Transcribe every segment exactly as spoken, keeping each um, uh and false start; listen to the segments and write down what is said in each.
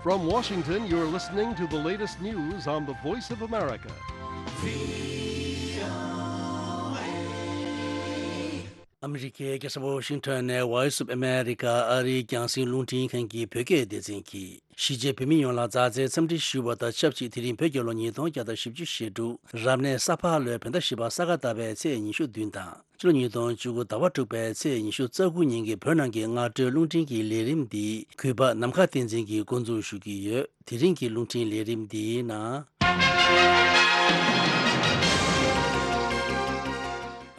From Washington, you're listening to the latest news on the Voice of America. ཨ་མི་རི་ཀའི་རྒྱལ་ས་ཝོ་ཤིང་ཊོན་ནས་Voice of America ཨ་རིའི་རྒྱང་སྲིང་རླུང་འཕྲིན་ཁང་གི་བོད་སྐད་སྡེ་ཚན་གྱིས། གཞིས་བྱེས་བོད་མི་ཡོངས་ལ་མཛའ་བརྩེའི་འཚམས་འདྲི་ཞུ་བ་དང་ཆབས་ཅིག་དེ་རིང་བོད་རྒྱལ་ལོ་ཉིས་སྟོང་བརྒྱ་དང་བཞི་བཅུ་ཞེ་དྲུག་རབ་གནས་ས་ཕག་ལོའི་བོད་ཟླ་བཞི་པ་ས་ག་ཟླ་བའི་ཚེས་ཉི་ཤུ་བདུན་དང་། ཕྱི་ལོ་ཉིས་སྟོང་བཅུ་དགུ་ཟླ་བ་དྲུག་པའི་ཚེས་ཉི་ཤུ་རྩ་དགུ་ཉིན་གྱི་བོད་ནང་གི་སྔ་དྲོའི་རླུང་འཕྲིན་གྱི་ལས་རིམ་འདི་གུས་པ་ནམ་མཁའ་བསྟན་འཛིན་གྱིས་འགོ་འཛུགས་ཞུ་གི་ཡོད། དེ་རིང་གི་རླུང་འཕྲིན་ལས་རིམ་འདིའི་ནང་།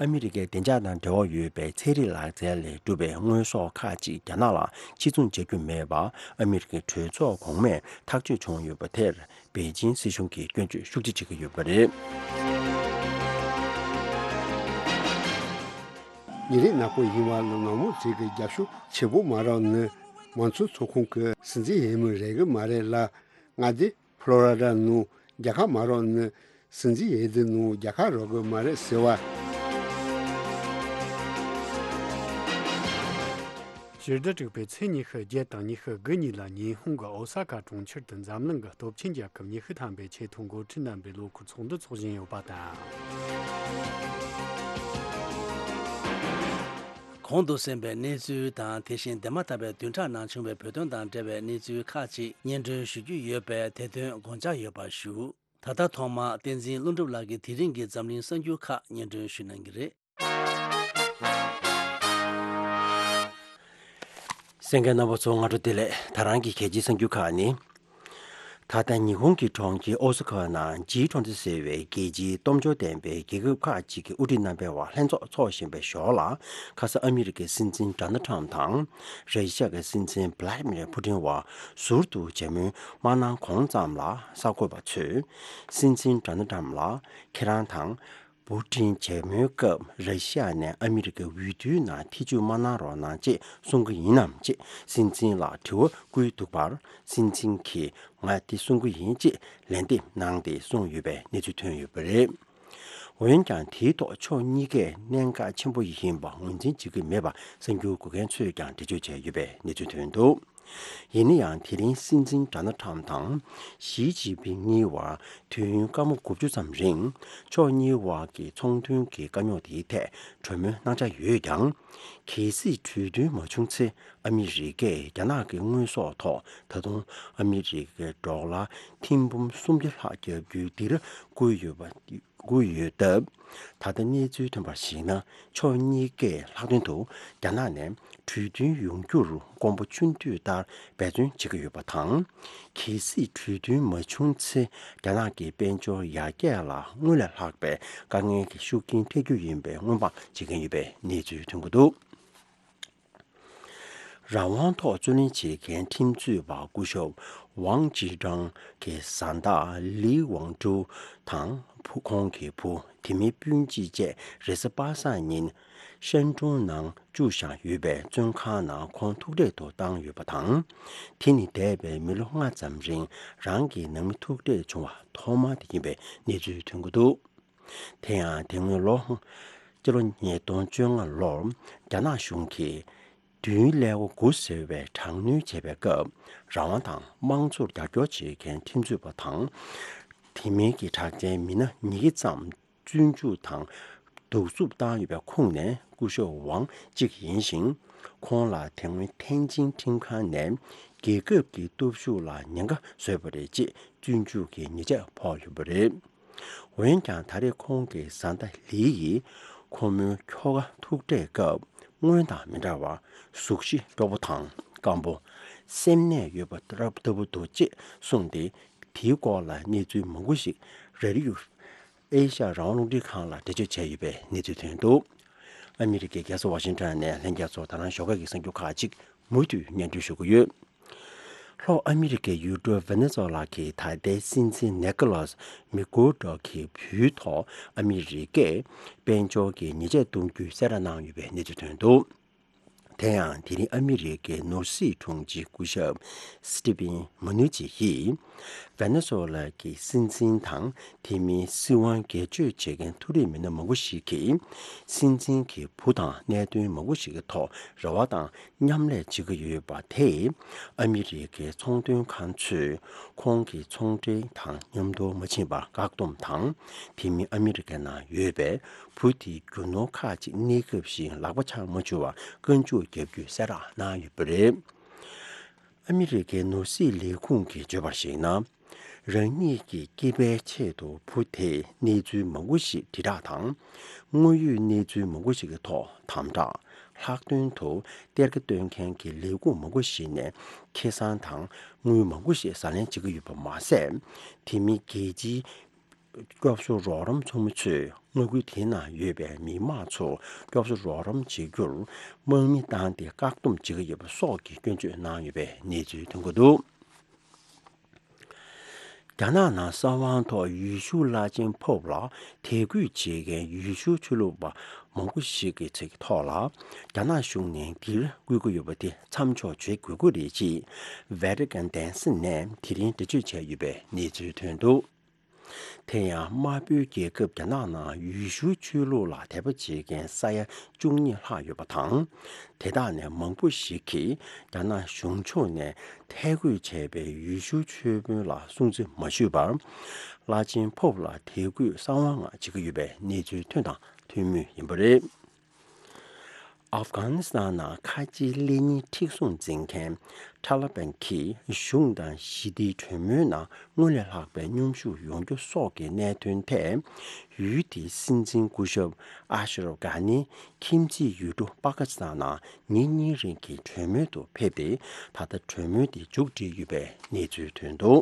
ཨ་མི་རི་ཀའི་བདེ་འཇགས་དང་འབྲེལ་བ་ཡོད་པའི་ཚན་རིག་ལག་རྩལ་ལས་གྲུབ་པའི་དངོས་ཟོག་ཁག་ཅིག་རྒྱ་ནག་ལ་ཕྱིར་ཚོང་བྱ་རྒྱུ་མེད་པ་ཨ་མི་རི་ཀའི་གྲོས་ཚོགས་གོང་མས་ཐག་གཅོད་བྱུང་ཡོད་པ་དེར། པེ་ཅིང་སྲིད་གཞུང་གིས་སྐྱོན་བརྗོད་ཤུགས་ཆེ་བྱེད་ཀྱི་ཡོད་པ་རེད། ཉིན་རེའི་ནག་པོ་ཡིན་བ་ལ་ནག་མོ་ཚིག་གི་རྒྱབ་ཤོག་ཆེ་པོ་མ་རག་ནི་མང་གཙོའི་ཚོགས་ཁོངས་ཀྱི་སྲིད་འཛིན་ཡིན་མི་རེ་གི་མ་རེད་ལ། ང་དེ་ཕློ་ར་ཌ་ནང་རྒྱལ་ཁ་མ་རག་ནི་སྲིད་འཛིན་ཡིན་དེ་ནང་རྒྱལ་ཁ་རག་གི་མ་རེད་ཟེར་བ། ཕྱི་ཟླ་དྲུག་པའི་ཚེས་ཉི་ཤུ་བརྒྱད་དང་ཉི་ཤུ་དགུ་གཉིས་ལ་ཉི་ཧོང་གི་ཨོ་ས་ཀ་གྲོང་ཁྱེར་དུ་འཛམ་གླིང་གི་སྟོབས་ཆེན་རྒྱལ་ཁབ་ཉི་ཤུ་ཐམ་པའི་ཆེས་མཐོའི་འགོ་ཁྲིད་རྣམ་པའི་ལོ་འཁོར་ཚོགས་འདུ་འཚོགས་བཞིན་ཡོད་པ་དང་། གོང་དུ་གསན་པའི་གནས་ཚུལ་དང་དེ་བཞིན་འདས་མ་ཐག་པའི་བདུན་ཕྲག་ནང་བྱུང་བའི་བོད་དོན་དང་འབྲེལ་བའི་གནས་ཚུལ་ཁག་ཅིག་སྙན་སྒྲོན་ཞུ་རྒྱུ་ཡོད་པས་དེ་དོན་དགོངས་འཇགས་ཡོད་པ་ཞུ། ད་ལྟ་ཐོག་མར་བསྟན་འཛིན་ཀླུ་སྒྲུབ་ལགས་ཀྱིས་དེ་རིང་གི་འཛམ་གླིང་གསར་འགྱུར་ཁག་སྙན་སྒྲོན་ཞུ་གནང་གི་རེད། གསན་མཁན་རྣམ་པ་ཚོ་སྔ་དྲོ་བདེ་ལེགས། ད་རང་གི་གལ་ཆེའི་གསར་འགྱུར་ཁག་ནི། ད་ལྟ་ཉི་ཧོང་གི་གྲོང་ཁྱེར་ཨོ་ས་ཀ་ནང་ཇི་ཊོན་ཊི་ཟེར་བའི་རྒྱལ་སྤྱིའི་སྟོབས་འབྱོར་ལྡན་པའི་རྒྱལ་ཁབ་ཁག་ཅིག་གི་དབུ་ཁྲིད་རྣམ་པའི་བར་ལྷན་ཚོགས་འཚོགས་བཞིན་པའི་ཞོར་ལ། ཁ་སང་ཨ་མི་རི་ཀའི་སྲིད་འཛིན་ཌོ་ནལ་ཊམ་དང་། ར་ཤི་ཡ་གི་སྲིད་འཛིན་བྷི་ལ་ཏི་མིར་ཕུ་ཏིན་བར་ཟུར་དུ་མཇལ་མོལ་མ་གནང་གོང་ཙམ་ལ་གསར་འགོད་པ་ཚོས། སྲིད་འཛིན་ཌོ་ནལ་ཊམ་ལ་ཁྱེད་རང་དང་། པུ་ཏིན་མཇལ་མོལ་སྐབས་ར་ཤི་ཡ་ནས་ཨ་མི་རི་ཀའི་འོས་བསྡུའི་ནང་ཐེ་བྱུས་མ་གནང་རོགས་གནང་ཅེས་གསུང་གི་ཡིན་ནམ་ཅེས་སྲིད་འཛིན་ལ་དྲི་བ་བསྐུལ་འདུག་པར། སྲིད་འཛིན་གྱིས་ང་འདི་གསུང་གི་ཡིན་ཅེས་ལན་འདེབས་གནང་སྟེ་གསུངས་ཡོད་པའི་གནས་ཚུལ་ཐོན་ཡོད་པ་རེད། འོན་ཀྱང་དེའི་ཐོག་ཕྱོགས་གཉིས་ཀས་གནད་འགག་ཆེན་པོ་ཡིན་པ་ངོས་འཛིན་བྱེད་ཀྱི་མེད་པ་གསར་འགྱུར་འགོད་མཁན་ཚོས་ཀྱང་འགྲེལ་བརྗོད་བྱས་ཡོད་པའི་གནས་ཚུལ་ཐོན་འདུག་ཡིན་ན་ཡང་དེ་རིང་སྲིད་འཛིན་ཌོ་ནལ་ཊམ་དང་ཞི་ཅིན་ཕིང་གཉིས་བར་དུས་ཡུན་སྐར་མ་དགུ་བཅུ་ཙམ་རིང་ཕྱོགས་གཉིས་བར་གྱི་ཚོང་དོན་གྱི་དཀའ་རྙོག་དེའི་ཐད་གྲོས་མོལ་གནང་འཆར་ཡོད་ཀྱང་། གལ་སྲིད་གྲོས་མཐུན་མ་བྱུང་ཚེ་ཨ་མི་རི་ཀས་རྒྱ་ནག་གི་དངོས་ཟོག་ཐོག་ད་དུང་ཨ་མི་རི་ཀའི་ཌོ་ལར་ཐེར་འབུམ་སུམ་བརྒྱ་ལྷག་བརྒྱབ་རྒྱུའི་སྡིགས་ར་བསྐུལ་ཡོད་པ། བསྐུལ་ཡོད་སྟབས། ད་ལྟ་གནས་ཚུལ་ཐོན་པར་གཞིགས་ན། ཕྱོགས་གཉིས་ཀས་ལྷག་དོན་དུ་རྒྱ་ནག་ནས་གྲོས་མཐུན་ཡོང་རྒྱུར་དགོངས་པ་ཆུང་དུས་ལྟར་འབད་བརྩོན་བྱེད་ཀྱི་ཡོད་པ་དང་། གལ་སྲིད་གྲོས་མཐུན་མ་བྱུང་ཚེ། རྒྱ་ནག་གི་དཔལ་འབྱོར་ཡར་རྒྱས་ལ་སྔོན་ལས་ལྷག་པའི་དཀའ་ངལ་གྱི་ཤུགས་རྐྱེན་འཕྲད་རྒྱུ་ཡིན་པའི་སྔོན་དཔག་བྱེད་མཁན་ཡོད་པའི་གནས་ཚུལ་ཐོན་གྱི་འདུག་རང་དབང་ཐོག་རྩོད་ལེན་བྱེད་མཁན་ཁྲིམས་རྩོད་པ་སྐུ་ཞབས་ཝང་ཅི་ཀྲང་གི་བཟའ་ཟླ་ལི་ཝང་ཀྲུའུ་དང་བུ། ཁོང་གི་བུ། དེ་མིན་སྤུན་མཆེད་བཅས་རེས་གཟའ་པ་སངས་ཉིན་ཧྲན་ཀྲུང་ནང་བཅུག་བཞག་ཡོད་པའི་བཙོན་ཁང་ནང་ཁོང་ཐུག་འཕྲད་དུ་བཏང་ཡོད་པ་དང་། དེ་ནི་འདས་པའི་མི་ལོ་ལྔ་ཙམ་རིང་རང་གི་ནང་མི་ཐུག་འཕྲད་བྱུང་བ་ཐོག་མ་དེ་ཡིན་པའི་གནས་ཚུལ་ཐོན་གྱི་འདུག་དེ་ཡང་དེ་སྔོན་ལོ། སྤྱི་ལོ་ཉིས་སྟོང་བཅོ་ལྔ་ལོར་རྒྱ་ནག་གཞུང་གིས་བདུན་ཀླད་ཀོར་དགུ་ཟེར་བའི་དྲག་གནོན་བྱས་པའི་སྐབས། རང་དབང་དང་དམངས་གཙོར་རྒྱབ་སྐྱོར་བྱེད་མཁན་ཁྲིམས་རྩོད་པ་དང་། དེ་མིན་གྱི་གྲགས་ཅན་མི་སྣ་ཉིས་བརྒྱ་ཙམ་བཙོན་འཇུག་དང་། གདུག་རྩུབ་བཏང་ཡོད་པའི་ཁོངས་ནས་སྐུ་ཞབས་ཝང་གཅིག་ཡིན་ཞིང་། ཁོང་ལ་དེ་སྔོན་ཐེན་ཅིན་ཁྲིམས་ཁང་ནས་རྒྱལ་ཁབ་ཀྱི་སྟོབས་ཤུགས་ལ་ཉེན་ཁ་བཟོས་པ་རེད་ཅེས་བཙོན་འཇུག་གི་ཉེས་ཆད་ཕོག་ཡོད་པ་རེད། འོན་ཀྱང་ད་རེས་ཁོང་གི་བཟའ་ཟླ་ལི་ཡིས་ཁོ་མོའི་ཁྱོ་ག་ཐུག་འཕྲད་སྐབས་སྔོན་དང་མི་འདྲ་བར་གཟུགས་གཞི་སྤྲོ་པོ་དང་སྐམ་པོ། སེམས་ནད་ཡོད་པ་ལྟ་བུ་འདུག་ཅེས་གསུངས་ཏེ། དེའི་སྐོར་ལ་གནས་ཚུལ་མང་པོ་ཞིག་རེ་ཌི་ཡོ་ཨེ་ཤ་ཡ་རང་དབང་རླུང་འཕྲིན་ཁང་ལ་འགྲེལ་བརྗོད་བྱས་ཡོད་པའི་གནས་ཚུལ་ཐོན་འདུག་ཨ་མི་རི་ཀའི་རྒྱལ་ས་ཝ་ཤིང་ཊོན་ནས་ལྷན་རྒྱས་ཚོར་ད་རང་ཞོགས་ཀ་གི་གསར་འགྱུར་ཁག་ཅིག་མུ་མཐུད་སྙན་སྒྲོན་ཞུ་གི་ཡོད། ལྷོ་ཨ་མི་རི་ཀའི་ཡུལ་གྲུ་ཝེ་ནེ་ཛོ་ལ་གི་ད་ལྟའི་སྲིད་འཛིན་ནེ་ཀོ་ལོས་མི་གུ་རོ་གི་བུའི་ཐོག་ཨ་མི་རི་ཀས་དཔལ་འབྱོར་གྱི་ཉེས་ཆད་གཏོང་རྒྱུའི་གསལ་བསྒྲགས་གནང་ཡོད་པའི་གནས་ཚུལ་ཐོན་འདུག་དེ་ཡང་དེ་རིང་ཨ་མི་རི་ཀའི་ནོར་སྲིད་དྲུང་ཆེ་སྐུ་ཞབས་སི་ཏི་ཕིན་མུ་ནུ་ཅི་ཡིས། ཝེ་ནེ་ཛུ་ཝེ་ལ་གི་སྲིད་འཛིན་དང་དེ་མིན་སྲིད་དབང་སྒེར་གཅོད་བྱེད་མཁན་མཐོ་རིམ་མི་སྣ་མང་པོ་ཞིག་གིས། སྲིད་འཛིན་གྱི་བུ་དང་གནད་དོན་མང་པོ་ཞིག་གི་ཐོག་རེ་བ་དང་མཉམ་ལས་བྱེད་ཀྱི་ཡོད་པ་དེས། ཨ་མི་རི་ཀའི་ཚོང་དོན་ཁང་ཚོས་ཁོང་གི་ཚོང་འབྲེལ་དང་མཉམ་དུ་མ་ཕྱིན་པར་བཀག་སྡོམ་དང་། དེ་མིན་ཨ་མི་རི་ཀའི་ནང་ཡོད་པའི་བུ་དེའི་རྒྱུ་ནོར་ཁག་ཅིག་གནས་སྐབས་བཞིན་ལག་པ་འཆང་མ་བཅུག་པར་བཀའ་འཇུག་བརྒྱབ་རྒྱུའི་གསལ་བསྒྲགས་གནང་ཡོད་པ་རེད། ཨ་མི་རི་ཀའི་ནོར་སྲིད་ལས་ཁུངས་ཀྱིས་བརྗོད་པར་གཞིགས་ན། རང་ཉིད་ཀྱི་སྐྱེས་པའི་ཆེད་དུ་བུ་དེས་གནས་ཚུལ་མང་པོ་ཞིག་དྲིལ་བསྒྲགས་དང་། དངོས་ཡོད་གནས་ཚུལ་མང་པོ་ཞིག་གི་ཐོག་དམ་དྲག་ལྷག་དོན་དུ་གཏེར་ཁ་གཏོང་མཁན་གྱི་ལས་ཁུངས་མང་པོ་ཞིག་ནས་ཁེ་བཟང་དང་དངུལ་མང་པོ་ཞིག་ཟ་ལེན་བྱེད་ཀྱི་ཡོད་པ་མ་ཟད། དེ་མིན་རྒྱལ་སྤྱིའི་སྐྱོབ་གསོ་རོགས་རམ་ཚོགས་མི་ཚོས་མངའ་ཁུལ་དེའི་ནང་ཡོད་པའི་མི་མང་ཚོར་སྐྱོབ་གསོ་རོགས་རམ་བྱེད་རྒྱུར་དམག་མི་བཏང་སྟེ་བཀག་སྡོམ་བྱེད་ཀྱི་ཡོད་པ་སོགས་ཀྱི་སྐྱོན་བརྗོད་གནང་ཡོད་པའི་གནས་ཚུལ་ཐོན་གྱི་འདུག་རྒྱ་ནག་ནང་གསང་བའི་ཐོག་ཡུལ་ཤུལ་བླ་ཆེན་ཕོབ་ལ་དད་གུས་བྱེད་མཁན་ཡུལ་ཤུལ་ཆོས་ལུགས་པ་མང་པོ་ཞིག་གི་ཚིག་ཐོག་ལ། རྒྱ་ནག་གཞུང་ནས་འདིར་བསྐུལ་གྱི་ཡོད་པ་དེ་མཚམས་འཇོག་བྱེད་དགོས་ཀྱི་རེད་ཅེས་ཝེ་ཏི་ཀན་གདན་ས་ནས་དེ་རིང་འགྲེལ་བརྗོད་བྱས་ཡོད་པའི་གནས་ཚུལ་ཐོན་འདུག་དེ་ཡང་དམར་པོའི་རྒྱལ་ཁབ་རྒྱ་ནག་ནང་ཡུལ་ཤུལ་ཆོས་ལུགས་ལ་དད་པ་བྱེད་མཁན་ས་ཡ་བཅུ་གཉིས་ལྷག་ཡོད་པ་དང་། དེ་དག་ནས་མང་པོ་ཞིག་གིས་རྒྱ་ནག་གཞུང་ཕྱོགས་ནས་ཐད་བསྐོས་བྱས་པའི་ཡུལ་ཤུལ་ཆོས་དཔོན་ལ་སྲུང་བརྩི་མ་ཞུས་པར། བླ་ཆེན་ཕོབ་ལ་དད་གུས་གསང་བ་ངང་བྱེད་ཀྱི་ཡོད་པའི་གནས་ཚུལ་ཐོན་དང་ཐོན་མུས་ཡིན་པ་རེད། ཨབ་གྷ་ནི་སི་ཐན་ནང་ཁ་ཆེའི་ལས་གཉེར་མཁྲེགས་བཟུང་འཛིན་མཁན་ཐ་ལི་བན་གྱིས་གཞུང་དང་ཞི་བདེའི་གྲོས་མོལ་ནང་སྔོན་ལས་ལྷག་པའི་མཉམ་ཞུགས་ཡོང་རྒྱུ་སོགས་ཀྱི་གནད་དོན་ཐད། ཡུལ་དེའི་སྲིད་འཛིན་སྐུ་ཞབས་ཨ་ཤ་རབ་གྷ་ནི་ཁྱིམ་མཚེས་ཡུལ་གྲུ་པ་ཀི་སི་ཐན་ནང་ཉིན་གཉིས་རིང་གི་གྲོས་མོལ་དུ་ཕེབས་ཏེ། ད་ལྟ་གྲོས་མོལ་དེ་མཇུག་སྒྲིལ་ཡོད་པའི་གནས་ཚུལ་ཐོན་འདུག་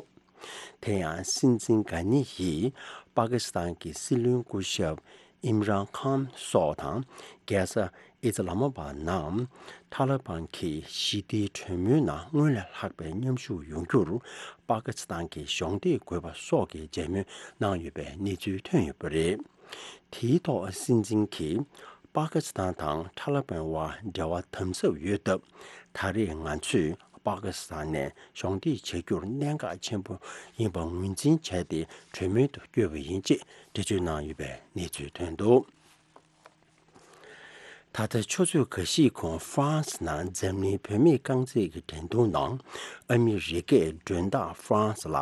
དེ་ཡང་སྲིད་འཛིན་གྷ་ནི་ཡིས་པ་ཀི་སི་ཐན་གྱི་སྲིད་བློན་སྐུ་ཞབས་ཨིམ་རཱན་ཁཱན་སོགས་དང་རྒྱལ་ས་ཨི་ཛི་ལ་མ་བ་ནང་ཐ་ལི་བན་གྱིས་ཞི་བདེའི་གྲོས་མོལ་ནང་སྔོན་ལས་ལྷག་པའི་མཉམ་ཞུགས་ཡོང་རྒྱུར་པ་ཀི་སི་ཐན་གྱི་གཞོགས་འདེགས་དགོས་པ་སོགས་ཀྱི་མཇལ་མོལ་གནང་ཡོད་པའི་གནས་ཚུལ་ཐོན་ཡོད་པ་རེད། དེའི་ཐོག་སྲིད་འཛིན་གྱིས་པ་ཀི་སི་ཐན་དང་ཐ་ལི་བན་དབར་འབྲེལ་བ་དམ་ཟབ་ཡོད་སྟབས། ད་རེས་ང་ཚོས་པ་ཀི་སི་ཐན་ནས་གཞོགས་འདེགས་བྱ་རྒྱུར་གནད་འགག་ཆེན་པོ་ཡིན་པ་ངོས་འཛིན་བྱས་ཏེ་གྲོས་མོལ་དུ་བསྐྱོད་པ་ཡིན་ཅེས་འགྲེལ་བརྗོད་གནང་ཡོད་པའི་གནས་ཚུལ་ཐོན་འདུག་ད་ལྟ་ཆུ་ཚོད་འགའ་ཞིག་གོང་ཧྥ་རན་སི་ནང་འཛམ་གླིང་བུད་མེད་རྐང་རྩེད་ཀྱི་འགྲན་བསྡུར་ནང་ཨ་མི་རི་ཀས་མགྲོན་བདག་ཧྥ་རན་སི་ལ་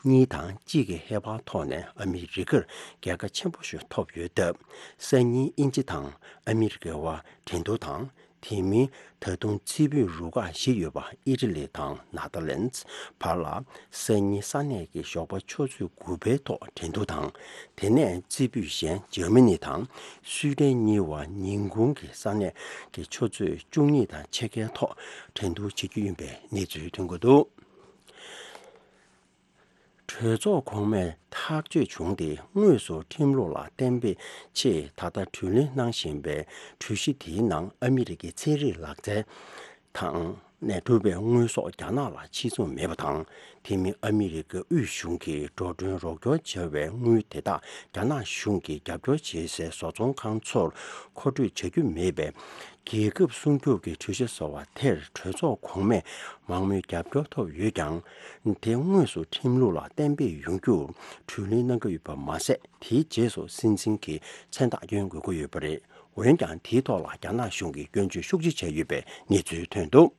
གཉིས་དང་གཅིག་གི་ཧེ་བག་ཐོག་ནས་ཨ་མི་རི་ཀར་རྒྱལ་ཁ་ཆེན་པོ་ཞིག་ཐོབ་ཡོད་སྟབས། སང་ཉིན་དབྱིན་ཇི་དང་ཨ་མི་རི་ཀའི་དབར་འགྲན་བསྡུར་དང་། དེ་མིན་ད་དུང་རྩེ་ཕུད་རུ་ཁག་བཞི་ཡོད་པ་ཨི་ཊ་ལི་དང་ནེ་དར་ལེན་ཌི་བར་ལ་སང་ཉིན་ས་གནས་ཀྱི་ཞོགས་པ་ཆུ་ཚོད་དགུ་པའི་ཐོག་འགྲན་བསྡུར་དང་། དེ་ནས་རྩེ་ཕུད་གཞན་འཇར་མ་ནི་དང་སུའེ་ཏེན་གཉིས་བར་ཉིན་གུང་གི་ས་གནས་ཀྱི་ཆུ་ཚོད་བཅུ་གཉིས་དང་ཕྱེད་ཀའི་ཐོག་འགྲན་བསྡུར་བྱེད་རྒྱུ་ཡིན་པའི་གནས་ཚུལ་ཐོན་གྱི་འདུག་གྲོས་ཚོགས་གོང་མས་ཐག་གཅོད་བྱུང་སྟེ། དངོས་སུ་ཁྲིམས་ལུགས་ལ་གཏན་འབེབས་ཆེད་ད་ལྟ་དྲིས་ལན་གནང་བཞིན་པའི་གྲོས་གཞི་དེའི་ནང་ཨ་མི་རི་ཀའི་ཚན་རིག་ལག་རྩལ་དང་ནས་གྲུབ་པའི་དངོས་ཟོག་རྒྱ་ནག་ལ་ཕྱིར་ཚོང་མེད་པ་དང་། དེ་མིན་ཨ་མི་རི་ཀའི་དབུས་གཞུང་གིས་འགྲོ་གྲོན་རོགས་སྐྱོར་བྱ་བའི་དངུལ་དེ་དག་རྒྱ་ནག་གཞུང་གིས་རྒྱབ་སྐྱོར་བྱེད་སའི་བཟོ་ཚོང་ཁང་ཚོར་མཁོ་སྤྲོད་བྱ་རྒྱུ་མེད་པའི། རྒྱལ་ཁབ་སྲུང་སྐྱོབ་ཀྱི་གྲོས་གཞི་བཟོ་བ་དེར་གྲོས་ཚོགས་གོང་མས་མང་མོས་རྒྱབ་སྐྱོར་ཐོབ་ཡོད་ཀྱང་། དེ་དངོས་སུ་ཁྲིམས་ལུགས་ལ་གཏན་འབེབས་ཡོང་རྒྱུར་དྲིས་ལན་གནང་གི་ཡོད་པ་མ་ཟད། དེའི་རྗེས་སུ་སྲིད་འཛིན་གྱིས་མཚན་རྟགས་བསྐྱོན་དགོས་ཀྱི་ཡོད་པ་རེད། འོན་ཀྱང་། དེའི་ཐོག་ལ་རྒྱ་ནག་གཞུང་གིས་སྐྱོན་བརྗོད་ཤུགས་ཆེ་བྱས་ཡོད་པའི་གནས་ཚུལ་ཐོན་འདུག་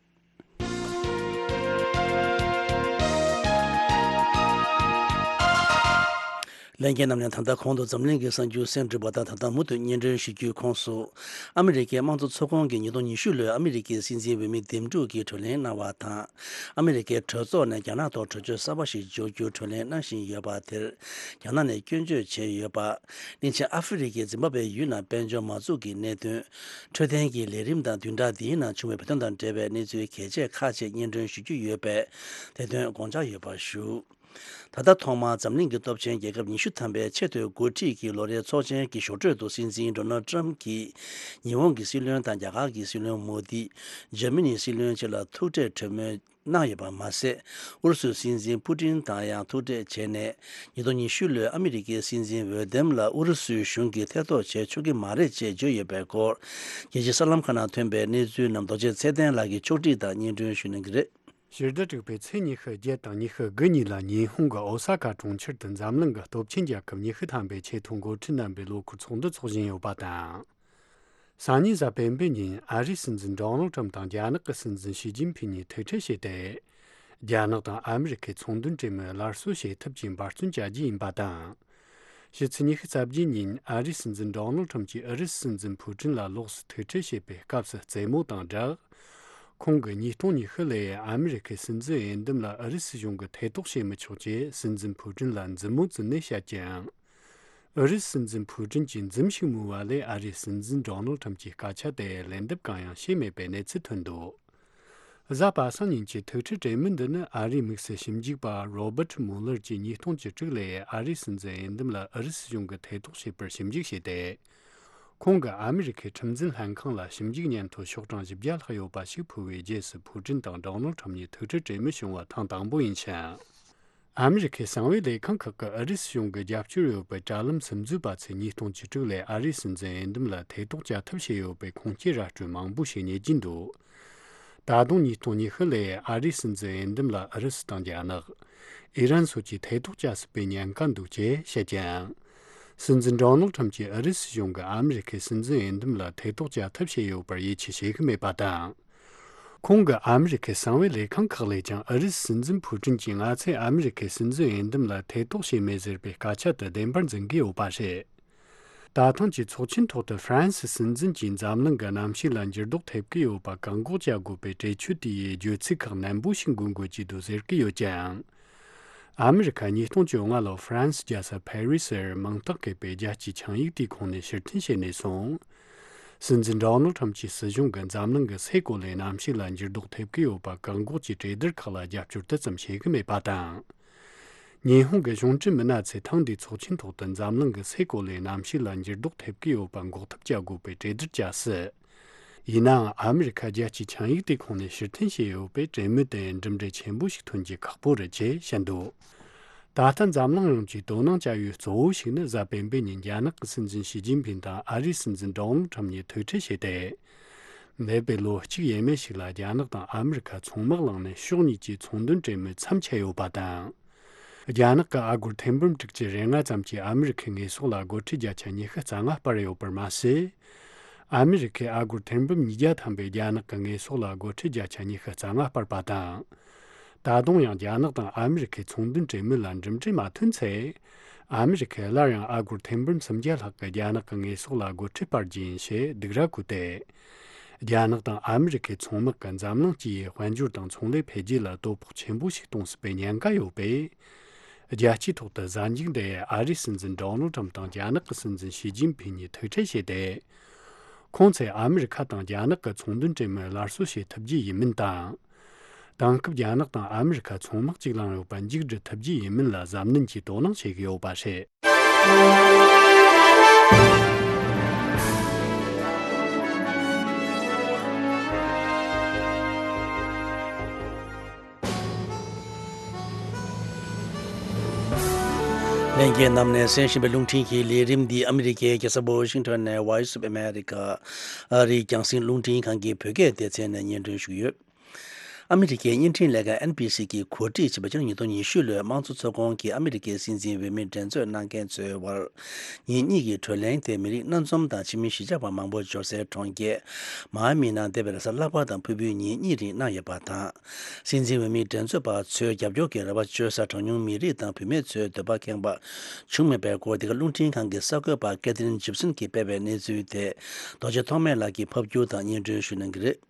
ལྷན་རྒྱས་རྣམས་ནས། ད་ལྟ་གོང་དུ་འཛམ་གླིང་གི་གསར་འགྱུར་གསན་གྲུབ་པ་དང་། ད་ལྟ་མུ་མཐུད་སྙན་སྒྲོན་ཞུ་རྒྱུའི་ཁོངས་སུ། ཨ་མི་རི་ཀའི་དམངས་གཙོ་ཚོགས་ཁོངས་ཀྱིས་ཉིས་སྟོང་ཉི་ཤུ་ལོའི་ཨ་མི་རི་ཀའི་སྲིད་འཛིན་འོས་མི་འདེམས་སྒྲུག་གི་གྲོས་གླེང་གནང་བ་དང་། ཨ་མི་རི་ཀའི་གྲོས་ཚོགས་ནས་རྒྱ་ནག་ཐོག་གྲོས་ཆོད་གསར་པ་ཞིག་འཇོག་རྒྱུར་གྲོས་གླེང་གནང་བཞིན་ཡོད་པ་དེར། རྒྱ་ནག་ནས་སྐྱོན་བརྗོད་བྱས་ཡོད་པ། གླིང་ཆེན་ཨ་ཧྥེ་རི་ཁའི་ཛིམ་བྷ་བྷེ་ཡུལ་ནང་དཔལ་འབྱོར་མ་འཛུགས་ཀྱི་གནད་དོན། འཕྲོད་བསྟེན་གྱི་ལས་རིམ་དང་བདུན་ཕྲག་འདིའི་ནང་བྱུང་བའི་བོད་དོན་དང་འབྲེལ་བའི་གནས་ཚུལ་གལ་ཆེ་ཁག་ཅིག་སྙན་སྒྲོན་ཞུ་རྒྱུ་ཡོད་པས། དེ་དོན་དགོངས་འཇགས་ཡོད་པར་ཞུ། ད་ལྟ་ཐོག་མར་འཛམ་གླིང་གི་སྟོབས་ཆེན་རྒྱལ་ཁབ་ཉི་ཤུ་ཐམ་པའི་ཆེས་མཐོའི་འགོ་ཁྲིད་ཀྱི་ལོ་རེའི་ཚོགས་ཆེན་གྱི་ཞོགས་སྤྲོས་སུ། སྲིད་འཛིན་ཌོ་ནལ་ཊམ་གྱིས་ཉི་ཧོང་གི་སྲིད་བློན་དང་རྒྱ་གར་གྱི་སྲིད་བློན་མོ་དི། འཇར་མ་ནིའི་སྲིད་བློན་བཅས་ལ་ཐུག་འཕྲད་གྲོས་མོལ་ གནང་ཡོད་པ་མ་ཟད། ཨུ་རུ་སུའི་སྲིད་འཛིན་ཕུ་ཏིན་དང་ཡང་ཐུག་འཕྲད་བྱས་ནས། ཉིས་སྟོང་ཉི་ཤུ་ལོའི་ཨ་མི་རི་ཀའི་སྲིད་འཛིན་འོས་འདེམས་ལ་ཨུ་རུ་སུའི་གཞུང་གིས་ཐེ་གཏོགས་བྱེད་ཆོག་གི་མ་རེད་ཅེས་བརྗོད་ཡོད་པའི་སྐོར། རྒྱལ་སྤྱིའི་གསར་ལམ་ཁག་ནང་ཐོན་པའི་གནས་ཚུལ་རྣམས་རྡོ་རྗེ་ཚེ་བརྟན་ལགས་ཀྱིས་ཕྱོགས་སྒྲིག་དང་སྙན་སྒྲོན་ཞུ་གནང་གི་རེད། ཕྱི་ཟླ་དྲུག་པའི་ཚེས་ཉི་ཤུ་བརྒྱད་དང་ཉི་ཤུ་དགུ་ཉིན་ལ་ཉི་ཧོང་གི་ཨོ་ས་ཀ་གྲོང་ཁྱེར་དུ་འཛམ་གླིང་གི་སྟོབས་ཆེན་རྒྱལ་ཁབ་ཉི་ཤུ་ཐམ་པའི་ཆེས་མཐོའི་འགོ་ཁྲིད་རྣམ་པའི་ལོ་འཁོར་ཚོགས་འདུ་འཚོགས་བཞིན་ཡོད་པ་དང་། སང་ཉིན་གཟའ་སྤེན་པའི་ཉིན་ཨ་རིའི་སྲིད་འཛིན་ཌོ་ནལ་ཁྲམ་དང་རྒྱ་ནག་གི་སྲིད་འཛིན་ཞི་ཅིན་ཕིན་གཉིས་ཐུག་འཕྲད་བྱས་ཏེ། རྒྱ་ནག་དང་ཨ་མི་རི་ཁའི་ཚོང་དོན་གྲོས་མོལ་སླར་གསོ་བྱེད་ཐབས་ཀྱི་འབད་བརྩོན་བྱ་རྒྱུ་ཡིན་པ་དང་། ཕྱི་ཚེས་ཉི་ཤུ་རྩ་བརྒྱད་ཉིན་ཨ་རིའི་སྲིད་འཛིན་ཌོ་ནལ་ཁྲམ་གྱིས་ཨུ་རུ་སུའི་སྲིད་འཛིན་ཕུ་ཀྲིན་ལ་ལོགས་སུ་ཐུག་འཕྲད་བྱེད་པའི་སྐབས་སུ་རྩེད་མོ་དང་སྦྲགས། ཁོང་གིས་ཉིས་སྟོང་ཉི་ཤུ་ལོའི་ཨ་མི་རི་ཁའི་སྲིད་འཛིན་འོས་འདེམས་ལ་ཨུ་རུ་སུའི་གཞུང་གིས་ཐེ་གཏོགས་བྱེད་མི་ཆོག་ཅེས་སྲིད་འཛིན་ཕུ་ཀྲིན་ལ་མཛུབ་མོ་བཙུགས་ནས་བཤད་ཀྱང་། ཨུ་རུ་སུའི་སྲིད་འཛིན་ཕུ་ཀྲིན་གྱིས་མཛུབ་ཞིག་མོས་པ་ལས་ཨ་རིའི་སྲིད་འཛིན་ཌོ་ནལ་ཁྲམ་གྱིས་སྐད་ཆ་དེར་ལན་འདེབས་གང་ཡང་བྱས་མེད་པའི་གནས་ཚུལ་ཐོན་འདུག་གཟའ་པ་སངས་ཉིན་གྱི་ཐུག་འཕྲད་གྲོས་མོལ་འདི་ནི་ཨ་རིའི་དམིགས་བསལ་ཞིབ་འཇུག་པ་རོ་བར་ཊི་མུ་ལར་གྱིས་ཉིས་སྟོང་བཅུ་དྲུག་ལོའི་ཨ་རིའི་སྲིད་འཛིན་འོས་འདེམས་ལ་ཨུ་རུ་སུའི་གཞུང་གིས་ཐེ་གཏོགས་བྱས་པར་ཞིབ་འཇུག་བྱས་ཏེ། ཁོང་གིས་ཨ་མི་རི་ཁའི་ཁྲིམས་འཛིན་ལྷན་ཁང་ལ་ཞིབ་འཇུག་སྙན་ཐོ་ཤོག་གྲངས་བཞི་བརྒྱ་ལྷག་ཡོད་པ་ཞིག་ཕུལ་བའི་རྗེས་སུ་ཕུ་ཀྲིན་དང་ཌོ་ནལ་ཁྲམ་གཉིས་ཐུག་འཕྲད་གྲོས་མོལ་བྱུང་བ་ཐེངས་དང་པོ་ཡིན་ཞིང་། ཨ་མི་རི་ཁའི་གསང་བའི་ལས་ཁང་ཁག་གིས་ཨུ་རུ་སུའི་གཞུང་གིས་རྒྱབ་སྐྱོར་ཡོད་པའི་དྲ་ལམ་སིམ་འཛུལ་པ་ཚོས་ཉིས་སྟོང་བཅུ་དྲུག་ལོའི་ཨ་རིའི་སྲིད་འཛིན་འོས་འདེམས་ལ་ཐེ་གཏོགས་བྱ་ཐབས་བྱས་ཡོད་པའི་ཁུངས་སྐྱེལ་ར་སྤྲོད་མང་པོ་ཞིག་རྙེད་ཀྱིན་འདུག་ད་དུང་ཉིས་སྟོང་ཉི་ཤུ་ལོའི་ཨ་རིའི་སྲིད་འཛིན་འོས་འདེམས་ལ་ཨུ་རུ་སུ་དང་རྒྱ་ནག་ཨི་རན་སོགས་ཀྱིས་ཐེ་གཏོགས་བྱ་སྲིད་པའི་ཉེན་ཁ་འདུག་ཅེས་བཤད་ཀྱང་། སྲིད་འཛིན་ཌོ་ནལ་ཁྲམ་གྱིས་ཨུ་རུ་སུའི་གཞུང་གིས་ཨ་མི་རི་ཁའི་སྲིད་འཛིན་འོས་འདེམས་ལ་ཐེ་གཏོགས་བྱ་ཐབས་བྱས་ཡོད་པར་ཡིད་ཆེས་བྱེད་ཀྱི་མེད་པ་དང་། ཁོང་གིས་ཨ་མི་རི་ཁའི་གསང་བའི་ལས་ཁང་ཁག་ལས་ཀྱང་ཨུ་རུ་སུའི་སྲིད་འཛིན་ཕུ་ཀྲིན་གྱིས་ང་ཚོས་ཨ་མི་རི་ཁའི་སྲིད་འཛིན་འོས་འདེམས་ལ་ཐེ་གཏོགས་བྱས་མེད་ཟེར་བའི་སྐད་ཆ་དེ་བདེན་པར་འཛིན་གྱི་ཡོད་པ་རེད། ད་ཐེངས་ཀྱི་ཚོགས་ཆེན་ཐོག་ཏུ་ཧྥ་རན་སིའི་སྲིད་འཛིན་གྱིས་འཛམ་གླིང་གི་གནམ་གཤིས་ལ་འགྱུར་ལྡོག་ཐེབས་ཀྱི་ཡོད་པ་བཀག་འགོག་བྱ་དགོས་པའི་གྲོས་ཆོད་དེ་ཡི་བརྗོད་ཚིག་ཁག་ནན་པོ་ཞིག་འགོད་དགོས་ཀྱི་འདུག་ཟེར་གྱི་ཡོད་ཀྱང་། ཨ་མི་རི་ཁ་ཉིས་སྟོང་བཅོ་ལྔ་ལོར་ཧྥ་རན་སི་རྒྱལ་ས་ཕ་རི་སིར་མིང་རྟགས་བཀོད་པའི་རྒྱལ་སྤྱིའི་ཆིངས་ཡིག་དེའི་ཁོངས་ནས་ཕྱིར་འཐེན་བྱས་ནས་བཟུང་། སྲིད་འཛིན་ཌོ་ནལ་ཁྲམ་གྱི་སྲིད་གཞུང་གིས་འཛམ་གླིང་གི་སའི་གོ་ལའི་གནམ་གཤིས་ལ་འགྱུར་ལྡོག་ཐེབས་ཀྱི་ཡོད་པ་བཀག་འགོག་གི་གྲོས་བསྡུར་ཁག་ལ་རྒྱབ་སྐྱོར་དེ་ཙམ་བྱེད་ཀྱི་མེད་པ་དང་། ཉི་ཧོང་གི་གཞུང་འབྲེལ་མི་སྣ་ཚོས་ཐེངས་འདིའི་ཚོགས་ཆེན་ཐོག་ཏུ་འཛམ་གླིང་གི་སའི་གོ་ལའི་གནམ་གཤིས་ལ་འགྱུར་ལྡོག་ཐེབས་ཀྱི་ཡོད་པ་འགོག་ཐབས་བྱ་དགོས་པའི་གྲོས་བསྡུར་བྱ་སྲིད། ཡིན་ནའང་ཨ་མི་རི་ཁ་རྒྱལ་སྤྱིའི་ཆིངས་ཡིག་དེའི་ཁོངས་ནས་ཕྱིར་འཐེན་བྱས་ཡོད་པས་གྲོས་མོལ་དེ་གྲུབ་འབྲས་ཆེན་པོ་ཞིག་ཐོན་རྒྱུ་ཁག་པོ་རེད་ཅེས་བཤད་འདུག་ད་ལྟ་འཛམ་གླིང་ཡོངས་ཀྱིས་དོ་སྣང་བྱ་ཡུལ་གཙོ་བོ་ཞིག་ནི་གཟའ་སྤེན་པའི་ཉིན་རྒྱ་ནག་གི་སྲིད་འཛིན་ཞི་ཅིན་ཕིན་དང་ཨ་རིའི་སྲིད་འཛིན་ཌོ་ནལ་ཁྲམ་གཉིས་ཐུག་འཕྲད་བྱས་ཏེ། འདས་པའི་ལོ་གཅིག་ཡས་མས་ཤིག་ལ་རྒྱ་ནག་དང་ཨ་མི་རི་ཁ་མཚོ་དམག་བླངས་ནས་ཕྱོགས་གཉིས་ཀྱི་ཚོང་དོན་གྲོས་མོལ་མཚམས་ཆད་ཡོད་པ་དང་། རྒྱ་ནག་གི་ཨ་སྒོར་ཐེར་འབུམ་དྲུག་ཅུ་རེ་ལྔ་ཙམ་གྱིས་ཨ་མི་རི་ཁའི་དངོས་ཟོག་ལ་སྒོ་ཁྲལ་བརྒྱ་ཆ་ཉི་ཤུ་རྩ་ལྔ་སྤར་ཡོད་པར་མ་ཟད། ཨ་མི་རི་ཁའི་ཨ་སྒོར་ཐེར་འབུམ་ཉིས་བརྒྱ་ཐམ་པས་རྒྱ་ནག་གི་དངོས་ཟོག་ལ་སྒོ་ཁྲལ་བརྒྱ་ཆ་ཉི་ཤུ་རྩ་ལྔ་སྤར་པ་དང་། ད་དུང་ཡང་རྒྱ་ནག་དང་ཨ་མི་རི་ཁའི་ཚོང་དོན་གྲོས་མོལ་ལ་འགྲིམ་འགྲུལ་མ་ཐོན་ཚེ། ཨ་མི་རི་ཁས་སླར་ཡང་ཨ་སྒོར་ཐེར་འབུམ་སུམ་བརྒྱ་ལྷག་གི་རྒྱ་ནག་གི་དངོས་ཟོག་ལ་སྒོ་ཁྲལ་སྤར་རྒྱུ་ཡིན་ཞེས་སྡིགས་ར་བསྐུལ་ཏེ། རྒྱ་ནག་དང་ཨ་མི་རི་ཁའི་ཚོང་དམག་གིས་འཛམ་གླིང་སྤྱི་ཡི་དཔལ་འབྱོར་དང་ཚོང་ལས་འཕེལ་རྒྱས་ལ་དོ་ཕོག་ཆེན་པོ་ཞིག་གཏོང་སྲིད་པའི་ཉེན་ཁ་ཡོད་པས། རྒྱལ་སྤྱིའི་ཐོག་ཏུ་གཟའ་མཇུག་འདི་ཨ་རིའི་སྲིད་འཛིན་ཌོ་ནལ་ཁྲམ་དང་རྒྱ་ནག་གི་སྲིད་འཛིན་ཞི་ཅིན་ཕིན་གཉིས་ཐུག་འཕྲད་བྱས་ཏེ། ཁོང་ཚོས་ཨ་མི་རི་ཁ་དང་རྒྱ་ནག་གི་ཚོང་དོན་གྲོས་མོལ་སླར་གསོ་བྱེད་ཐུབ་རྒྱུ་ཡིན་མིན་དང་། དེང་སྐབས་རྒྱ་ནག་དང་ཨ་མི་རི་ཁ་མཚོ་དམག་གཅིག་ལངས་ཡོད་པ་མཇུག་སྒྲིལ་ཐུབ་རྒྱུ་ཡིན་མིན་ལ་གཟབ་ནན་གྱིས་དོ་སྣང་བྱེད་ཀྱི་ཡོད་པ་རེད། ལྷན་རྒྱས་རྣམས་ནས་གསན་བཞིན་པའི་རླུང་འཕྲིན་གྱི་ལས་རིམ་འདི་ཨ་མི་རི་ཀའི་རྒྱལ་ས་ཝ་ཤིང་ཊོན་ནས་Voice of America ཨ་རིའི་རྒྱང་སྲིང་རླུང་འཕྲིན་ཁང་གི་བོད་སྐད་སྡེ་ཚན་ནས་སྙན་སྒྲོན་ཞུས་ཡོད། ཨ་མི་རི་ཀའི་བརྙན་འཕྲིན་ལས་ཁང་ཨེན་བྷི་སི་གིས་གོ་སྒྲིག་བྱས་པའི་ཕྱི་ལོ་ཉིས་སྟོང་ཉི་ཤུ་ལོའི་དམངས་གཙོ་ཚོགས་ཁོངས་ཀྱི་ཨ་མི་རི་ཀའི་སྲིད་འཛིན་འོས་མི་འགྲན་རྩོད་གནང་མཁན་ཚོའི་བར། ཉིན་གཉིས་ཀྱི་བགྲོ་གླེང་དེ་མི་རིགས་སྣ་འཛོམས་དང་ཕྱི་མི་གཞིས་ཆགས་པ་མང་པོ་འབྱོར་སའི་གྲོང་ཁྱེར་མ་ཨ་མི་ནང་འདས་པའི་རེས་གཟའ་ལྷག་པ་དང་ཕུར་བུའི་ཉིན་གཉིས་རིང་གནང་ཡོད་པ་དང་། སྲིད་འཛིན་འོས་མི་འགྲན་རྩོད་པ་ཚོའི་རྒྱབ་སྐྱོར་གྱི་རེ་བ་བཅོལ་ས་གྲངས་ཉུང་མི་རིགས་དང་བུད་མེད་ཚོའི་འདོད་པ་ཁེངས་པ་བྱུང་མེད་པའི་སྐོར། འདི་ག་རླུང་འཕྲིན་ཁང་གི་གསར་འགོད་པ་ཀེ་ཐི་རིན་ཇིབ་སན་གྱིས་སྤེལ་བའི་གནས་ཚུལ་དེ་རྡོ་རྗེ་ཐོགས་མེད་ལགས་ཀྱིས་ཕབ་སྒྱུར་དང་སྙན་སྒྲོན་ཞུ་གནང་གི་རེད།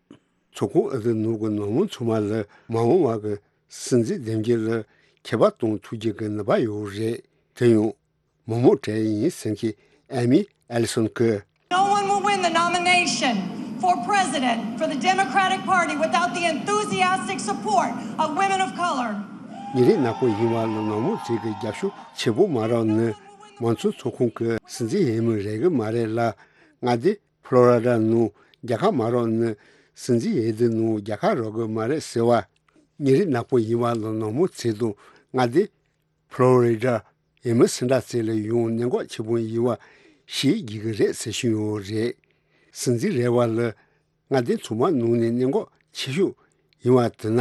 ཚོགས་ཁོངས་ཨ་རིའི་ནང་གི་ནང་མི་ཚང་མ་ལ་མ་འོངས་པ་གི་སྲིད་འཛིན་འདེམས་རྒྱུ་ལ་ཁྱད་པར་གཏོང་ཐུབ་རྒྱུ་གི་ནུས་པ་ཡོད་རེད། དེ་ཡང་མི་མང་གྲལ་ཡིན་ཟེར་མཁན་ཨེ་མི་ཨེ་ལི་སོན་གྱིས། No one will win the nomination for president for the Democratic Party without the enthusiastic support of women of color. མི་རིགས་ནག་པོ་ཡིན་པ་ལ་ནང་མི་ཚོས་ཀྱི་རྒྱབ་སྐྱོར་ཆེན་པོ་མ་རག་ན་མང་གཙོའི་ཚོགས་ཁོངས་ཀྱི་སྲིད་འཛིན་འོས་མི་རག་གི་མ་རེད་ལ། མངའ་སྡེ་ཕློ་རི་ཌ་ནང་རྒྱལ་ཁ་མ་རག་ན་སྲིད་འཛིན་འོས་བསྡུ་ནང་རྒྱལ་ཁ་རག་གི་མ་རེད་ཟེར་བ། ཉིན་རེ་ནག་པོ་ཡིན་པ་ལ་ནག་མོ་ཚེ་དང་མངའ་སྡེ་ཕློ་རི་ཌ་ཨེ་མི་སི་འདྲ་ཚེ་ལ་ཡང་ནད་འགོག་ཆེན་པོ་ཡིན་པ་ཤེས་དགོས་ཀྱི་རེད་ཟེར་བཞིན་ཡོད་རེད། སྲིད་འཛིན་རེ་བ་ལ་མངའ་སྡེ་ཚང་མ་ནང་ནས་ནད་འགོག་ཆེ་ཤོས་ཡིན་པ་དེ་ན།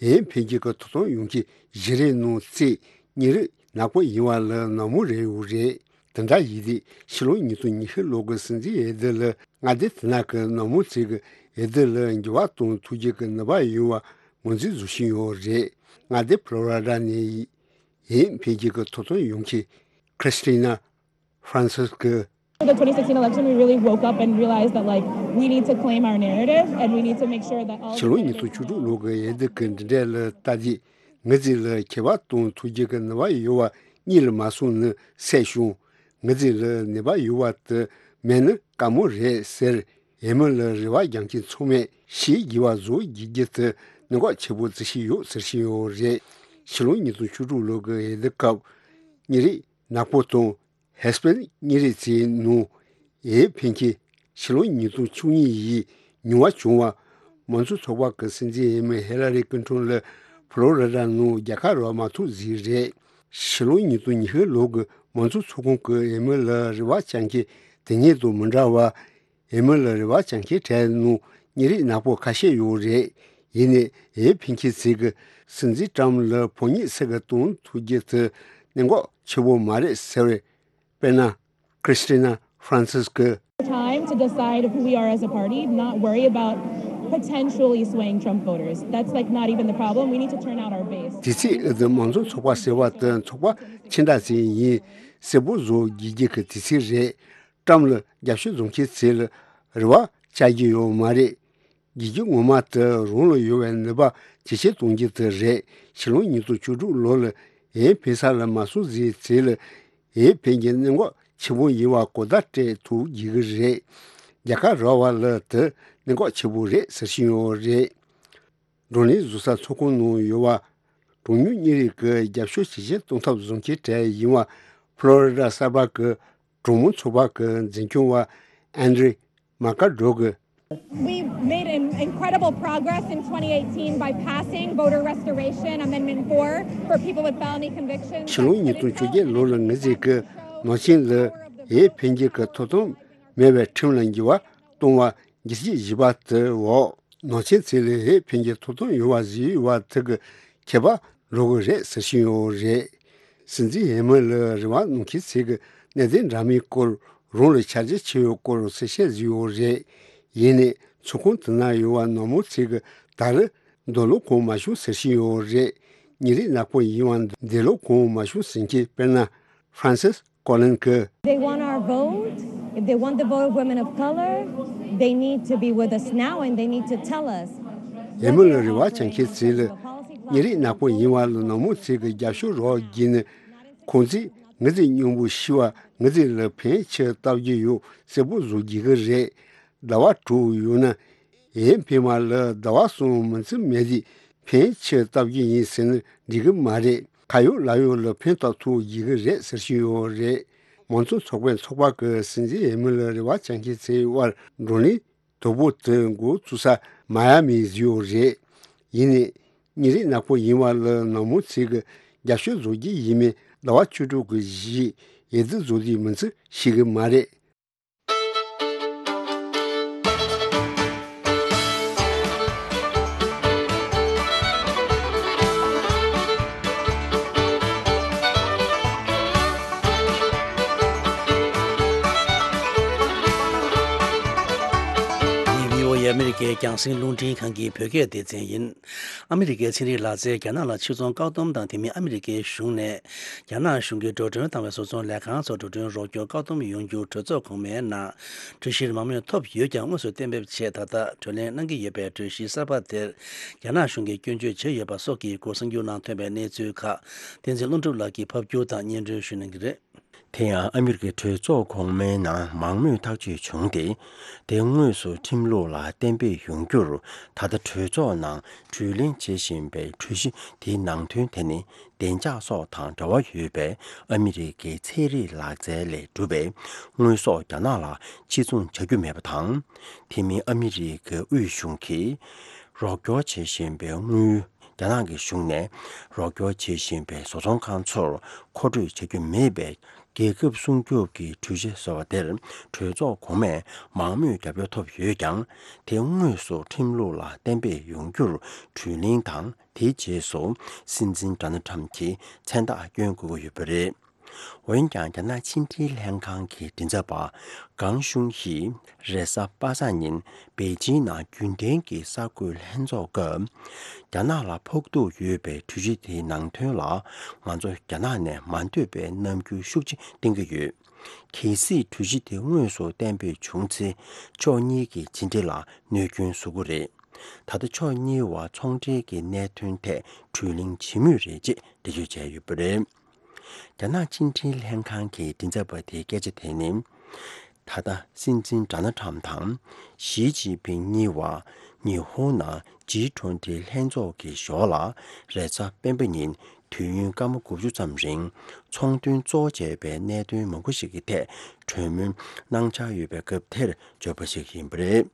ཨེ་འཕེལ་རྒྱས་ཀྱི་ཐོབ་ཐང་ཡོང་གི་གཞི་རེད་ནང་བརྩིས་ཉིན་རེ་ནག་པོ་ཡིན་པ་ལ་ནག་མོ་རེད་ཡོད་རེད། དེ་འདྲ་ཡིན་དུས་ཕྱི་ལོ་ཉིས་སྟོང་ཉི་ཤུ་ལོ་གི་སྲིད་འཛིན་འོས་བསྡུ་ལ་མངའ་སྡེ་དེ་ན་གི་ནག་མོ་ཚེ་གི་འོས་བསྡུ་ལ་འགྱུར་བ་གཏོང་ཐུབ་རྒྱུ་གི་ནུས་པ་ཡོད་པ་ངོས་འཛིན་བཟོ་བཞིན་ཡོད་རེད། མངའ་སྡེ་ཕློ་རི་ཌ་ནས་ཨེ་འཕེལ་རྒྱས་ཀྱི་ཐོབ་ཐང་ཡོང་གི་Christina Francis གི For the twenty sixteen election, we really woke up and realized that, like, we need to claim our narrative and we need to make sure that all ཕྱི་ལོ་ཉིས་སྟོང་བཅུ་དྲུག་ལོ་གི་འོས་བསྡུ་གི་འདི་འདྲ་ལ་ལྟ་དུས་ངེད་ཚོ་ལ་ཁྱད་པར་གཏོང་ཐུབ་རྒྱུ་གི་ནུས་པ་ཡོད་པ་གཉིད་ལ་མ་སོང་ནི་སད་བྱུང་། ངེད་ཚོ་ལ་ནུས་པ་ཡོད་པ་དེ་མེད་ནི་དཀའ་མོ་རེད་ཟེར། ཨེ་མི་ལ་རེ་བ་རྒྱག་མཁན་ཚང་མས་ཤེས་དགོས་པ་བཟོ་དགོས་རྒྱུ་དེ་གནད་འགག་ཆེ་པོ་བརྩི་བཞིན་ཡོད་ཟེར་བཞིན་ཡོད་རེད། ཕྱི་ལོ་ཉིས་སྟོང་བཅུ་དྲུག་ལོ་གི་འོས་བསྡུ་སྐབས་ཉིན་རེ་ནག་པོ་དང་ཧེ་སྤེན་ཉིན་རེ་ཚེའི་ནང་ཨེ་འཕེལ་རྒྱས་ཕྱི་ལོ་ཉིས་སྟོང་བཅུ་གཉིས་ཡི་ཉུང་བ་བྱུང་བ། མང་གཙོ་ཚོགས་པ་གི་སྲིད་འཛིན་འོས་མི་ཧི་ལ་རི་ཀིན་ཊོན་ལ་ཕློ་རི་ཌ་ནང་རྒྱལ་ཁ་རག་མ་ཐུབ་ཟིག་རེད། ཕྱི་ལོ་ཉིས་སྟོང་ཉི་ཤུ་ལོ་གི་མང་གཙོ་ཚོགས་ཁོངས་ཀྱི་འོས་མི་ལ་རེ་བ་བཅངས་མཁན་དེ་སྔོན་དང་མི་འདྲ་བ། འོས་མི་ལ་རེ་བ་བཅངས་མཁན་གྲས་ནང་ཉིན་རེ་ནག་པོ་ཁ་ཤས་ཡོད་རེད། ཡིན་ནའི་འོས་འཕེན་མཁན་ཚོས་ཀྱིས་སྲིད་འཛིན་ཊམ་ལ་ཕོ་ཉ་ཟེར་གི་གཏོང་ཐུབ་རྒྱུ་དེ་གནད་འགག་ཆེ་བོ་མ་རེད་ཟེར་བས། དཔེར་ན། Christina Francis གིས། Time to decide who we are as a party, not worry about potentially swaying Trump voters. That's, like, not even the problem. We need to turn out our base. དེ་ཚེ་འོས་བསྡུ་མང་གཙོ་ཚོགས་པ་ཟེར་བ་དེ་ཚོགས་པ་ཆེ་འདྲ་ཅིག་ཡིན་གསལ་པོ་བཟོ་དགོས་རྒྱུ་གི་དུས་ཚོད་རེད། ཊམ་ལ་རྒྱབ་སྐྱོར་བཟོ་མཁན་ཚོ་ལ་རེ་བ་བཅག་རྒྱུ་ཡོད་མ་རེད། རྒྱལ་ཁབ་ངོ་མ་དེ་རང་ལ་ཡོད་པའི་ནུས་པ་ཇེ་ཆེར་གཏོང་རྒྱུ་དེ་རེད། ཕྱི་ལོ་ཉིས་སྟོང་བཅུ་དྲུག་ལོ་ལ་འོས་འཕེན་ས་ལ་མ་སོང་ཟིག་ཚེ་ལ་འོས་འཕེན་རྒྱུ་གནད་འགག་ཆེན་པོ་ཡིན་པ་གོ་བརྡ་སྤྲད་ཐུབ་རྒྱུ་གི་རེད། རྒྱལ་ཁ་རག་པ་ལ་དེ་གནད་འགག་ཆེན་པོ་རེད་ཟེར་བཞིན་ཡོད་རེད། བགྲོ་གླེང་བཟོ་ས་ཚོགས་ཁང་ནང་ཡོད་པ། གྲངས་ཉུང་གཉིས་རིགས་ཀྱི་རྒྱབ་སྐྱོར་ཇེ་ཆེར་གཏོང་ཐབས་བཟོ་མཁན་གྲས་ཡིན་པ་ཕློ་རི་ཌ་གསར་པ་གི་གྲོང་མི་ཚོགས་པ་གི་འཛིན་སྐྱོང་བ་ཨན་ཌྲི་མ་ཀར་ཌོ་གིས། We made an incredible progress in twenty eighteen by passing Voter Restoration Amendment four for people with felony convictions. ཕྱི་ལོ་ཉིས་སྟོང་བཅོ་བརྒྱད་ལོ་ལ་ངེད་ཚོས་ཀྱིས་ནག་ཅན་ལ་འོས་འཕེན་རྒྱུ་གི་ཐོབ་ཐང་མེད་པའི་ཁྲིམས་ལ་འགྱུར་བ་གཏོང་བ་བསྒྱུར་བཅོས་བྱས་པ་དེའི་འོག་ནག་ཅན་ཚོ་ལ་འོས་འཕེན་རྒྱུའི་ཐོབ་ཐང་ཡོད་པ་བཟོས་ཡོད་པ་དེ་གི་ཁྱད་པར་འགྲོ་གི་རེད་ཟེར་བཞིན་ཡོད་རེད། སྲིད་འཛིན་འོས་མི་ལ་རེ་བ་གནང་མཁན་ཚོས་ཀྱིས་གནད་དོན་འདྲ་མིན་སྐོར་རང་ལ་ཆ་རྒྱུས་ཆེ་བའི་སྐོར་གསལ་བཤད་བཟོས་ཡོད་རེད། ཡིན་ནའི་ཚོགས་ཁང་དེ་ན་ཡོད་པ་ནག་མོ་ཚོས་ཀྱིས་ད་རེས་འདོད་བློ་གང་མ་བྱུང་ཟེར་བཞིན་ཡོད་རེད། ཉིན་རེ་ནག་པོ་ཡིན་པ་འདོད་བློ་གང་མ་བྱུང་ཟེར་མཁན་དཔེར་ན་ཧྥ་རན་སིས་ཀོ་ལིན་གྱིས། They want our vote. If they want the vote of women of color, they need to be with us now and they need to tell us. འོས་མི་ལ་རེ་བ་བཅངས་མཁན་ཚོ་ལ་ཉིན་རེ་ནག་པོ་ཡིན་པ་ལ་ནག་མོ་ཚོས་ཀྱི་རྒྱབ་སྐྱོར་རོགས་བགྱིས་ནས་ཁོང་ཚོས་ངེད་ཚོའི་སྙིང་པོ་ཤི་བ་ངེད་ཚོ་ལ་ཕན་ཆེ་ལྟ་རྒྱུ་ཡོད་གསལ་པོ་བཟོ་དགོས་ཀྱི་རེད། ཟླ་བ་དྲུག་ཡོད་ན་འོས་འཕེན་པ་ལ་ཟླ་བ་གསུམ་མིན་ཚེ་མེད་དུས་ཕན་ཆེ་ལྟ་རྒྱུ་ཡིན་ཟེར་ན་འགྲིག་གི་མ་རེད། ཁ་ཡོད་ལག་ཡོད་ལ་ཕན་ཐོགས་ཐུབ་ཡོད་ཀྱི་རེད་ཟེར་བཞིན་ཡོད་རེད། མང་གཙོ་ཚོགས་པའི་ཚོགས་པ་གི་སྲིད་འཛིན་འོས་མི་ལ་རེ་བ་བཅངས་མཁན་ཚོའི་དབར་བགྲོ་གླེང་དོ་པོ་དེ་འགོ་བཙུགས་ས་མ་ཡ་མི་བཟོས་ཡོད་རེད། ཡིན་ནའི་ཉིན་རེ་ནག་པོ་ཡིན་པ་ལ་ནག་མོ་ཚོས་ཀྱི་རྒྱབ་སྐྱོར་བཟོ་རྒྱུ་ཡིན་མིན་ཟླ་བ་བཅུ་དྲུག་གི་གཞི་འོས་བསྡུ་བཟོ་དུས་མིན་ཚེ་ཤེས་ཀྱི་མ་རེད། འདི་བྷི་ཨོ་ཨེ་ཨ་མི་རི་ཀའི་རྒྱང་སྲིང་རླུང་འཕྲིན་ཁང་གི་བོད་སྐད་སྡེ་ཚན་ཡིན། ཨ་མི་རི་ཀའི་ཚན་རིག་ལག་རྩལ་རྒྱ་ནག་ལ་ཕྱིར་ཚོང་བཀག་སྡོམ་དང་དེ་མིན་ཨ་མི་རི་ཀའི་གཞུང་ནས་རྒྱ་ནག་གཞུང་གིས་འགྲོ་གྲོན་བཏང་བའི་བཟོ་ཚོང་ལས་ཁང་ཚོར་འགྲོ་གྲོན་རོགས་སྐྱོར་བཀག་སྡོམ་ཡོང་རྒྱུ་གྲོས་ཚོགས་གོང་མའི་ནང་གྲོས་གཞིར་མང་མོས་ཐོབ་ཡོད་ཀྱང་དངོས་སུ་གཏན་འབེབས་ཆེད་ད་ལྟ་གྲོས་གླེང་གནང་གི་ཡོད་པའི་གྲོས་གཞི་གསར་པ་དེར་རྒྱ་ནག་གཞུང་གིས་སྐྱོན་བརྗོད་བྱས་ཡོད་པ་སོགས་ཀྱི་སྐོར་གསར་འགྱུར་ནང་ཐོན་པའི་གནས་ཚུལ་ཁག་བསྟན་འཛིན་ཀླུ་སྒྲུབ་ལགས་ཀྱིས་ཕབ་སྒྱུར་དང་སྙན་སྒྲོན་ཞུ་གནང་གི་རེད། དེ་ཡང་ཨ་མི་རི་ཀའི་གྲོས་ཚོགས་གོང་མའི་ནང་མང་མོས་ཐག་གཅོད་བྱུང་སྟེ། དེ་དངོས་སུ་ཁྲིམས་ལུགས་ལ་གཏན་འབེབས་ཡོང་རྒྱུར་ད་ལྟ་གྲོས་ཚོགས་ནང་གྲོས་གླེང་བྱེད་བཞིན་པའི་གྲོས་གཞི་དེའི་ནང་དོན་དེ་ནི་བདེ་འཇགས་སོགས་དང་འབྲེལ་བ་ཡོད་པའི་ཨ་མི་རི་ཀའི་ཚན་རིག་ལག་རྩལ་ལས་གྲུབ་པའི་དངོས་ཟོག་རྒྱ་ནག་ལ་ཕྱིར་ཚོང་བྱ་རྒྱུ་མེད་པ་དང་། དེ་མིན་ཨ་མི་རི་ཀའི་དབུས་གཞུང་གིས་རོགས་སྐྱོར་བྱེད་བཞིན་པའི་དངུལ་ རྒྱ་ནག་གི་གཞུང་ནས་རོགས་སྐྱོར་བྱེད་བཞིན་པའི་བཟོ་ཚོང་ཁང་ཚོར་མཁོ་སྤྲོད་བྱ་རྒྱུ་མེད་པའི་རྒྱལ་ཁབ་སྲུང་སྐྱོབ་ཀྱི་གྲོས་ཆོད་ཟེར་བ་དེར་གྲོས་ཚོགས་གོང་མས་མང་མོས་རྒྱབ་སྐྱོར་ཐོབ་ཡོད་ཀྱང་། དེ་དངོས་སུ་ཁྲིམས་ལུགས་ལ་གཏན་འབེབས་ཡོང་རྒྱུར་གྲོས་གླེང་དང་། དེའི་རྗེས་སུ་སྲིད་འཛིན་ཌོ་ནལ་ཁྲམ་གྱིས་མཚན་རྟགས་བསྐྱོན་དགོས་ཀྱི་ཡོད་པ་རེད། འོན་ཀྱང་། རྒྱ་ནག་ཕྱི་འབྲེལ་ལྷན་ཁང་གི་མགྲིན་ཚབ་པ་ཀང་ཤུང་ཡིས་རེས་གཟའ་པ་སངས་ཉིན་པེ་ཅིང་ནང་རྒྱུན་ལྡན་གྱི་གསར་འགོད་ལྷན་ཚོགས་སྐབས། རྒྱ་ནག་ལ་ཕོག་ཐུག་ཡོད་པའི་གྲོས་གཞི་དེའི་ནང་དོན་ལ། ང་ཚོ་རྒྱ་ནག་ནས་མ་འདོད་པའི་རྣམ་འགྱུར་ཤུགས་ཆེ་བསྟན་གྱི་ཡོད། གལ་སྲིད་གྲོས་གཞི་དེ་དངོས་སུ་གཏན་འབེབས་བྱུང་ཚེ། ཕྱོགས་གཉིས་ཀྱི་ཕྱི་འབྲེལ་ལ་གནོད་སྐྱོན་བཟོ་གི་རེད། ད་ལྟ་ཕྱོགས་གཉིས་བར་ཚོང་འབྲེལ་གྱི་གནད་དོན་ཐད་གྲོས་གླེང་བྱེད་མུས་རེད་ཅེས་འགྲེལ་བརྗོད་བྱས་ཡོད་པ་རེད། རྒྱ་ནག་ཕྱི་འབྲེལ་ལྷན་ཁང་གི་མགྲིན་ཚབ་པ་དེའི་སྐད་ཆ་དེ་ནི། ད་ལྟ་སྲིད་འཛིན་ཌོ་ནལ་ཁྲམ་དང་ཞི་ཅིན་ཕིང་གཉིས་བར་ཉི་ཧོང་ནང་ཇི་ཊུ་ཝེན་ཊི་ལྷན་ཚོགས་ཀྱི་ཞོར་ལ། རེས་གཟའ་སྤེན་པ་ཉིན་དུས་ཡུན་སྐར་མ་དགུ་བཅུ་ཙམ་རིང་ཚོང་དོན་གཙོ་བོ་བྱས་པའི་གནད་དོན་མང་པོ་ཞིག་གི་ཐད་གྲོས་མོལ་གནང་འཆར་ཡོད་པའི་སྐབས་དེར་བརྗོད་པ་ཞིག་ཡིན་པ་རེད།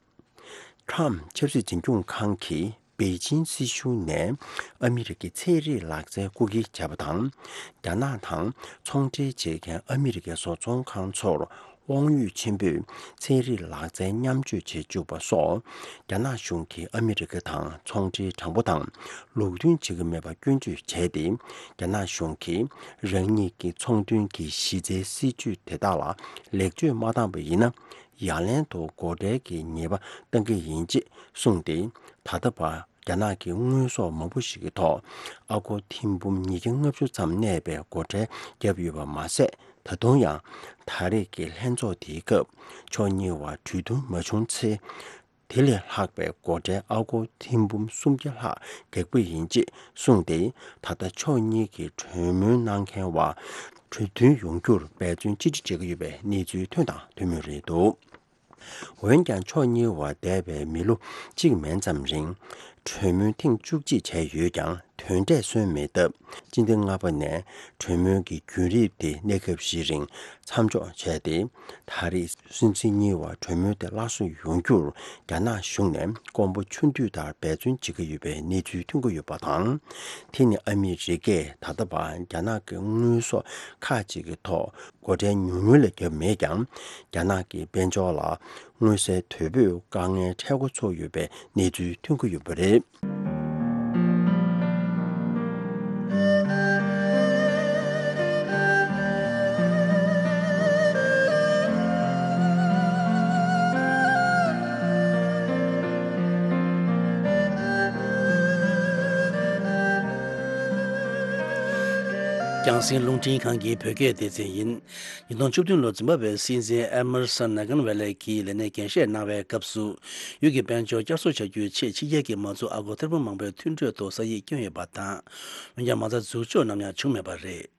ཁྲམ་ཆབ་སྲིད་འཛིན་སྐྱོང་ཁང་གིས་པེ་ཅིང་སྲིད་གཞུང་ནས་ཨ་མི་རི་ཀའི་ཚན་རིག་ལག་རྩལ་རྐུ་འཁྱེར་བྱས་པ་དང་། རྒྱ་ནག་དང་ཚོང་འབྲེལ་བྱེད་མཁན་ཨ་མི་རི་ཀའི་བཟོ་ཚོང་ཁང་ཚོར་དབང་ཡོད་ཆེན་པོས་ཚན་རིག་ལག་རྩལ་མཉམ་སྤྱོད་བྱེད་བཅུག་པ་སོགས། རྒྱ་ནག་གཞུང་གིས་ཨ་མི་རི་ཀ་དང་ཚོང་འབྲེལ་དྲང་པོ་དང་ལུགས་མཐུན་བྱེད་ཀྱི་མེད་པ་སྐྱོན་བརྗོད་བྱས་ཏེ། རྒྱ་ནག་གཞུང་གིས་རང་ཉིད་ཀྱི་ཚོང་དོན་གྱི་གཞི་རྩའི་སྲིད་ཇུས་དེ་དག་ལ་ལེགས་བཅོས་མ་བཏང་པ་ཡིན་ན། ཡ་ལན་དུ་སྒོ་ཁྲལ་གྱི་ཉེས་པ་གཏང་གི་ཡིན་ཅེས་གསུངས་ཏེ། ད་ལྟ་བར་རྒྱ་ནག་གི་དངོས་ཟོག་མང་པོ་ཞིག་གི་ཐོག་ཨ་སྒོར་ཐེར་འབུམ་ཉིས་བརྒྱ་ལྔ་བཅུ་ཙམ་གནས་པའི་སྒོ་ཁྲལ་བརྒྱབ་ཡོད་པ་མ་ཟད། ད་དུང་ཡང་ད་རེས་ཀྱི་ལྷན་ཚོགས་དེའི་སྐབས་ཕྱོགས་གཉིས་བར་གྲོས་བསྡུར་མ་བྱུང་ཚེ། དེ་ལས་ལྷག་པའི་སྒོ་ཁྲལ་ཨ་སྒོར་ཐེར་འབུམ་སུམ་བརྒྱ་ལྷག་བཀག་པ་ཡིན་ཅེས་གསུངས་ཏེ། ད་ལྟ་ཕྱོགས་གཉིས་ཀྱིས་གྲོས་མོལ་གནང་མཁན་བར་གྲོས་མཐུན་ཡོང་རྒྱུར་འབད་བརྩོན་ཅི་ཆེ་བྱེད་ཀྱི་ཡོད་པའི་གནས་ཚུལ་ཐོན་དང་ཐོན་མུས་རེད་འདུག། འོན་ཀྱང་། ཕྱོགས་གཉིས་བར་འདས་པའི་མི་ལོ་གཅིག་མན་ཙམ་རིང་གྲོས་མོལ་ཐེངས་བཅུ་གཅིག་བྱས་ཡོད་ཀྱང་། དོན་འབྲས་སོན་མེད་སྟབས། སྤྱི་ཟླ་ལྔ་པ་ནས་གྲོས་མོལ་གྱི་བརྒྱུད་རིམ་དེ་གནས་སྐབས་ཤིག་རིང་མཚམས་འཇོག་བྱས་ཏེ། ད་རེས་སྲིད་འཛིན་གཉིས་བར་གྲོས་མོལ་དེ་སླར་གསོ་ཡོང་རྒྱུར་རྒྱ་ནག་གཞུང་ནས་དཀོན་པོ་ཆུང་དུས་ལྟར་འབད་བརྩོན་བྱེད་ཀྱི་ཡོད་པའི་གནས་ཚུལ་ཐོན་གྱི་ཡོད་པ་དང་། དེ་ནི་ཨ་མི་རི་ཀས་ད་ལྟ་བར་རྒྱ་ནག་གི་དངོས་ཟོག་ཁག་ཅིག་གི་ཐོག་སྒོ་ཁྲལ་ཉུང་ཉུང་ལས་བརྒྱབ་མེད་ཀྱང་། རྒྱ་ནག་གི་དཔལ་འབྱོར་ལ་མངོན་གསལ་དོད་པོས་དཀའ་ངལ་འཕྲད་འགོ་ཚུགས་ཡོད་པའི་གནས་ཚུལ་ཐོན་གྱི་ཡོད་པ་རེད། རྒྱང་སྲིང་རླུང་འཕྲིན་ཁང་གི་བོད་སྐད་སྡེ་ཚན་ཡིན། ཉིས་སྟོང་བཅུ་བདུན་ལོར་འཛིན་པ་བའི་སྲིད་འཛིན་ཨེ་མར་སན་ནེ་གན་ཝེ་ལེ་གིས་ལས་གནས་འགན་བཞེས་གནང་བའི་སྐབས་སུ། ཡུལ་གྱི་དཔལ་འབྱོར་བསྐྱར་གསོ་བྱ་རྒྱུའི་ཆེད་ཕྱི་རྒྱལ་གྱི་མ་འཛུགས་ཨ་སྒོར་ཐེར་འབུམ་མང་པོའི་མཐུན་གྲོས་ཐོག་ས་ཡིག་བསྐྱོན་ཡོད་པ་དང་། འོན་ཀྱང་། མ་རྩ་འཛུགས་འཇོག་ནམ་ཡང་བྱུང་མེད་པ་རེད།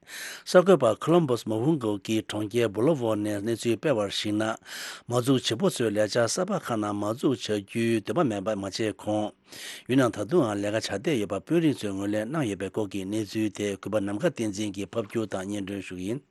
གསར་འགོད་པ་ཁོ་ལོམ་བྷོ་སི་མ་ཧུན་གོ་གི་གྲོང་ཁྱེར་སྦུ་ལོ་ཝོ་ནས་གནས་ཚུལ་སྤེལ་བར་གཞིགས་ན། མ་འཛུགས་བྱེད་པོ་ཚོས་ལས་འཆར་གསར་པ་ཁག་ནང་མ་འཛུགས་བྱ་རྒྱུའི་འདོད་པ་མེད་པ་མ་བྱས་གོང་། ཡུལ་ནང་ད་དུང་ཡང་ལས་ཀ་བྱ་བསྡད་ཡོད་པ་དཔོན་རིགས་ཚོས་ངོས་ལེན་གནང་ཡོད་པའི་སྐོར་གྱི་གནས་ཚུལ་དེ་གུས་པ་ནམ་མཁའ་བསྟན་འཛིན་གྱིས་ཕབ་སྒྱུར་དང་སྙན་སྒྲོན་ཞུ་གི་ཡིན།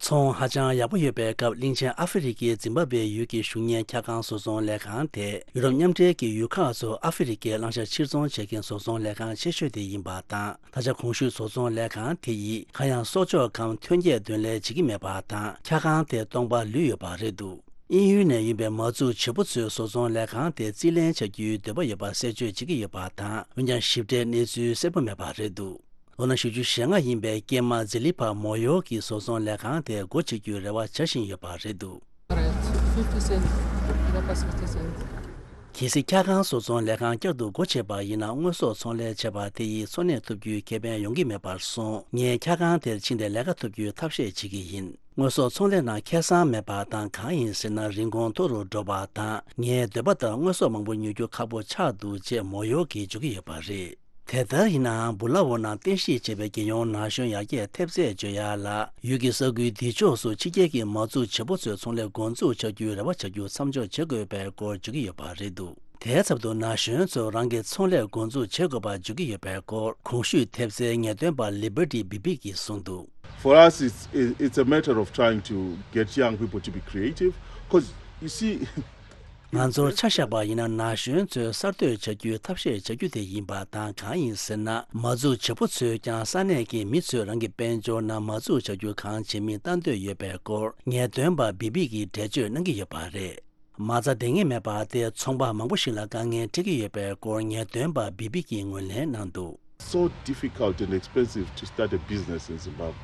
ཚོང་ཧ་ཅང་ཡག་པོ་ཡོད་པའི་སྐབས། གླིང་ཆེན་ཨ་ཧྥེ་རི་ཁའི་ཛིམ་བྷ་བྷེ་ཡུལ་གྱི་གཞུང་གཉེར་འཁྱག་ཁང་བཟོ་ཚོང་ལས་ཁང་དེ། ཡུ་རོབ་མཉམ་འབྲེལ་གྱི་ཡུལ་ཁག་ཚོར་ཨ་ཧྥེ་རི་ཁའི་བླང་བྱ་ཕྱིར་ཚོང་བྱེད་མཁན་བཟོ་ཚོང་ལས་ཁང་ཆེ་ཤོས་དེ་ཡིན་པ་དང་། ད་ཆ་གོང་ཞུས་བཟོ་ཚོང་ལས་ཁང་དེ་ཡིས་གང་ཡང་གསོག་འཇོག་གམ་ཐོན་སྐྱེད་འདོན་ལས་བྱེད་ཀྱི་མེད་པ་དང་། འཁྱག་ཁང་དེ་སྟོང་པ་ལུས་ཡོད་པ་རེད་འདུག། དབྱིན་ཡུལ་ནས་ཡིན་པའི་མ་འཛུགས་བྱེད་པོ་ཚོས་བཟོ་ཚོང་ལས་ཁང་དེ་རྩིས་ལེན་བྱ་རྒྱུའི་འདོད་པ་ཡོད་པ་གསལ་བརྗོད་བྱེད་ཀྱི་ཡོད་པ་དང་། འོན་ཀྱང་། ཞིབ་ཕྲའི་གནས་ཚུལ་གསལ་པོ་མེད་པ་རེད་འདུག། ལོ་ན་བཞི་བཅུ་ཞེ་ལྔ་ཡིན་པའི་སྐྱེས་མ་ཛི་ལི་ཕ་མོ་ཡོ་གིས་བཟོ་ཚོང་ལས་ཁང་དེ་སྒོ་ཕྱེ་རྒྱུའི་རེ་བ་བྱ་བཞིན་ཡོད་པ་རེད་འདུག། Fifty cent. Fifty cent. གལ་སྲིད་འཁྱག་ཁང་བཟོ་ཚོང་ལས་ཁང་བསྐྱར་དུ་སྒོ་ཕྱེ་བ་ཡིན་ན། དངོས་ཟོག་ཚོང་ལས་བྱས་པ་དེ་ཡིས་འཚོ་གནས་ཐུབ་རྒྱུའི་ཁེ་ཕན་ཡོང་གི་མེད་པར་སོང་། ངས་འཁྱག་ཁང་དེར་ཕྱིན་ཏེ་ལས་ཀ་ཐུབ་རྒྱུའི་ཐབས་ཤེས་བྱེད་ཀྱི་ཡིན། དངོས་ཟོག་ཚོང་ལས་ནང་ཁེ་བཟང་མེད་པ་དང་། གང་ཡིན་ཟེར་ན། རིན་གོང་མཐོ་རུ་འགྲོ་བ་དང་། ངའི་འདོད་པ་ལྟར་དངོས་ཟོག་མང་པོ་ཉོ་རྒྱུ་ཁག་པོ་ཆགས་འདུག་ཅེས་མོ་ཡོ་གིས་བརྗོད་ཀྱི་ཡོད་པ་རེད། དེ་ལྟར་ཡིན་ནའང་། སྦུ་ལ་ཝོ་ནང་རྟེན་གཞི་བྱས་པའི་རྒྱལ་ཡོངས་ན་གཞོན་ཡར་རྒྱས་ཐེབས་རྩས་བརྗོད་ཡག་ལ། ཡུལ་གྱི་ས་ཁུལ་འདི་ཕྱོགས་སུ་ཕྱི་རྒྱལ་གྱི་མ་འཛུགས་བྱེད་པོ་ཚོས་ཚོང་ལས་འགོ་འཛུགས་བྱ་རྒྱུའི་རེ་བ་བྱ་རྒྱུ་མཚམས་འཇོག་བྱེད་དགོས་པའི་སྐོར་བརྗོད་ཀྱི་ཡོད་པ་རེད་འདུག། དེའི་ཚབ་ཏུ་ན་གཞོན་ཚོས་རང་གི་ཚོང་ལས་འགོ་འཛུགས་བྱེད་དགོས་པ་བརྗོད་ཀྱི་ཡོད་པའི་སྐོར། གོང་ཞུས་ཐེབས་རྩའི་ངེས་སྟོན་པ་ལི་བར་ཏི་བི་བི་གིས་གསུངས་འདུག། For us, it's, it's a matter of trying to get young people to be creative, 'cause you see, ང་ཚོར་ཆ་བཞག་པ་ཡིན་ན། ན་གཞོན་ཚོས་གསར་གཏོད་བྱ་རྒྱུའི་ཐབས་ཤེས་བྱ་རྒྱུ་དེ་ཡིན་པ་དང་། གང་ཡིན་ཟེར་ན། མ་འཛུགས་བྱེད་པོ་ཚོས་ཀྱང་ས་གནས་ཀྱི་མི་ཚོས་རང་གི་དཔལ་འབྱོར་ནང་མ་འཛུགས་བྱ་རྒྱུ་གང་བྱེད་མིན་ལྟ་འདོད་ཡོད་པའི་སྐོར། ངེས་སྟོན་པ་བི་བི་གིས་འགྲེལ་བརྗོད་གནང་གི་ཡོད་པ་རེད། མ་རྩ་ལྡང་ངེས་མེད་པ་དེ་ཚོང་པ་མང་པོ་ཞིག་ལ་དཀའ་ངལ་འཕྲད་ཀྱི་ཡོད་པའི་སྐོར། ངེས་སྟོན་པ་བི་བི་གིས་ངོས་ལེན་གནང་འདུག So difficult and expensive to start a business in Zimbabwe.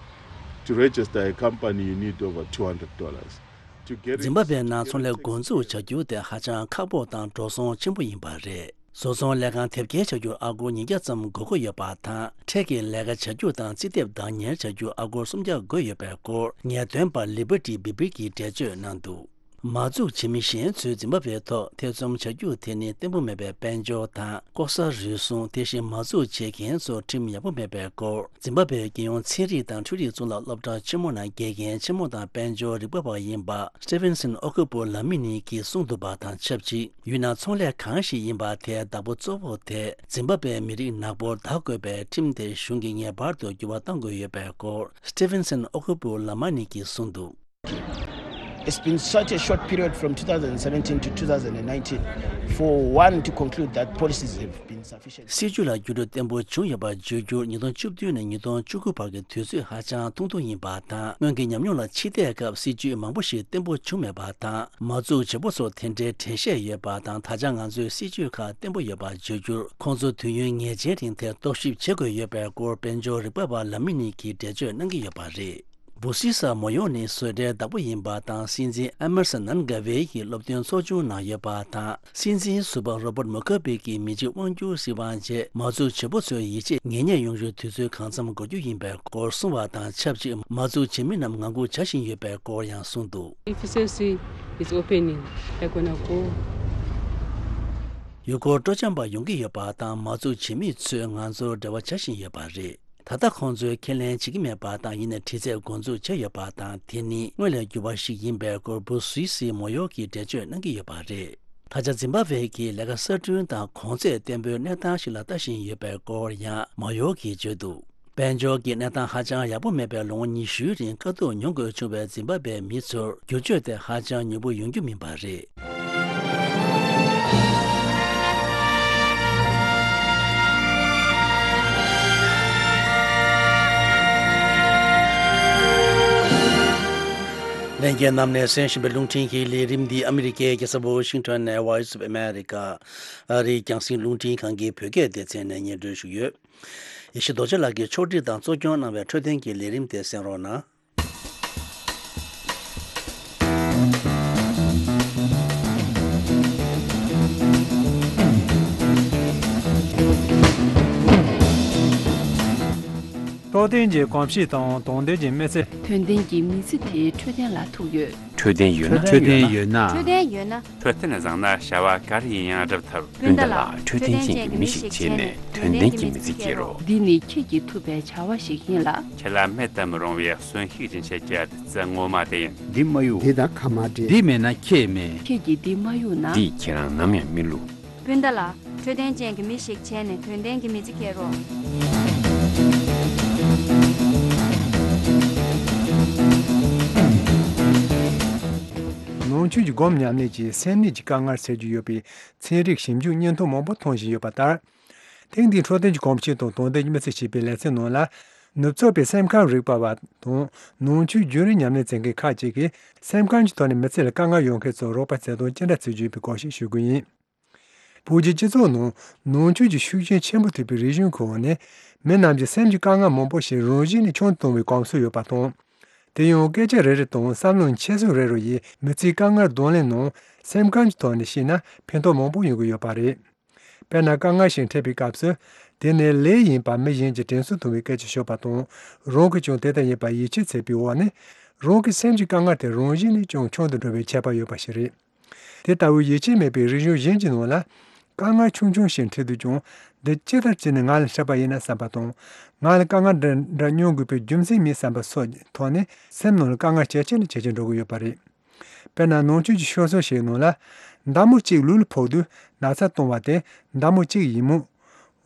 To register a company, you need over two hundred dollars. To get འཛིན་པ་བའི་ནང་ཚོང་ལས་འགོ་འཛུགས་བྱ་རྒྱུ་དེ་ཧ་ཅང་ཁག་པོ་དང་འགྲོ་སོང་ཆེན་པོ་ཡིན་པ་རེད། བཟོ་ཚོང་ལས་ཁང་དེབ་སྐྱེལ་བྱ་རྒྱུར་ཨ་སྒོར་ཉིས་བརྒྱ་ཙམ་དགོས་མཁོ་ཡོད་པ་དང་། འཕྲལ་གྱི་ལས་ཀ་བྱ་རྒྱུ་དང་རྩིས་དེབ་བདག་གཉེར་བྱ་རྒྱུར་ཨ་སྒོར་སུམ་བརྒྱ་དགོས་ཡོད་པའི་སྐོར། ངེས་སྟོན་པ་ལི་བྷར་ཏི་བི་བྷི་གིས་འགྲེལ་བརྗོད་གནང་འདུག་མ་འཛུགས་བྱེད་མི་གཞན་ཚོས་འཛིན་པ་བའི་ཐོག་ཐེ་ཚོམ་བྱ་རྒྱུ་དེ་ནི་བརྟན་པོ་མེད་པའི་དཔལ་འབྱོར་དང་། ལྐོག་ཟ་རུལ་སུངས། དེ་བཞིན་མ་འཛུགས་བྱེད་མཁན་ཚོར་ཁྲིམས་ཡག་པོ་མེད་པའི་སྐོར། འཛིན་པ་བའི་རྒྱལ་ཡོངས་ཚན་རིག་དང་འཕྲུལ་རིག་གཙུག་ལག་སློབ་གྲྭ་ཆེན་མོ་ནང་དགེ་རྒན་ཆེན་མོ་དང་དཔལ་འབྱོར་རིག་པ་བ་ཡིན་པ་སི་ཊི་ཕིན་སན་ཨོ་ཁུ་པོ་ལ་མི་ནི་གིས་གསུངས་འདུག་པ་དང་ཆབས་ཅིག་ཡུལ་ནང་ཚོང་ལས་གང་ཞིག་ཡིན་པ་དེའི་བདག་པོ་གཙོ་བོ་དེ་འཛིན་པ་བའི་མི་རིགས་ནག་པོར་བདག་དགོས་པའི་ཁྲིམས་དེ་གཞུང་གིས་ངེས་པར་དུ་འགྱུར་བ་གཏང་དགོས་ཡོད་པའི་སྐོར། སི་ཊི་ཕིན་སན་ཨོ་ཁུ་པོ་ལ་མ་ནི་གིས་གསུངས་འདུག It's been such a short period from two thousand seventeen to two thousand nineteen for one to conclude that policies have been sufficient. སྲིད་ཇུས་ལ་འགྱུར་འགྲོས་བརྟན་པོ་བྱུང་ཡོད་པར་བརྗོད་རྒྱུར། ཉིས་སྟོང་བཅུ་བདུན་ནས་ཉིས་སྟོང་བཅུ་དགུ་བར་གྱི་དུས་ཚོད་ཧ་ཅང་ཐུང་ཐུང་ཡིན་པ་དང་། སྔོན་གྱི་ཉམས་མྱོང་ལ་ཕྱིས་བལྟས་སྐབས་སྲིད་ཇུས་མང་པོ་ཞིག་བརྟན་པོ་བྱུང་མེད་པ་དང་། མ་འཛུགས་བྱེད་པོ་ཚོར་དེ་འདྲའི་འགྲེལ་བཤད་ཡོད་པ་དང་། ད་ཆ་ང་ཚོའི་སྲིད་ཇུས་ཁག་བརྟན་པོ་ཡོད་པར་བརྗོད་རྒྱུར། ཁོང་ཚོ་དུས་ཡུན་ངེས་ཅན་རིང་དེར་རྟོག་ཞིབ་བྱེད་དགོས་ཡོད་པའི་སྐོར། དཔལ་འབྱོར་རིག་པ་བ་ལ་མི་ནི་གིས་འགྲེལ་བརྗོད་གནང་གི་ཡོད་པ་རེད། བུ་སི་ས་མོ་ཡོ་ནི་བཟོ་གྲྭའི་བདག་པོ་ཡིན་པ་དང་། སྲིད་འཛིན་ཨེ་མར་སན་ནན་གྷ་ཝེ་ཡིས་སློབ་སྟོན་ཚོགས་ཆུང་གནང་ཡོད་པ་དང་། སྲིད་འཛིན་ཟུར་པ་རོ་བརྟ་མུ་ཁ་བེ་གིས་མི་གཅིག་དབང་སྒྱུར་སྲིད་དབང་རྗེས་མ་འཛུགས་བྱེད་པོ་ཚོའི་ཡིད་ཆེས་ངེས་རྙེད་ཡོང་རྒྱུར་དུས་ཚོད་གང་འཚམ་འགོར་རྒྱུ་ཡིན་པའི་སྐོར་གསུངས་པ་དང་ཆབས་ཅིག་མ་འཛུགས་བྱེད་མི་རྣམས་ངང་སྒུག་བྱ་བཞིན་ཡོད་པའི་སྐོར་ཡང་གསུངས་འདུག F C C is opening. They're gonna go. ཡུལ་སྐོར་སྤྲོ་འཆམ་པ་ཡོང་གི་ཡོད་པ་དང་། མ་འཛུགས་བྱེད་མི་ཚོས་ང་ཚོར་འབྲེལ་བ་བྱ་བཞིན་ཡོད་པ་རེད། ད་ལྟ་ཁོང་ཚོས་ཁས་ལེན་བྱེད་ཀྱི་མེད་པ་དང་། ཡིན་ནའི་དྲི་རྩད་འགོ་འཛུགས་བྱས་ཡོད་པ་དང་། དེ་ནི་སྔོན་ལས་འགྱུར་བ་ཞིག་ཡིན་པའི་སྐོར་བུ་སུའི་སི་མོ་ཡོ་གིས་འགྲེལ་བརྗོད་གནང་གི་ཡོད་པ་རེད། ད་ཆ་འཛིན་པ་ཝེ་གིས་ལས་ཀ་གསར་སྐྲུན་དང་གོང་ཚད་བརྟན་པོའི་གནས་སྟངས་ཤིག་ལ་ལྟ་བཞིན་ཡོད་པའི་སྐོར་ཡང་མོ་ཡོ་གིས་བརྗོད་འདུག་དཔལ་འབྱོར་གྱི་གནས་སྟངས་ཧ་ཅང་ཡག་པོ་མེད་པའི་ལོ་ངོ་ཉི་ཤུའི་རིང་དཀའ་སྡུག་མྱོང་དགོས་བྱུང་བའི་འཛིན་པ་བའི་མི་ཚོར་བསྒྱུར་བཅོས་དེ་ཧ་ཅང་མྱུར་པོ་ཡོང་རྒྱུ་མིན་པ་རེད། ལྷན་རྒྱས་རྣམས་ནས་གསན་བཞིན་པའི་རླུང་འཕྲིན་གྱི་ལས་རིམ་འདི་ཨ་མི་རི་ཀའི་རྒྱལ་ས་ཝོ་ཤིང་ཊོན་ནས་Voice of America ཨ་རིའི་རྒྱང་སྲིང་རླུང་འཕྲིན་ཁང་གི་བོད་སྐད་སྡེ་ཚན་ནས་སྙན་སྒྲོན་ཞུས་ཡོད། ཡེ་ཤེས་རྡོ་རྗེ་ལགས་ཀྱིས་ཕྱོགས་སྒྲིག་དང་གཙོ་སྐྱོང་གནང་བའི་འཕྲོད་བསྟེན་གྱི་ལས་རིམ་དེ་གསན་རོགས་གནང་། རྟོགས་ལྡན་གྱི་གོམས་གཤིས་དང་དོན་ལྡན་གྱི་མི་ཚེ། དོན་ལྡན་གྱི་མི་ཚེ་དེ་འཕྲོད་བསྟེན་ལ་ཐུག་ཡོད། འཕྲོད་བསྟེན་ཡོད་ན། འཕྲོད་བསྟེན་ཡོད་ན། འཕྲོད་བསྟེན་ཡོད་ན། འཕྲོད་བསྟེན་བཟང་ན་བྱ་བ་ག་རེ་ཡིན་ཡང་སྒྲུབ་ཐུབ། སྤུན་ཟླ་ལགས། འཕྲོད་བསྟེན་ཅན་གྱི་མི་ཞིག་བྱས་ནས་དོན་ལྡན་གྱི་མི་ཚེ་སྐྱེལ་རོགས། འདི་ནི་ཁྱེད་ཀྱིས་ཐུབ་པའི་བྱ་བ་ཞིག་ཡིན་ལ། ཁྱེད་ལ་མེད་དུ་མི་རུང་བའི་གསོན་ཤུགས་སྦྱིན་བྱེད་ཀྱི་བདུད་རྩི་ངོ་མ་དེ་ཡིན། འདི་མ་གཡུག་འདི་དང་ཁ་མ་འབྲལ། འདི་མེད་ན་ཁྱེད་མེད། ཁྱེད་ཀྱིས་འདི་མ་གཡུག་ན། འདིས་ཁྱེད་རང་ནམ་ཡང་མི་བསླུ། སྤུན་ཟླ་ལགས། འཕྲོད་བསྟེན་ཅན་གྱི་མི་ཞིག་བྱས་ནས་དོན་ལྡན་གྱི་མི་ཚེ་སྐྱེལ་རོགས། ནང་ཆོས་ཀྱི་སྒོམ་ཉམས་ལེན་གྱིས་སེམས་ནད་ཀྱི་དཀའ་ངལ་སེལ་རྒྱུ་ཡོད་པའི་ཚན་རིག་ཞིབ་འཇུག་སྙན་ཐོ་མང་པོ་མཐོང་བཞིན་ཡོད་པ་ལྟར། ཐེངས་འདིའི་འཕྲོད་བསྟེན་གྱི་གོམས་གཤིས་དང་དོན་ལྡན་གྱི་མི་ཚེ་ཞེས་པའི་ལེ་ཚན་ནང་ལ། ནུབ་ཕྱོགས་པའི་སེམས་ཁམས་རིག་པ་བ་དང་ནང་ཆོས་རྒྱུན་རིང་ཉམས་ལེན་མཛད་མཁན་ཁག་ཅིག་གིས་སེམས་ཁམས་ཀྱི་ཐོག་ནས་མི་ཚེ་ལ་དཀའ་ངལ་ཡོང་མཁན་ཚོར་རོགས་པ་བྱེད་སྟངས་ཅི་འདྲ་བྱེད་རྒྱུ་ཡིན་པའི་སྐོར་ཞིག་ཞུ་རྒྱུ་ཡིན། བོད་ཀྱི་སྤྱི་ཚོགས་ནང་ནང་ཆོས་ཀྱི་ཤུགས་རྐྱེན་ཆེན་པོ་ཐེབས་པའི་རིག་གཞུང་གི་འོག་ནས་མི་རྣམས་ཀྱི་སེམས་ཀྱི་དཀའ་ངལ་མང་པོ་ཞིག་རང་བཞིན་ནས་ཆུང་དུ་གཏོང་བའི་གོམས་སྲོལ་ཡོད་པ་དང་། དེ་ཡང་སྐད་ཆ་རེ་རེ་དང་བསམ་བློའི་འཁྱེར་སོ་རེ་རེ་ཡིས་མི་ཚེའི་དཀའ་ངལ་གདོང་ལེན་ནང་སེམས་ཁམས་ཀྱི་ཐོག་ནས་བཤད་ན་ཕན་ཐོགས་མང་པོ་ཡོང་གི་ཡོད་པ་རེད། དཔེར་ན་དཀའ་ངལ་ཞིག་འཕྲད་པའི་སྐབས་སུ་དེ་ནི་ལས་ཡིན་པ་མི་གཞན་གྱིས་དྲན་གསོ་ཐུབ་པའི་སྐད་ཆ་ཤོད་པ་དང་། རང་གིས་ཀྱང་དེ་ལྟར་ཡིན་པར་ཡིད་ཆེས་བྱེད་པའི་འོག་ནས་རང་གི་སེམས་ཀྱི་དཀའ་ངལ་དེ་རང་བཞིན་ནས་ཀྱང་ཆུང་དུ་འགྲོ་བའི་ཁྱད་པར་ཡོད་པ་ཞིག་རེད། དེ་ལྟ་བུའི་ཡིད་ཆེས་མེད་པའི་རིག་གཞུང་གཞན་གྱི་ནང་ལ། དཀའ་ངལ་ཆུང་ཆུང་ཞིག་འཕྲད་དུས་ཀྱང་འདི་ཅི་ལྟར་བྱས་ནས་ང་ལ་འཕྲད་པ་ཡིན་ན་བསམ་པ་དང་། ང་ལ་དཀའ་ངལ་འདི་འདྲ་མྱོང་དགོས་པའི་རྒྱུ་མཚན་མེད་བསམ་པ་སོགས་ཀྱི་ཐོག་ནས་སེམས་ནང་ལ་དཀའ་ངལ་ཇེ་ཆེ་ནས་ཇེ་ཆེར་འགྲོ་གི་ཡོད་པ་རེད། དཔེར་ན་ནང་ཆོས་ཀྱི་ཤོད་སྲོལ་ཞིག་ནང་ལ། མདའ་མོ་གཅིག་ལུས་ལ་ཕོག་དུས་ན་ཚ་གཏོང་བ་དེ་མདའ་མོ་གཅིག་ཡིན་མོད།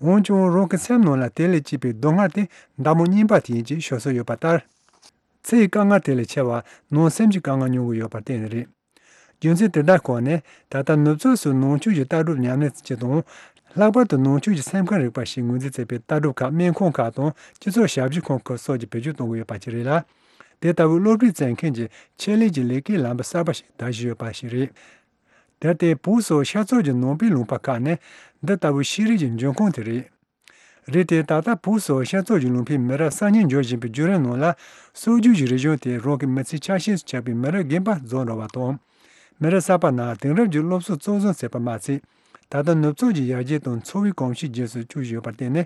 འོན་ཀྱང་རང་གི་སེམས་ནང་ལ་དེ་ལས་སྐྱེས་པའི་སྡུག་བསྔལ་དེ་མདའ་མོ་རྙིང་པ་དེ་ཡིན་ཅེས་ཤོད་སྲོལ་ཡོད་པ་ལྟར། ཚེ་ཡི་དཀའ་ངལ་དེ་ལས་ཆེ་བ་ནང་སེམས་ཀྱི་དཀའ་ངལ་མྱོང་གི་ཡོད་པར་བརྟེན་ནས་རེད། རྒྱུ་མཚན་དེ་དག་ཁག་ནི་ད་ལྟ་ནུབ་ཕྱོགས་སུ་ནང་ཆོས་ཀྱི་ལྟ་གྲུབ་ཉམས་ལེན་བྱེད་སྤྱད་དང་། ལྷག་པར་དུ་ནང་ཆོས་ཀྱི་སེམས་ཁམས་རིག་པ་ཞེས་ངོས་འཛིན་མཛད་པའི་ལྟ་གྲུབ་ཁག་སྨན་ཁང་ཁག་དང་སྤྱི་ཚོགས་ཞབས་ཞུ་ཁང་ཁག་སོགས་ཀྱིས་བེད་སྤྱོད་གཏོང་གི་ཡོད་པ་ཞིག་རེད་ལ། དེ་ལྟ་བུའི་སློབ་ཁྲིད་མཛད་མཁན་གྱི་ཆེད་ལས་ཀྱི་ལས་ཀའི་ལམ་བུ་གསར་པ་ཞིག་དར་བཞིན་ཡོད་པ་ཞིག་རེད། དེར་བརྟེན་བོད་སོགས་ཤར་ཕྱོགས་ཀྱི་ནང་པའི་ལུང་པ་ཁག་ནས་འདི་ལྟ་བུའི་ཤེས་རིག་གི་འབྱུང་ཁུངས་དེ་རེད། རེད་དེ། ད་ལྟ་བོད་སོགས་ཤར་ཕྱོགས་ཀྱི་ལུང་པའི་མི་རབས་གསར་རྙིང་འབྱོར་བཞིན་པའི་བརྒྱུད་རིམ་ནང་ལ། སྲོལ་རྒྱུན་གྱི་རིག་གཞུང་དེ་རང་གི་མི་ཚེའི་ཆ་ཤས་སུ་ཆགས་པའི་མི་རབས་རྒན་པ་རྫོགས་འགྲོ་བ་དང་། མི་རབས་གསར་པ་རྣམས་དེང་རབས་ཀྱི་སློབ་གསོ་གཙོར་བཟུང་བྱས་པ་མ་ཚད། ད་ལྟ་ནུབ་ཕྱོགས་ཀྱི་ཡར་རྒྱས་དང་འཚོ་བའི་གོམས་གཤིས་རྗེས་སུ་བསྐྱུར་བཞིན་ཡོད་པར་བརྟེན་ནས།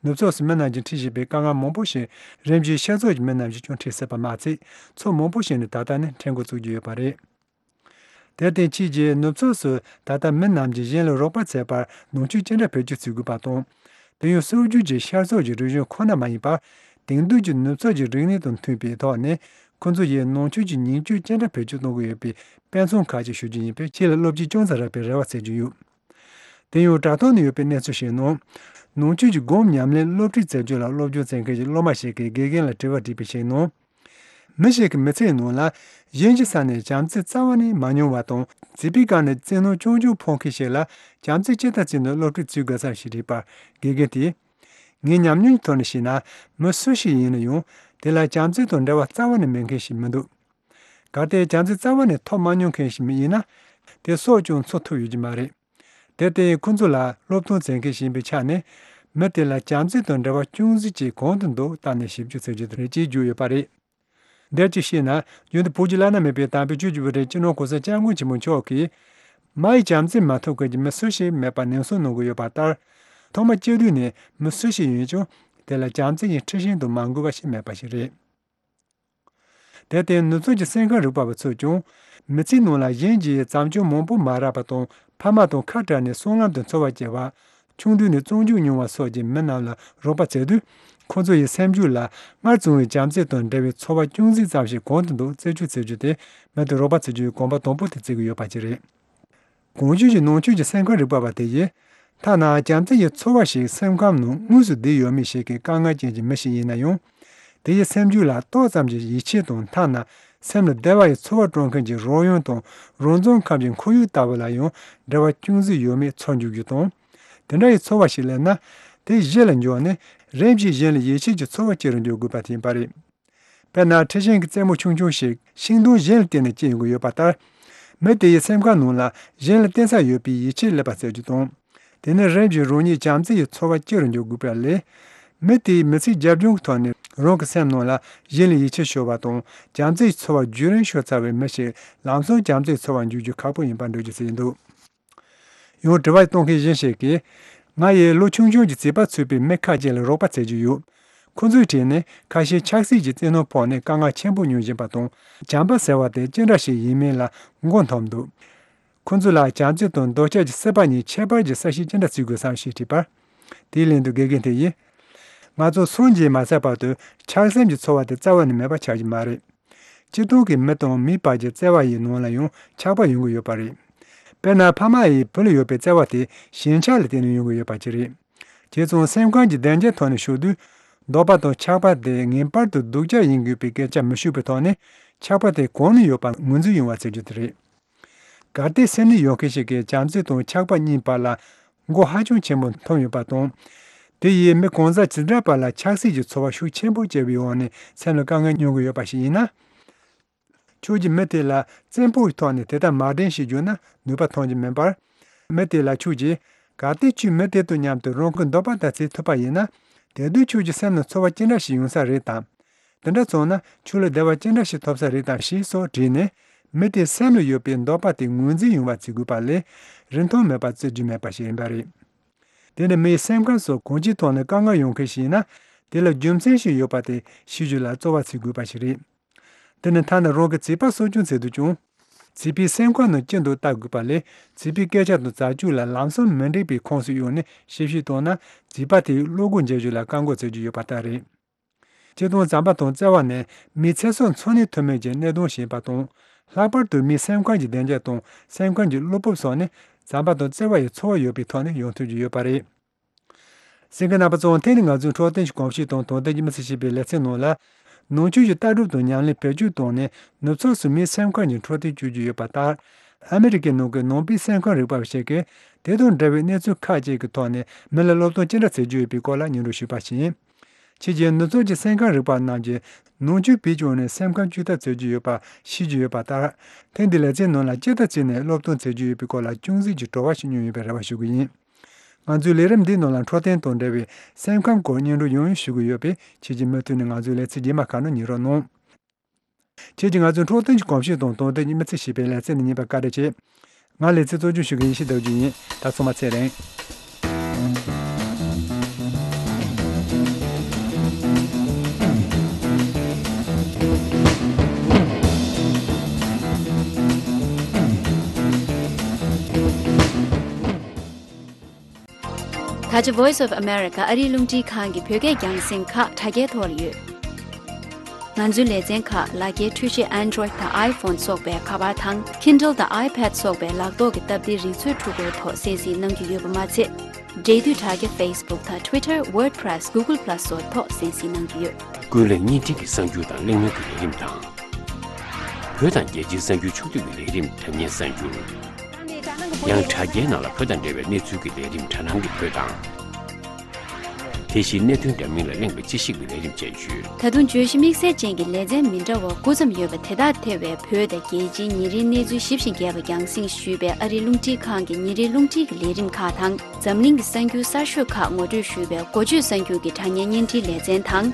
ནུབ་ཕྱོགས་སུ་མི་རྣམས་ཀྱིས་འཁྲིད་བཞིན་པའི་དཀའ་ངལ་མང་པོ་ཞིག་རིམ་བཞིན་ཤར་ཕྱོགས་ཀྱི་མི་རྣམས་ཀྱིས་ཀྱང་འཁྲིད་སྲིད་པ་མ་ཚད། ཕྱོགས་མང་པོ་ཞིག་ནས་ད་ལྟ་ནས་འཁྲིད་འགོ་བཙུགས་ཀྱི་ཡོད་པ་རེད། དེར་བརྟེན་ཁྱེད་ཀྱིས་ནུབ་ཕྱོགས་སུ་ད་ལྟ་མི་རྣམས་ཀྱིས་གཞན་ལ་རོགས་པ་བྱེད་པར་ནང་ཆོས་ཅི་འདྲ་བེད་སྤྱོད་བྱེད་དགོས་པ་དང་། དེ་ཡང་སྲོལ་རྒྱུན་གྱི་ཤར་ཕྱོགས་ཀྱི་རིག་གཞུང་ཁོ་ན་མ་ཡིན་པར། དེང་དུས་ཀྱི་ནུབ་ཕྱོགས་ཀྱི་རིག་གནས་དང་མཐུན་པའི་ཐོག་ནས་ཁོང་ཚོ་ཡིས་ནང་ཆོས་ཀྱི་ཉིང་བཅུད་ཅི་འདྲ་བེད་སྤྱོད་གཏོང་གི་ཡོད་པའི་དཔེ་མཚོན་ཁག་ཅིག་ཞུ་རྒྱུ་ཡིན་པས། ཁྱེད་ལ་བློ་སྐྱེད་ཅུང་ཙམ་རག་པའི་རེ་བ་བྱེད་ཀྱི་ཡོད། དེ་ཡང་དྲ་ཐོག་ནས་ཡོད་པའི་གནས་ཚུལ་ཞིག་ནང་། ནང་ཆོས་ཀྱི་སྒོམ་ཉམས་ལེན་སློབ་ཁྲིད་མཛད་རྒྱུ་ལ་སློབ་སྦྱོང་མཛད་མཁན་གྱི་སློབ་མ་ཞིག་གིས་དགེ་རྒན་ལ་དྲི་བ་དྲིས་པའི་ཞིག་ནང་། མི་ཞིག་གི་མི་ཚེའི་ནང་ལ་གཞན་གྱི་ས་ནས་བྱམས་བརྩེ་རྩ་བ་ནས་མ་མྱོང་བ་དང་། བྱིས་པའི་སྐབས་ནས་བཙན་གནོན་རྐྱང་རྐྱང་ཕོག་མཁན་ཞིག་ལ་བྱམས་བརྩེ་ཇི་ལྟར་བྱས་ནས་སློབ་ཁྲིད་བྱེད་དགོས་བསམ་ཞེས་དྲིས་པར། དགེ་རྒན་དེས། ངའི་ཉམས་མྱོང་གི་ཐོག་ནས་བཤད་ན། མི་སུ་ཞིག་ཡིན་ན་ཡང་དེ་ལ་བྱམས་བརྩེ་དང་འབྲེལ་བ་རྩ་བ་ནས་མེད་མཁན་ཞིག་མི་འདུག་གལ་ཏེ་བྱམས་བརྩེ་རྩ་བ་ནས་ཐོབ་མ་མྱོང་མཁན་ཞིག་ཡིན་ན། དེ་སྲོག་ཀྱང་འཚོ་ཐུབ་ཡོད་ཀྱི་མ་རེད། དེར་བརྟེན་ཁོ་ཚོ་ལ་སློབ་སྟོན་མཛད་མཁན་ཞིག་ཡིན་པའི་ཆ་ནས། མི་དེ་ལ་བྱམས་བརྩེ་དང་འབྲེལ་བ་ཅུང་ཟད་ཅིག་གང་དུ་འདུག་བལྟས་ནས་ཞིབ་འཇུག་བྱེད་རྒྱུ་དེ་རེད་ཅེས་བརྗོད་ཡོད་པ་རེད། འདིར་ཅིག་བཤད་ན། རྒྱུན་དུ་བོད་ཀྱི་བླ་ན་མེད་པའི་དམ་པའི་ཆོས་ཀྱི་དབུ་ཁྲིད་སྤྱི་ནོར་གོང་ས་སྐྱབས་མགོན་ཆེན་པོ་མཆོག་གིས། མ་ཡི་བྱམས་བརྩེ་མ་ཐོབ་མཁན་གྱི་མི་སུ་ཞིག་མེད་པར་ནན་གསུང་གནང་གི་ཡོད་པ་ལྟར། ཐོག་མ་སྐྱེས་དུས་ནས་མི་སུ་ཞིག་ཡིན་ཀྱང་། དེ་ལ་བྱམས་བརྩེ་ཡི་མཁྲེགས་ཤིང་དང་མ་འགུལ་བ་ཞིག་མེད་པ་ཞིག་རེད། དེར་བརྟེན་ནུབ་ཕྱོགས་ཀྱི་སེམས་ཁམས་རིག་པ་བ་ཚོས་ཀྱང་། མི་ཚེའི་ནང་ལ་གཞན་གྱིས་བྱམས་སྐྱོང་མང་པོ་མ་རག་པ་དང་། ཕ་མ་དང་ཁ་བྲལ་ནས་སྲང་ལམ་དུ་འཚོ་བ་སྐྱེལ་བ། ཆུང་དུས་ནས་བཙོན་འཇུག་མྱོང་བ་སོགས་ཀྱི་མི་རྣམས་ལ་རོགས་པ་བྱེད་དུས། ཁོ་ཚོ་ཡི་སེམས་རྒྱུད་ལ་སྔར་བྱུང་བའི་བྱམས་བརྩེ་དང་འབྲེལ་བའི་ཚོར་བ་ཅུང་ཟད་ཙམ་ཞིག་གང་དུ་འདུག་རྩད་གཅོད་བྱེད་རྒྱུ་དེ། མི་དེར་རོགས་པ་བྱེད་རྒྱུའི་གོམ་པ་དང་པོ་དེ་བརྩི་གི་ཡོད་པ་ཅིག་རེད། གོང་ཞུས་ཀྱི་ནང་ཆོས་ཀྱི་སེམས་ཁམས་རིག་པ་བ་དེ་ཡིས། ཐ་ན་བྱམས་བརྩེ་ཡི་ཚོར་བ་ཞིག་སེམས་ཁམས་ནང་དངོས་སུ་བསྡུས་ཡོད་མེད་ཞིག་གི་དཀའ་ངལ་ཅན་གྱི་མི་ཞིག་ཡིན་ན་ཡང་། དེ་ཡི་སེམས་རྒྱུད་ལ་ཏོག་ཙམ་གྱི་ཡིད་ཆེས་དང་། ཐ་ན་སེམས་ལ་བདེ་བ་ཡི་ཚོར་བ་སྤྲོད་མཁན་གྱི་རོལ་དབྱངས་དང་། རང་རྫོང་ཁམས་ཀྱི་ཁོར་ཡུག་ལྟ་བུ་ལ་ཡང་འབྲེལ་བ་ཅུང་ཟད་ཡོད་མེད་ཚོར་འཇུག་རྒྱུ་དང་། དེ་འདྲ་ཡི་ཚོར་བ་ཞིག་སླེབས་ན། དེ་གཞི་ལ་འཇོག་ནས་རིམ་བཞིན་གཞན་ལ་ཡིད་ཆེས་ཀྱི་ཚོར་བ་སྐྱེ་རུ་འཇུག་དགོས་པ་དེ་ཡིན་པ་རེད། དཔེར་ན། མཁྲིས་ཤིང་གི་རྩེ་མོ་ཆུང་ཆུང་ཞིག་ཤིང་སྡོང་གཞན་ལ་བརྟེན་ནས་སྐྱེ་ཡོང་གི་ཡོད་པ་ལྟར། མི་དེ་ཡི་སེམས་ཁམས་ནང་ལ་གཞན་ལ་བརྟེན་ས་ཡོད་པའི་ཡིད་ཆེས་སླེབས་པ་ཟེར་རྒྱུ་དང་། དེ་ནི་རིམ་བཞིན་རང་ཉིད་བྱམས་བརྩེ་ཡི་ཚོར་བ་སྐྱེ་རུ་འཇུག་དགོས་པ་ལས། མི་དེའི་མི་ཚེའི་རྒྱབ་ལྗོངས་ཀྱི་ཐོག་ནས་རང་གི་སེམས་ནང་ལ་གཞན་ལ་ཡིད་ཆེས་ཤོར་བ་དང་། བྱམས་བརྩེ་ཡི་ཚོར་བ་རྒྱུན་རིང་ཤོར་ཚར་བའི་མི་ཞིག་ལམ་སང་བྱམས་བརྩེའི་ཚོར་བ་འཇུག་རྒྱུ་ཁག་པོ་ཡིན་པར་འགྲེལ་བརྗོད་བྱས་འདུག་ཡང་དྲི་བ་གཏོང་མཁན་གཞན་ཞིག་གིས། ང་ཡིས་ལོ་ཆུང་ཆུང་གི་བྱིས་པ་ཚུད་པའི་མི་ཁ་ཅིག་ལ་རོགས་པ་བྱེད་ཀྱི་ཡོད། ཁོ་ཚོའི་གྲས་ནས་ཁ་ཤས་ཆབ་སྲིད་ཀྱི་བཙན་གནོན་ཕོག་ནས་དཀའ་ངལ་ཆེན་པོ་མྱོང་བཞིན་པ་དང་། བྱམས་པ་ཟེར་བ་དེ་ཅི་འདྲ་ཞིག་ཡིན་མིན་ལ་མགོ་འཐོམས་འདུག་ཁོ་ཚོ་ལ་བྱམས་བརྩེ་དང་འདོད་ཆགས་ཀྱི་སྲེད་པ་གཉིས་ཁྱད་པར་གྱི་གསལ་བཤད་ཅི་འདྲ་བྱེད་དགོས་སམ་ཞེས་དྲིས་པར། དེའི་ལན་དུ་དགེ་རྒན་དེ་ཡིས། ང་ཚོ་སངས་རྒྱས་མ་ཚར་བར་དུ་ཆགས་སེམས་ཀྱི་ཚོར་བ་དེ་རྩ་བ་ནས་མེད་པ་ཆགས་ཀྱི་མ་རེད། སྤྱིར་བཏང་གི་མི་དང་མིའི་བར་གྱི་བརྩེ་བ་ཡི་ནང་ལ་ཡང་ཆགས་པ་ཡོང་གི་ཡོད་པ་རེད། དཔེར་ན། ཕ་མ་ཡིས་བུ་ལ་ཡོད་པའི་བརྩེ་བ་དེ་ཞེན་ཆགས་ལ་བརྟེན་ནས་ཡོང་གི་ཡོད་པ་ཅིག་རེད། བྱས་ཙང་སེམས་ཁམས་ཀྱི་བདེ་འཇགས་ཐོག་ནས་ཞུགས་དུས། འདོད་པ་དང་ཆགས་པ་དེ་ངེས་པར་དུ་སྡུག་ཅག་ཡིན་དགོས་པའི་སྐད་ཆ་མི་ཤོད་པའི་ཐོག་ནས། ཆགས་པ་དེ་གང་ནས་ཡོད་པ་ངོས་འཛིན་ཡོང་བ་ཟེར་རྒྱུ་དེ་རེད། གལ་ཏེ་སེམས་ནད་ཡོད་མཁན་ཞིག་གིས་བྱམས་བརྩེ་དང་ཆགས་པ་གཉིས་བར་ལ་མགོ་ཧ་ཅང་ཆེན་པོ་འཐོམས་ཡོད་པ་དང་། དེ་ཡིས་མི་གང་ཟག་ཇི་འདྲ་བར་ལ་ཆགས་སྲེད་ཀྱི་ཚོར་བ་ཤུགས་ཆེན་པོ་སྐྱེ་བའི་འོག་ནས་སེམས་ལ་དཀའ་ངལ་མྱོང་གི་ཡོད་པ་ཞིག་ཡིན་ན། ཁྱོད་ཀྱིས་མི་དེ་ལ་བཙན་པོའི་ཐོག་ནས་དེ་ལྟར་མ་དྲན་ཞིག་བརྗོད་ན་ནུས་པ་ཐོན་གྱི་མིན་པར། མི་དེ་ལ་ཁྱོད་ཀྱིས། གལ་ཏེ་ཁྱོས་མི་དེ་དང་མཉམ་དུ་རང་གི་འདོད་པ་དག་བྱེད་ཐུབ་པ་ཡིན་ན། དེ་དུས་ཁྱོད་ཀྱི་སེམས་ནང་ཚོར་བ་ཅི་འདྲ་ཞིག་ཡོང་ས་རེད་དམ། དེ་འདྲ་སོང་ན་ཁྱོད་ལ་བདེ་བ་ཅི་འདྲ་ཞིག་ཐོབ་ས་རེད་དམ་ཞེས་སོགས་དྲིས་ནས། མི་དེའི་སེམས་ལ་ཡོད་པའི་འདོད་པ་དེ་ངོས་འཛིན་ཡོང་བ་བྱེད་དགོས་པ་ལས། རིན་ཐང་མེད་པ་བརྩི་རྒྱུ་མེད་པ་ཞིག་ཡིན་པ་རེད། དེ་ནི་མིའི་སེམས་ཁམས་སོགས་གང་ཅིའི་ཐོག་ནས་དཀའ་ངལ་ཡོང་མཁན་ཞིག་ཡིན་ན། དེ་ལ་རྒྱུ་མཚན་ཞིག་ཡོད་པ་དེ་ཤེས་རྒྱུ་ལ་རྩོལ་བ་བྱེད་དགོས་པ་ཞིག་རེད། དེ་ནི་ཐ་ན་རང་གི་བྱིས་པ་གསོ་སྐྱོང་བྱེད་དུས་ཀྱང་། བྱིས་པའི་སེམས་ཁམས་ནང་ཅི་འདུག་བལྟ་དགོས་པ་ལས། བྱིས་པའི་སྐད་ཆ་དང་བྱ་སྤྱོད་ལ་ལམ་སང་མི་འགྲིག་པའི་ཁོངས་སུ་གཡུགས་ནས་ཞིབ་བཤེར་བཏང་ན། བྱིས་པ་དེས་བློ་སྒོ་འབྱེད་རྒྱུ་ལ་བཀག་འགོག་བྱེད་རྒྱུ་ཡོད་པ་ལྟར་རེད། སྤྱིར་བཏང་བྱམས་པ་དང་བརྩེ་བ་ནི་མིའི་ཚེ་སྲོག་འཚོ་གནས་ཐུབ་མིན་གྱི་གནད་དོན་ཞིག་ཡིན་པ་དང་། ལྷག་པར་དུ་མིའི་སེམས་ཁམས་ཀྱི་བདེ་འཇགས་དང་སེམས་ཁམས་ཀྱི་བློ་སྤོབས་སོགས་ནི་བྱམས་པ་དང་བརྩེ་བ་ཡི་ཚོར་བ་ཡོད་པའི་ཐོག་ནས་ཡོང་ཐུབ་ཀྱི་ཡོད་པ་རེད། གསན་མཁན་རྣམ་པ་ཚོ། དེ་ནི་ང་ཚོའི་འཕྲོད་བསྟེན་གྱི་གོམས་གཤིས་དང་དོན་ལྡན་གྱི་མི་ཚེ་ཞེས་པའི་ལེ་ཚན་ནང་ལ། ནང་ཆོས་ཀྱི་ལྟ་གྲུབ་དང་ཉམས་ལེན་བེད་སྤྱོད་བཏང་ནས་ནུབ་ཕྱོགས་སུ་མིའི་སེམས་ཁམས་ཀྱི་འཕྲོད་བསྟེན་བཅོས་རྒྱུ་ཡོད་པ་ལྟར། ཨ་མི་རི་ཀའི་ནང་གི་ནང་པའི་སེམས་ཁམས་རིག་པ་བ་ཞིག་གིས་དེ་དང་འབྲེལ་བའི་གནས་ཚུལ་ཁག་ཅིག་གི་ཐོག་ནས་མི་ལ་སློབ་སྟོན་ཅི་འདྲ་བྱེད་རྒྱུ་ཡོད་པའི་སྐོར་ལ་སྙན་སྒྲོན་ཞུས་པ་ཞིག་ཡིན། ཁྱེད་ཀྱིས་ནུབ་ཕྱོགས་ཀྱི་སེམས་ཁམས་རིག་པ་རྣམས་ཀྱིས་ནང་ཆོས་བེད་སྤྱོད་ནས་སེམས་ཁམས་བཅོས་ཐབས་བྱེད་ཀྱི་ཡོད་པ་ཤེས་ཀྱི་ཡོད་པ་ལྟར། ཐེངས་འདིའི་ལེ་ཚན་ནང་ལ་ཅི་ལྟར་བྱས་ནས་སློབ་སྟོན་བྱེད་ཀྱི་ཡོད་པའི་སྐོར་ལ་ཅུང་ཟད་ཀྱི་དྲི་བ་ཞིག་བསྣུན་ཡོད་པའི་རེ་བ་ཞུ་གི་ཡིན། ང་ཚོའི་ལས་རིམ་འདིའི་ནང་ལ་འཕྲོད་བསྟེན་དང་འབྲེལ་བའི་སེམས་ཁམས་སྐོར་སྙན་སྒྲོན་ཡང་ཡང་ཞུ་གི་ཡོད་པས། ཁྱེད་ཀྱིས་མུ་མཐུད་ནས་ང་ཚོའི་ལེ་ཚན་རྗེས་མ་ཁག་ནང་ཉན་རོགས་གནང་། ཁྱེད་ཀྱིས་ང་ཚོའི་འཕྲོད་བསྟེན་གྱི་གོམས་གཤིས་དང་དོན་དུ་མི་ཚེ་ཞེས་པའི་ལེ་ཚན་འདི་གཉིས་པ་བཀའ་དྲིན་ཆེ། ང་ལེ་ཚན་གཙོ་སྐྱོང་ཞུ་མཁན་ཡེ་ཤེས་ཟླ་སྒྲོན་ཡིན། ད་ཚང་མ་ཚེ་རིང་། ད་ཆ་Voice of America ཨ་རིའི་རླུང་འཕྲིན་ཁང་གི་བོད་སྐད་རྒྱང་སྲིང་ཁག་དྲ་རྒྱའི་ཐོག་ལ་ཡོད། ང་ཚོའི་ལེ་ཚན་ཁག་ལག་འཁྱེར་འཕྲུལ་ཆས་Android་དང་iPhone་སོགས་པའི་ཁ་པར་དང་Kindle་དང་iPad་སོགས་པའི་ལག་ཐོག་གི་སྟབས་བདེའི་རིག་མཛོད་འཕྲུལ་འཁོར་ཐོག་གསན་གཟིགས་གནང་རྒྱུ་ཡོད་པ་མ་ཚད། འབྲེལ་མཐུད་དྲ་རྒྱ་Facebook་དང་Twitter WordPress Google Plus་སོགས་ཐོག་གསན་གཟིགས་གནང་རྒྱུ་ཡོད། ཀུན་གླེང་བརྙན་འཕྲིན་གྱི་གསར་འགྱུར་དང་གླེང་མོལ་གྱི་ལས་རིམ་དང་། བོད་དང་རྒྱལ་སྤྱིའི་གསར་འགྱུར་ཕྱོགས་བསྡུས་ཀྱི་ལས་རིམ་དྲ་བརྙན་གསར་འགྱུར། ཡང་དྲ་རྒྱའི་ནང་ལ་བོད་དང་འབྲེལ་བའི་གནས་ཚུལ་གྱི་ལས་རིམ་དྲ་སྣང་གི་བོད་དང་། དེ་བཞིན་གནད་དོན་འདྲ་མིན་ལ་གླེང་བའི་དཔྱད་ཞིབ་ཀྱི་ལས་རིམ་བཅས་ཡོད། ད་དུང་བརྗོད་གཞི་དམིགས་བསལ་ཅན་གྱི་ལེ་ཚན་མི་འདྲ་བ་དགུ་ཙམ་ཡོད་པ་དེ་དག་ཐེ་བའི་བོད་དང་རྒྱལ་སྤྱིའི་ཉིན་རེའི་གནས་ཚུལ་ཞིབ་ཅིང་རྒྱས་པ་རྒྱང་སྲིང་ཞུས་པའི་ཨ་རིའི་རླུང་འཕྲིན་ཁང་གི་ཉིན་རེའི་རླུང་འཕྲིན་གྱི་ལས་རིམ་ཁག་དང་། འཛམ་གླིང་གི་གསར་འགྱུར་གསར་ཤོས་ཁག་ངོ་སྤྲོད་ཞུས་པའི་འགོ་བརྗོད་གསར་འགྱུར་གྱི་དྲ་བརྙན་བརྙན་འཕྲིན་ལེ་ཚན་དང་།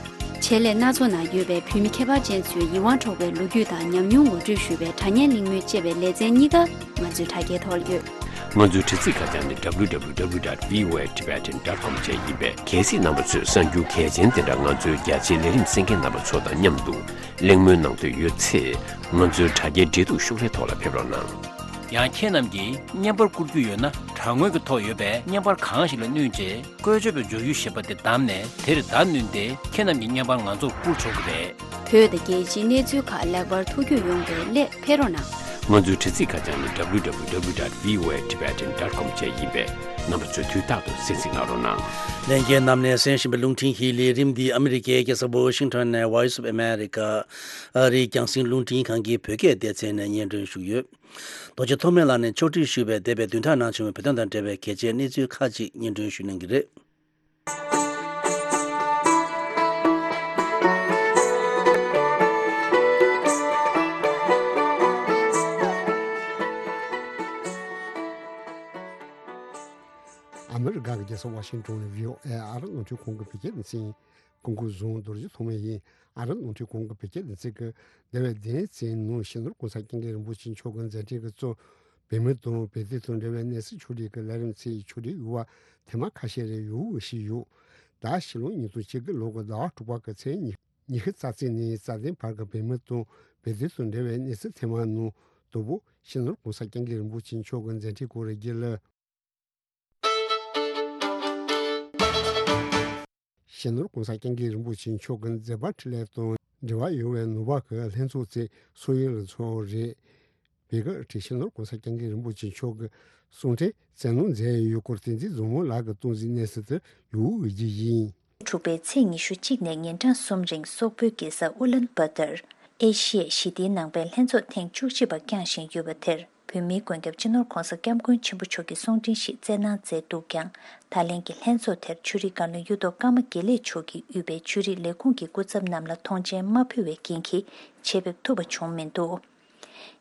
ཆེད་ལས་སྣ་ཚོགས་ནང་ཡོད་པའི་བོད་མི་ཁྱད་པར་ཅན་ཚོའི་ཡིད་དབང་འཕྲོག་པའི་ལོ་རྒྱུས་དང་ཉམས་མྱོང་ངོ་སྤྲོད་ཞུ་བའི་དྲ་བརྙན་གླེང་མོལ་ཅེས་པའི་ལེ་ཚན་གཉིས་ཀ་ང་ཚོའི་དྲ་རྒྱའི་ཐོག་ལ་ཡོད། ང་ཚོའི་དྲ་ཚིགས་ཁ་བྱང་ནི་W W W dot V O A Tibetan dot com བཅས་ཡིན་པས། གལ་སྲིད་རྣམ་པ་ཚོས་གསར་འགྱུར་གལ་ཆེན་དེ་འདྲ་ང་ཚོའི་རྒྱ་ཆེའི་ལས་རིམ་གསན་མཁན་རྣམ་པ་ཚོ་དང་མཉམ་དུ་གླེང་མོལ་གནང་འདོད་ཡོད་ཚེ། ང་ཚོའི་དྲ་རྒྱའི་འབྲེལ་གཏུག་ཤོག་ལྷེ་ཐོག་ལ་ཕེབས་རོགས་གནང་། ཡང་ཁྱེད་རྣམས་ཀྱིས་བརྙན་པར་བསྐུར་རྒྱུ་ཡོད་ན། དྲ་ངོས་ཀྱི་ཐོག་ཡོད་པའི་བརྙན་པར་གང་ཞིག་ལ་བསྣུན་རྗེས། བཀོལ་སྤྱོད་པའི་འཇུག་ཡུལ་ཞེས་པ་དེ་བདམས་ནས། དེར་བརྡ་བསྣུན་ཏེ། ཁྱེད་རྣམས་ཀྱི་བརྙན་པར་ང་ཚོར་བསྐུར་ཆོག་གི་རེད། བོད་དང་རྒྱལ་སྤྱིའི་གནས་ཚུལ་ཁག་ལེགས་པར་ཐུགས་རྒྱུས་ཡོང་བའི་སླད་ཕེབས་རོགས་གནང་། ང་ཚོའི་དྲ་ཚིགས་ཁ་བྱང་ནི་W W W dot V O A Tibetan dot com བཅས་ཡིན་པས། རྣམ་པ་ཚོས་དུས་རྟག་ཏུ་གསན་གཟིགས་གནང་རོགས་གནང་། ལྷན་རྒྱས་རྣམས་ནས་གསན་བཞིན་པའི་རླུང་འཕྲིན་གྱི་ལས་རིམ་འདི་ཨ་མི་རི་ཀའི་རྒྱལ་ས་ཝ་ཤིང་ཊོན་ནས་Voice of America ཨ་རིའི་རྒྱང་སྲིང་རླུང་འཕྲིན་ཁང་གི་བོད་སྐད་སྡེ་ཚན་ནས་སྙན་སྒྲོན་ཞུས་ཡོད། རྡོ་རྗེ་ཐོགས་མེད་ལགས་ནས་ཕྱོགས་སྒྲིག་ཞུས་པའི་འདས་པའི་བདུན་ཕྲག་ནང་བྱུང་བའི་བོད་དོན་དང་འབྲེལ་བའི་གལ་ཆེའི་གནས་ཚུལ་ཁག་ཅིག་སྙན་སྒྲོན་ཞུ་གནང་གི་རེད། ཨ་མི་རི་ཀ་གི་རྒྱལ་ས་ཝ་ཤིང་ཊོན་ནས་བྷི་ཨོ་ཨེ་ཨ་རིའི་རླུང་འཕྲིན་ཁང་གི་བོད་སྐད་སྡེ་ཚན་ཡིན། སྐུ་ངོ་ཟུང་རྡོ་རྗེ་ཐོགས་མེད་ཡིན། ཨ་རིའི་རླུང་འཕྲིན་ཁང་གི་བོད་སྐད་སྡེ་ཚན་གྱིས་འདས་པའི་བདུན་ཕྲག་ནང་སྤྱི་ནོར་གོང་ས་སྐྱབས་མགོན་རིན་པོ་ཆེ་མཆོག་གི་མཛད་འཕྲིན་གྱི་གཙོ། བོད་མི་དང་བོད་དོན་དང་འབྲེལ་བའི་གནས་ཚུལ་ཕྱོགས་སྒྲིག་གི་ལས་རིམ་ཚོའི་ཕྱོགས་སྒྲིག་ཡོད་པ་ཐེངས་མ་ཁ་ཤས་རེ་ཡོང་བཞིན་ཡོད། ད་ཕྱི་ལོ་ཉིས་སྟོང་ཉི་ཤུ་རྩ་དགུ་ལོ་གི་ཟླ་བ་དྲུག་པ་གི་ཚེས་ཉི་ཤུ་རྩ་གཅིག་ནས་རྩ་བདུན་བར་གྱི་བོད་མི་དང་བོད་དོན་དང་འབྲེལ་བའི་གནས་ཚུལ་ཐེངས་མ་ནང་དང་པོ་སྤྱི་ནོར་གོང་ས་སྐྱབས་མགོན་རིན་པོ་ཆེ་མཆོག་གི་མཛད་འཕྲིན་སྐོར་རེ་བརྒྱུད་ལ། སྤྱི་ནོར་གོང་ས་སྐྱབས་མགོན་རིན་པོ་ཆེ་མཆོག་གི་མཛད་པ་འཕྲིན་ལས་དང་འབྲེལ་བ་ཡོད་པའི་ནང་པ་གི་ལྷན་ཚོགས་ཚོས་སོག་ཡུལ་ལ་འཚོགས་རེད། བོད་ཀྱི་ཁྲི་སྤྱི་ནོར་གོང་ས་སྐྱབས་མགོན་རིན་པོ་ཆེ་མཆོག་གི་གསུང་འཕྲིན་སྩལ་གནང་མཛད་ཡོད་སྐོར་བསྟན་འཛིན་བཟང་མོ་ལགས་ཀྱིས་གཏོང་གཟིགས་གནང་ས་དེར་ཡོང་བའི་རྒྱུ་ཡིན། དྲུག་པའི་ཚེས་ཉི་ཤུ་གཅིག་ནས་ཉིན་གྲངས་གསུམ་རིང་སོག་པོའི་རྒྱལ་ས་ཨུ་ལན་བྷ་ཏར། ཨེ་ཤི་ཡའི་ཞི་བདེའི་ནང་པའི་ལྷན་ཚོགས་ཐེངས་བཅུ་གཅིག་པ་བསྐྱངས་བཞིན་ཡོད་པ་དེར། བོད་མིའི་མགོན་སྐྱབས་སྤྱི་ནོར་གོང་ས་སྐྱབས་མགོན་ཆེན་པོ་མཆོག་གིས་གསུང་འཕྲིན་ཞིག་སྩལ་གནང་མཛད་འདུག་ཀྱང་། ད་ལན་གྱི་ལྷན་ཚོགས་དེར་ཆོས་རིག་བཀའ་བློན་གཡུ་ཐོག་ཀརྨ་དགེ་ལེགས་མཆོག་གིས་དབུས་པའི་ཆོས་རིག་ལས་ཁུངས་ཀྱི་སྐུ་ཚབ་རྣམས་ལ་ཐོངས་མཆན་མ་ཕུལ་བའི་རྐྱེན་གྱིས་ཆེད་ཕེབས་ཐུབ་པ་བྱུང་མི་འདུག་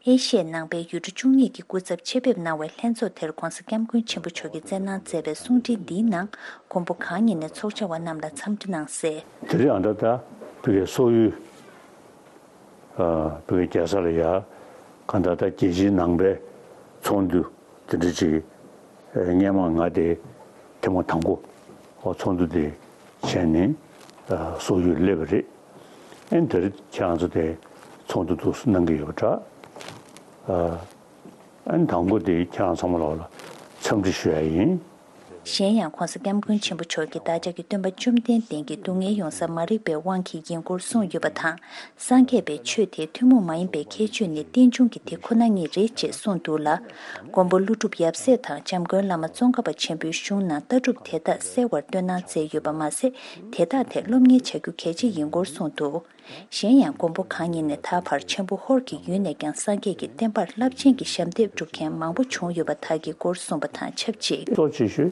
ཨེ་ཤི་ཡའི་ནང་པའི་ཡུལ་གྲུ་བཅུ་གཉིས་ཀྱི་སྐུ་ཚབ་ཆེད་ཕེབས་གནང་བའི་ལྷན་ཚོགས་དེར་༧གོང་ས་༧སྐྱབས་མགོན་ཆེན་པོ་མཆོག་གིས་སྩལ་གནང་མཛད་པའི་གསུང་འཕྲིན་འདིའི་ནང་མགོན་པོ་གང་ཉིད་ནས་ཚོགས་བཅར་བ་རྣམས་ལ་འཚམས་འདྲི་གནང་གསལ། དེ་རིང་ཨ་ད་ད་བོད་ཀྱི་སོག་ཡུལ། བོད་ཀྱི་རྒྱལ་ས་ལ་ཡ་གང་ལྟར་ད་རྒྱལ་སྤྱིའི་ནང་པའི་ཚོགས་འདུ་དེ་འདྲ་ཅིག་སྔས་མ་ང་དེ་ཐེངས་མ་དང་པོ་ཚོགས་འདུ་དེ་བྱས་ནས་སོག་ཡུལ་སླེབས་པ་རེད། ཨན་དེ་རིང་ཁྱེད་རང་ཚོ་དེ་ཚོགས་འདུ་འདུག་གནང་གི་ཡོད་པ་འདྲ། ཨན་དང་པོ་དེ་ཁྱེད་རང་ཚང་མ་ལོག་ལ་འཚམས་འདྲི་ཞུ་ཡ་ཡིན། གཞན་ཡང་༧གོང་ས་༧སྐྱབས་མགོན་ཆེན་པོ་མཆོག་གིས་བདག་ཅག་གི་སྟོན་པ་བཅོམ་ལྡན་འདས་ཀྱིས་སྡུག་བསྔལ་ཡོང་ས་མ་རིག་པའི་དབང་གིས་ཡིན་སྐོར་གསུངས་ཡོད་པ་དང་། སངས་རྒྱས་པའི་ཆོས་དེ་ཐུན་མོང་མ་ཡིན་པའི་ཁྱད་ཆོས་ནི་རྟེན་འབྱུང་གི་དེ་ཁོ་ན་ཉིད་རེད་ཅེས་གསུངས་འདུག་ལ། མགོན་པོ་ཀླུ་སྒྲུབ་ཡབ་སྲས་དང་༧འཇམ་མགོན་བླ་མ་ཙོང་ཁ་པ་ཆེན་པོའི་གཞུང་ནང་ལྟ་གྲུབ་དེ་དག་གསལ་བར་སྟོན་གནང་མཛད་ཡོད་པ་མ་ཟད། དེ་དག་ཐད་སློབ་གཉེར་བྱ་རྒྱུ་གལ་ཆེ་ཡིན་སྐོར་གསུངས་འདུག་གཞན་ཡང་མགོན་པོ་གང་ཉིད་ནས་ད་བར་ཆེན་པོ་ཧོར་གྱི་ཡུལ་ནས་ཀྱང་སངས་རྒྱས་ཀྱི་བསྟན་པར་རླབས་ཆེན་གྱི་ཞབས་འདེགས་སྒྲུབ་མཁན་མང་པོ་བྱུང་ཡོད་པ་དག་གི་སྐོར་གསུངས་པ་དང་ཆབས་ཅིག་གཙོ་ཆེ་ཤོས་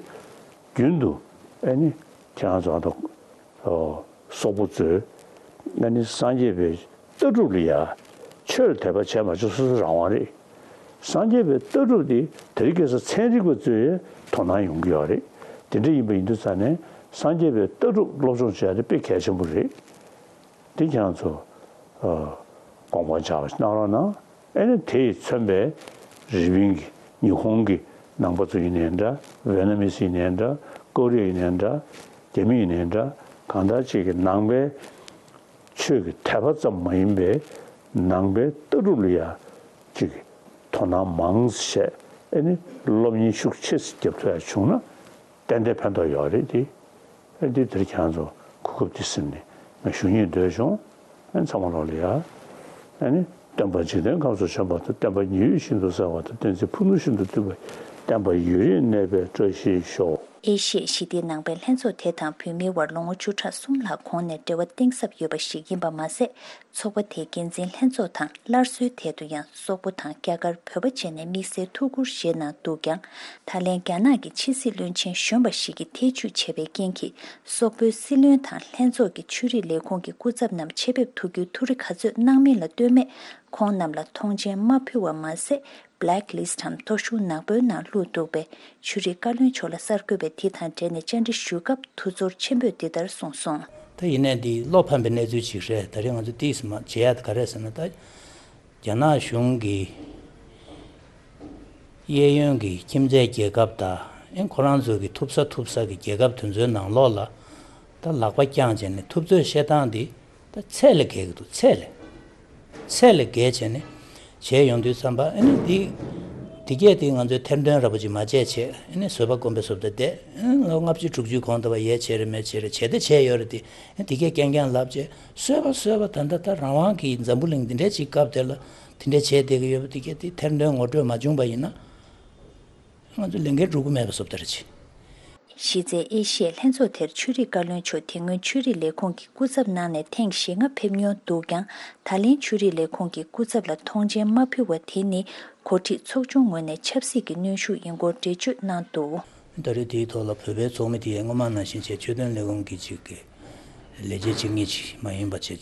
རྒྱུན་དུ་ཨ་ནི་ཁྱེད་རང་ཚོ་ཨ་ད་སོག་པོ་ཚོས་ཨ་ནི་སངས་རྒྱས་པའི་ལྟ་གྲུབ་ལ་ཡ་ཆོས་ལ་དད་པ་བྱས་མ་བྱས་སོ་སོའི་རང་དབང་རེད། སངས་རྒྱས་པའི་ལྟ་གྲུབ་དེ་དེ་རིང་ཁ་སང་ཚན་རིག་པ་ཚོས་དོ་སྣང་ཡོང་གི་ཡོད་རེད། དེ་འདྲ་ཡིན་པ་ཡིན་དུས་ཙང་ནས་སངས་རྒྱས་པའི་ལྟ་གྲུབ་སློབ་སྦྱོང་བྱེད་ཡ་དེ་དཔེ་གལ་ཆེན་པོ་རེད། དེ་ཁྱེད་རང་ཚོ་ཨ་དགོངས་པ་འཇགས་པ་གནང་རོགས་གནང་། ཨ་ནི་དེས་མཚོན་པའི་རི་པིན་གྱི་ཉི་ཧོང་གི་ནང་པ་ཚོ་ཡིན་ནའི་འདྲ། ཝེ་ན་མི་སི་ཡིན་ནའི་འདྲ། ཀོ་རི་ཡ་ཡིན་ནའི་འདྲ། རྒྱ་མི་ཡིན་ནའི་འདྲ། གང་ལྟར་ཅིག་གི་ནང་པའི་ཆོས་ཀྱི་དད་པ་ཙམ་མ་ཡིན་པའི་ནང་པའི་ལྟ་གྲུབ་ལ་ཡ་ཅིག་གི་དོ་སྣང་མང་ཙམ་བྱས། ཨ་ནི་སློབ་གཉེར་ཤུགས་ཆེ་ཙམ་རྒྱབ་ཐུབ་ཡ་བྱུང་ན། ཏན་ཏན་ཕན་ཐོགས་ཡོད་རེད་དེ། ཨ་འདི་དེར་ཁྱེད་རང་ཚོ་གོ་སྐབས་འདི་ཟིན་ནས་ང་ཞུ་སྙིང་འདོད་བྱུང་། ཨ་ཚང་མ་ལོག་ལ་ཡ། ཨ་ནི་སྟོན་པ་འཇིག་རྟེན་ཁམས་སུ་བྱོན་པ་དང་། བསྟན་པ་ཉི་འོད་བཞིན་དུ་གསལ་བ་དང་། བསྟན་འཛིན་ཕུ་ནུ་བཞིན་དུ་བཏུད་པ། བསྟན་པ་ཡུན་རིང་གནས་པའི་བཀྲ་ཤིས་ཤོག་ཨེ་ཤི་ཡའི་ཞི་བདེའི་ནང་པའི་ལྷན་ཚོགས་དེ་དང་བོད་མིའི་དབར་ལོ་ངོ་བཅུ་ཕྲག་གསུམ་ལྷག་གོང་ནས་འབྲེལ་བ་གཏིང་ཟབ་ཡོད་པ་ཞིག་ཡིན་པ་མ་ཟད། ཚོགས་པ་དེའི་འགན་འཛིན་ལྷན་ཚོགས་དང་སླར་གསོའི་ཐད་དུ་ཡང་སོག་པོ་དང་རྒྱ་གར་བོད་པ་བཅས་ནས་དམིགས་བསལ་ཐུགས་ཁུར་བཞེས་གནང་འདུག་ཀྱང་། ད་ལན་རྒྱ་ནག་གི་ཕྱི་སྲིད་བློན་ཆེན་གཞོན་པ་ཞིག་གིས་ཐེ་བྱུས་བྱས་པའི་རྐྱེན་གྱིས། སོག་པོའི་སྲིད་བློན་དང་ལྷན་ཚོགས་ཀྱི་ཆོས་རིག་ལས་ཁུངས་ཀྱི་སྐུ་ཚབ་རྣམས་ཆེད་ཕེབས་ཐུགས་རྒྱུའི་ཐུགས་རེ་ག་ཚོད་གནང་མིན་ལ་ལྟོས་མེད། ཁོང་རྣམས་ལ་མཐོང་མཆན་མ་ཕུལ་བ་མ་ཟད། Blacklist་འམ་མཐོ་ཤོས་ནག་པོའི་ནང་བླུགས་འདུག་པས། ཆོས་རིག་བཀའ་བློན་མཆོག་ལ་གསར་འགོད་པས་དེ་དང་འབྲེལ་ནས་བཅར་འདྲི་ཞུས་སྐབས་ཐུགས་ཚོར་ཆེན་པོས་འདི་ལྟར་གསུངས་སོང་། ད་ཡིན་ནའི་འདི་བློ་ཕམ་པའི་གནས་ཚུལ་ཅིག་རེད། ད་རེས་ང་ཚོ་ཏིས་མ་བྱེད་ཡ་དེ་ག་རེ་ཟེར་ན། ད་རྒྱ་ནག་གཞུང་གི་གཡས་གཡོན་གྱི་ཁྱིམ་མཚེས་རྒྱལ་ཁབ་དང་། ཨེ་ཁོ་རང་ཚོ་གི་ཐུབ་ས་ཐུབ་ས་གི་རྒྱལ་ཁབ་དེ་ཚོའི་ནང་ལོགས་ལ་ད་ལག་པ་བརྐྱངས་བྱས་ནས་ཐུབ་ཚོད་བཤད་སྟངས་འདི་ད་ཚད་ལས་བརྒལ་གྱི་འདུག་ཚད་ལས། ཚད་ལས་བརྒལ་བྱས་ནས་བྱས་ཡོང་དུས་ཙམ་པ། ཨ་ནི་འདི་འདི་གས་དེ་ང་ཚོས་ཐེར་འདོན་ར་པོ་ཅིག་མ་བྱས་བྱས། ཨ་ནི་བཟོད་པ་སྒོམ་པའི་བཟོ་ལྟ་བསྡད། ཨ་ལོ་ལྔ་བཅུ་དྲུག་ཅུའི་གོང་དུ་བ་ཡས་བྱས་རེད་མེད་བྱས་རེད་བྱས་ཏེ་བྱས་ཡོད་རེད་དེ། ཨ་འདི་གས་རྐྱང་རྐྱང་ལབ་བྱས་བཟོད་པ་བཟོད་པ། ད་ལྟ་ད་རང་དབང་གི་འཛམ་བུ་གླིང་འདི་འདྲའི་ཅིག་སྐབས་དེ་ལ་དེ་འདྲ་བྱས་བསྡད་ཀྱི་ཡོད་པ་འདི་གས་དེ་ཐེར་འདོན་ངོ་སྤྲོད་མ་བྱུང་པ་ཡིན་ན། ང་ཚོ་ལས་འགན་སྒྲུབ་ཀྱི་མེད་པ་བཟོ་ལྟ་རེད་ཅེས། གཞི་རྩའི་ཨེ་ཤི་ཡའི་ལྷན་ཚོགས་དེར་ཆོས་རིག་བཀའ་བློན་མཆོག་དེ་སྔོན་ཆོས་རིག་ལས་ཁུངས་ཀྱི་སྐུ་ཚབ་གནང་ནས་ཐེངས་ཞེ་ལྔ་ཕེབས་མྱོང་འདུག་ཀྱང་། ད་ལན་ཆོས་རིག་ལས་ཁུངས་ཀྱི་སྐུ་ཚབ་ལ་མཐོང་མཆན་མ་ཕུལ་བ་དེ་ནི་འགོ་ཁྲིད་ཚོགས་ཆུང་ངོས་ནས་ཆབ་སྲིད་ཀྱི་གནོན་ཤུགས་ཡིན་སྐོར་འགྲེལ་བརྗོད་གནང་འདུག་ད་རེས་དེའི་ཐོག་ལ་བོད་པའི་ཚོགས་མི་དེ་ཡང་སྔོན་མ་ནང་བཞིན་བྱས་ཆོས་དོན་ལས་ཁུངས་ཀྱི་ཅིག་གི་ལས་བྱེད་གཅིག་གཉིས་ཅིག་མ་ཡིན་པ་བྱས་བྱས་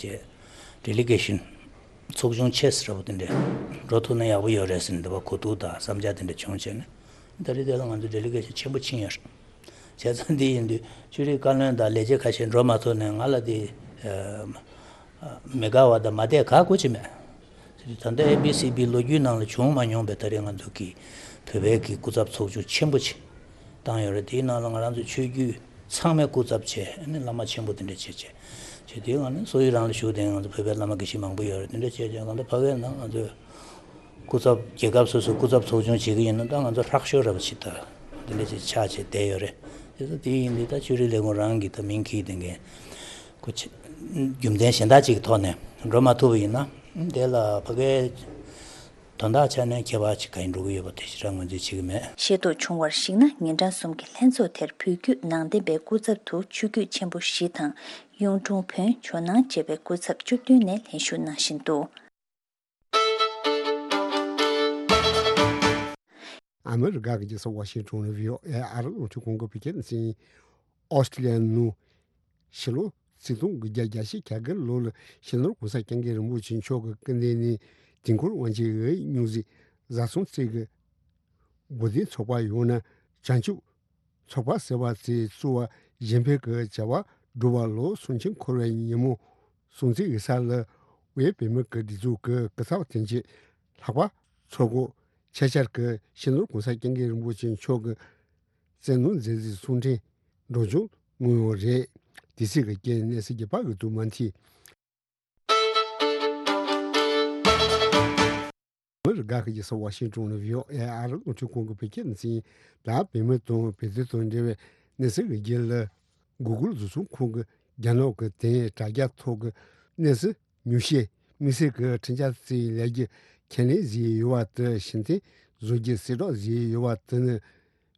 ཌེ་ལི་གེ་ཤན་ཚོགས་ཆུང་ཆེ་ས་ར་བོ་དེ་འདྲས་འགྲོ་ཐུབ་ན་ཡག་པོ་ཡོད་རེད་ཟེར་ནས་འདི་བ་གོ་ཐུག་དང་བསམ་འཆར་དེ་འདྲ་བྱུང་བྱས་ནས། ད་རེས་དེ་ལ་ང་ཚོ་ཌེ་ལི་གེ་ཤན་ཆེན་པོ་ཕྱིན་ཡོད་རེད། བྱས་ཙང་འདི་ཡིན་དུས་ཆོས་རིག་བཀའ་བློན་དང་ལས་བྱེད་ཁ་ཤས་འགྲོ་མ་ཐུབ་ནས་ང་ལ་དེ་མི་དགའ་བ་དང་མ་བདེ་ག་གུ་ཅི་མེད། ད་ལྟ་ཨེ་བི་སི་བི་ལོ་རྒྱུས་ནང་ལ་བྱུང་མ་མྱོང་པའི་ད་རེས་ང་ཚོ་གི་བོད་པའི་གི་སྐུ་ཚབ་ཚོགས་ཆུང་ཆེན་པོ་ཅིག་བཏང་ཡོད་རེད། དེའི་ནང་ལ་ང་རང་ཚོ་ཆོས་བརྒྱུད་ཚང་མའི་སྐུ་ཚབ་བྱས། ཨ་ནི་བླ་མ་ཆེན་པོ་དེ་འདྲ་བྱས་བྱས་བྱས། དེའི་ནང་ནས་སོ་ཡི་རང་ལ་བཞུགས་དེ་ང་ཚོ་བོད་པའི་བླ་མ་དགེ་བཤེས་མང་པོ་ཡོད་རེད། དེ་འདྲ་བྱས་བྱས་ང་ཚོ་ཕ་གིའི་ནང་ང་ཚོའི་སྐུ་ཚབ་རྒྱལ་ཁབ་སོ་སོའི་སྐུ་ཚབ་ཚོགས་ཆུང་བྱེད་ཀྱི་ཡིན་ན་ད་ང་ཚོ་ཧྲག་ཤོས་ར་བ་ཞིག་ད་དེ་འདྲ་ཅིག་ཆགས་བྱས་བསྡད་ཡོད་རེད། དེ་ཚོ་དེ་ཡིན་དུས་ད་ཆོས་རིག་ལས་ཁུངས་རང་གི་ད་མིང་འཁྱེར་དེ་འགན་ཁོ་ཆེ་རྒྱུ་མཚན་གཞན་དག་ཅིག་གི་ཐོག་ནས་འགྲོ་མ་ཐུབ་པ་ཡིན་ན་དེ་ལ་ཕ་གིའི་དོན་དག་ཆ་ནས་ཁྱད་པར་ཅིག་གང་ཡིན་འགྲོ་གི་ཡོད་པ་དེ་ཞེ་དྲག་ངོས་འཛིན་བྱེད་ཀྱི་མེད། ཤེས་རྟོགས་བྱུང་བར་གཞིགས་ན། ཉིན་གྲངས་གསུམ་གྱི་ལྷན་ཚོགས་དེར་བོད་བརྒྱུད་ནང་བསྟན་པའི་སྐུ་ཚབ་ཏུ་ཆོས་བརྒྱུད་ཆེན་པོ་བཞི་དང་། གཡུང་དྲུང་བོན། ཇོ་ནང་བཅས་པའི་སྐུ་ཚབ་བཅུ་བདུན་ནས་ལྷན་ཞུགས་གནང་བཞིན་འདུག་ཨ་མི་རི་ཀ་གི་རྒྱལ་ས་ཝ་ཤིང་ཊོན་ནས་བྷི་ཨོ་ཨེ་ཨ་རི་རླུང་འཕྲིན་ཁང་གི་བོད་སྐད་སྡེ་ཚན། ཨོ་སི་ཀྲི་ལི་ཡ་ནང་ཕྱི་ལོ་ཆིག་སྟོང་དགུ་བརྒྱ་གྱ་བཞི་གྱ་དགུ་ལོ་ལ་སྤྱི་ནོར་༸གོང་ས་༸སྐྱབས་མགོན་རིན་པོ་ཆེ་མཆོག་གི་སྐུ་མདུན་ནས་དུས་འཁོར་དབང་ཆེན་འོད་སྙུང་གཟིགས་བཟའ་ཚང་བཅས་ཀྱི་དགོན་སྡེ་ཚོགས་པ་ཡོངས་ནས་བྱང་ཆུབ་ཚོགས་པ་ཟེར་བ་དེ་བཙུགས་པ་གཞན་ཕན་གྱི་བྱ་བ་སྒྲུབ་པ་ལ་གསུང་ཆོས་འཁོར་བའི་ཉིན་མོ་སྲུང་བརྩི་ཡིག་ཚང་ལ་བོད་པའི་མི་གི་སྒྲིག་འཛུགས་ཀྱི་སྐུ་ཚབ་དོན་གཅོད་ལྷག་པ་ཚོགས་སྐོར་ཆེད་བཅར་གྱིས་སྤྱི་ནོར་༸གོང་ས་༸སྐྱབས་མགོན་རིན་པོ་ཆེ་མཆོག་གི་བཙན་གནོན་མཛད་རྗེས་གསུང་འཕྲིན་སྒྲོག་སྦྱང་གནང་ཡོད་རེད། དེ་སྲིད་ཀྱི་རྐྱེན་གནས་ཚུལ་རྒྱས་པ་གི་དུ་མ་མཐིལ། དགའ་ཁ་ཡི་ས་ཝ་ཤིང་ཏོན་ནས་བྷི་ཨོ་ཨེ་ཨར་རླུང་འཕྲིན་ཁང་གི་བོད་སྐད་སྡེ་ཚན་ཡིན། ད་བོད་མི་དང་བོད་དོན་དང་འབྲེལ་བའི་གནས་ཚུལ་གྱི་རྒྱུད་ལ། གུ་གུལ་བཟོ་ཚོང་ཁང་གིས་རྒྱ་ནག་གི་དེང་དྲ་རྒྱ་ཐོག་གི་གནས་ཚུལ་ཉུང་ཤས་དམིགས་བསལ་གྱི་འཕྲིན་བཅར་བརྩིས་ལས་རྒྱུ་ཁས་ལེན་བཟོས་ཡོད་པ་དེ་ཕྱིར་འཐེན་བཟོ་རྒྱུ་གསལ་བསྒྲགས་བཟོས་ཡོད་པ་དེ་ནི་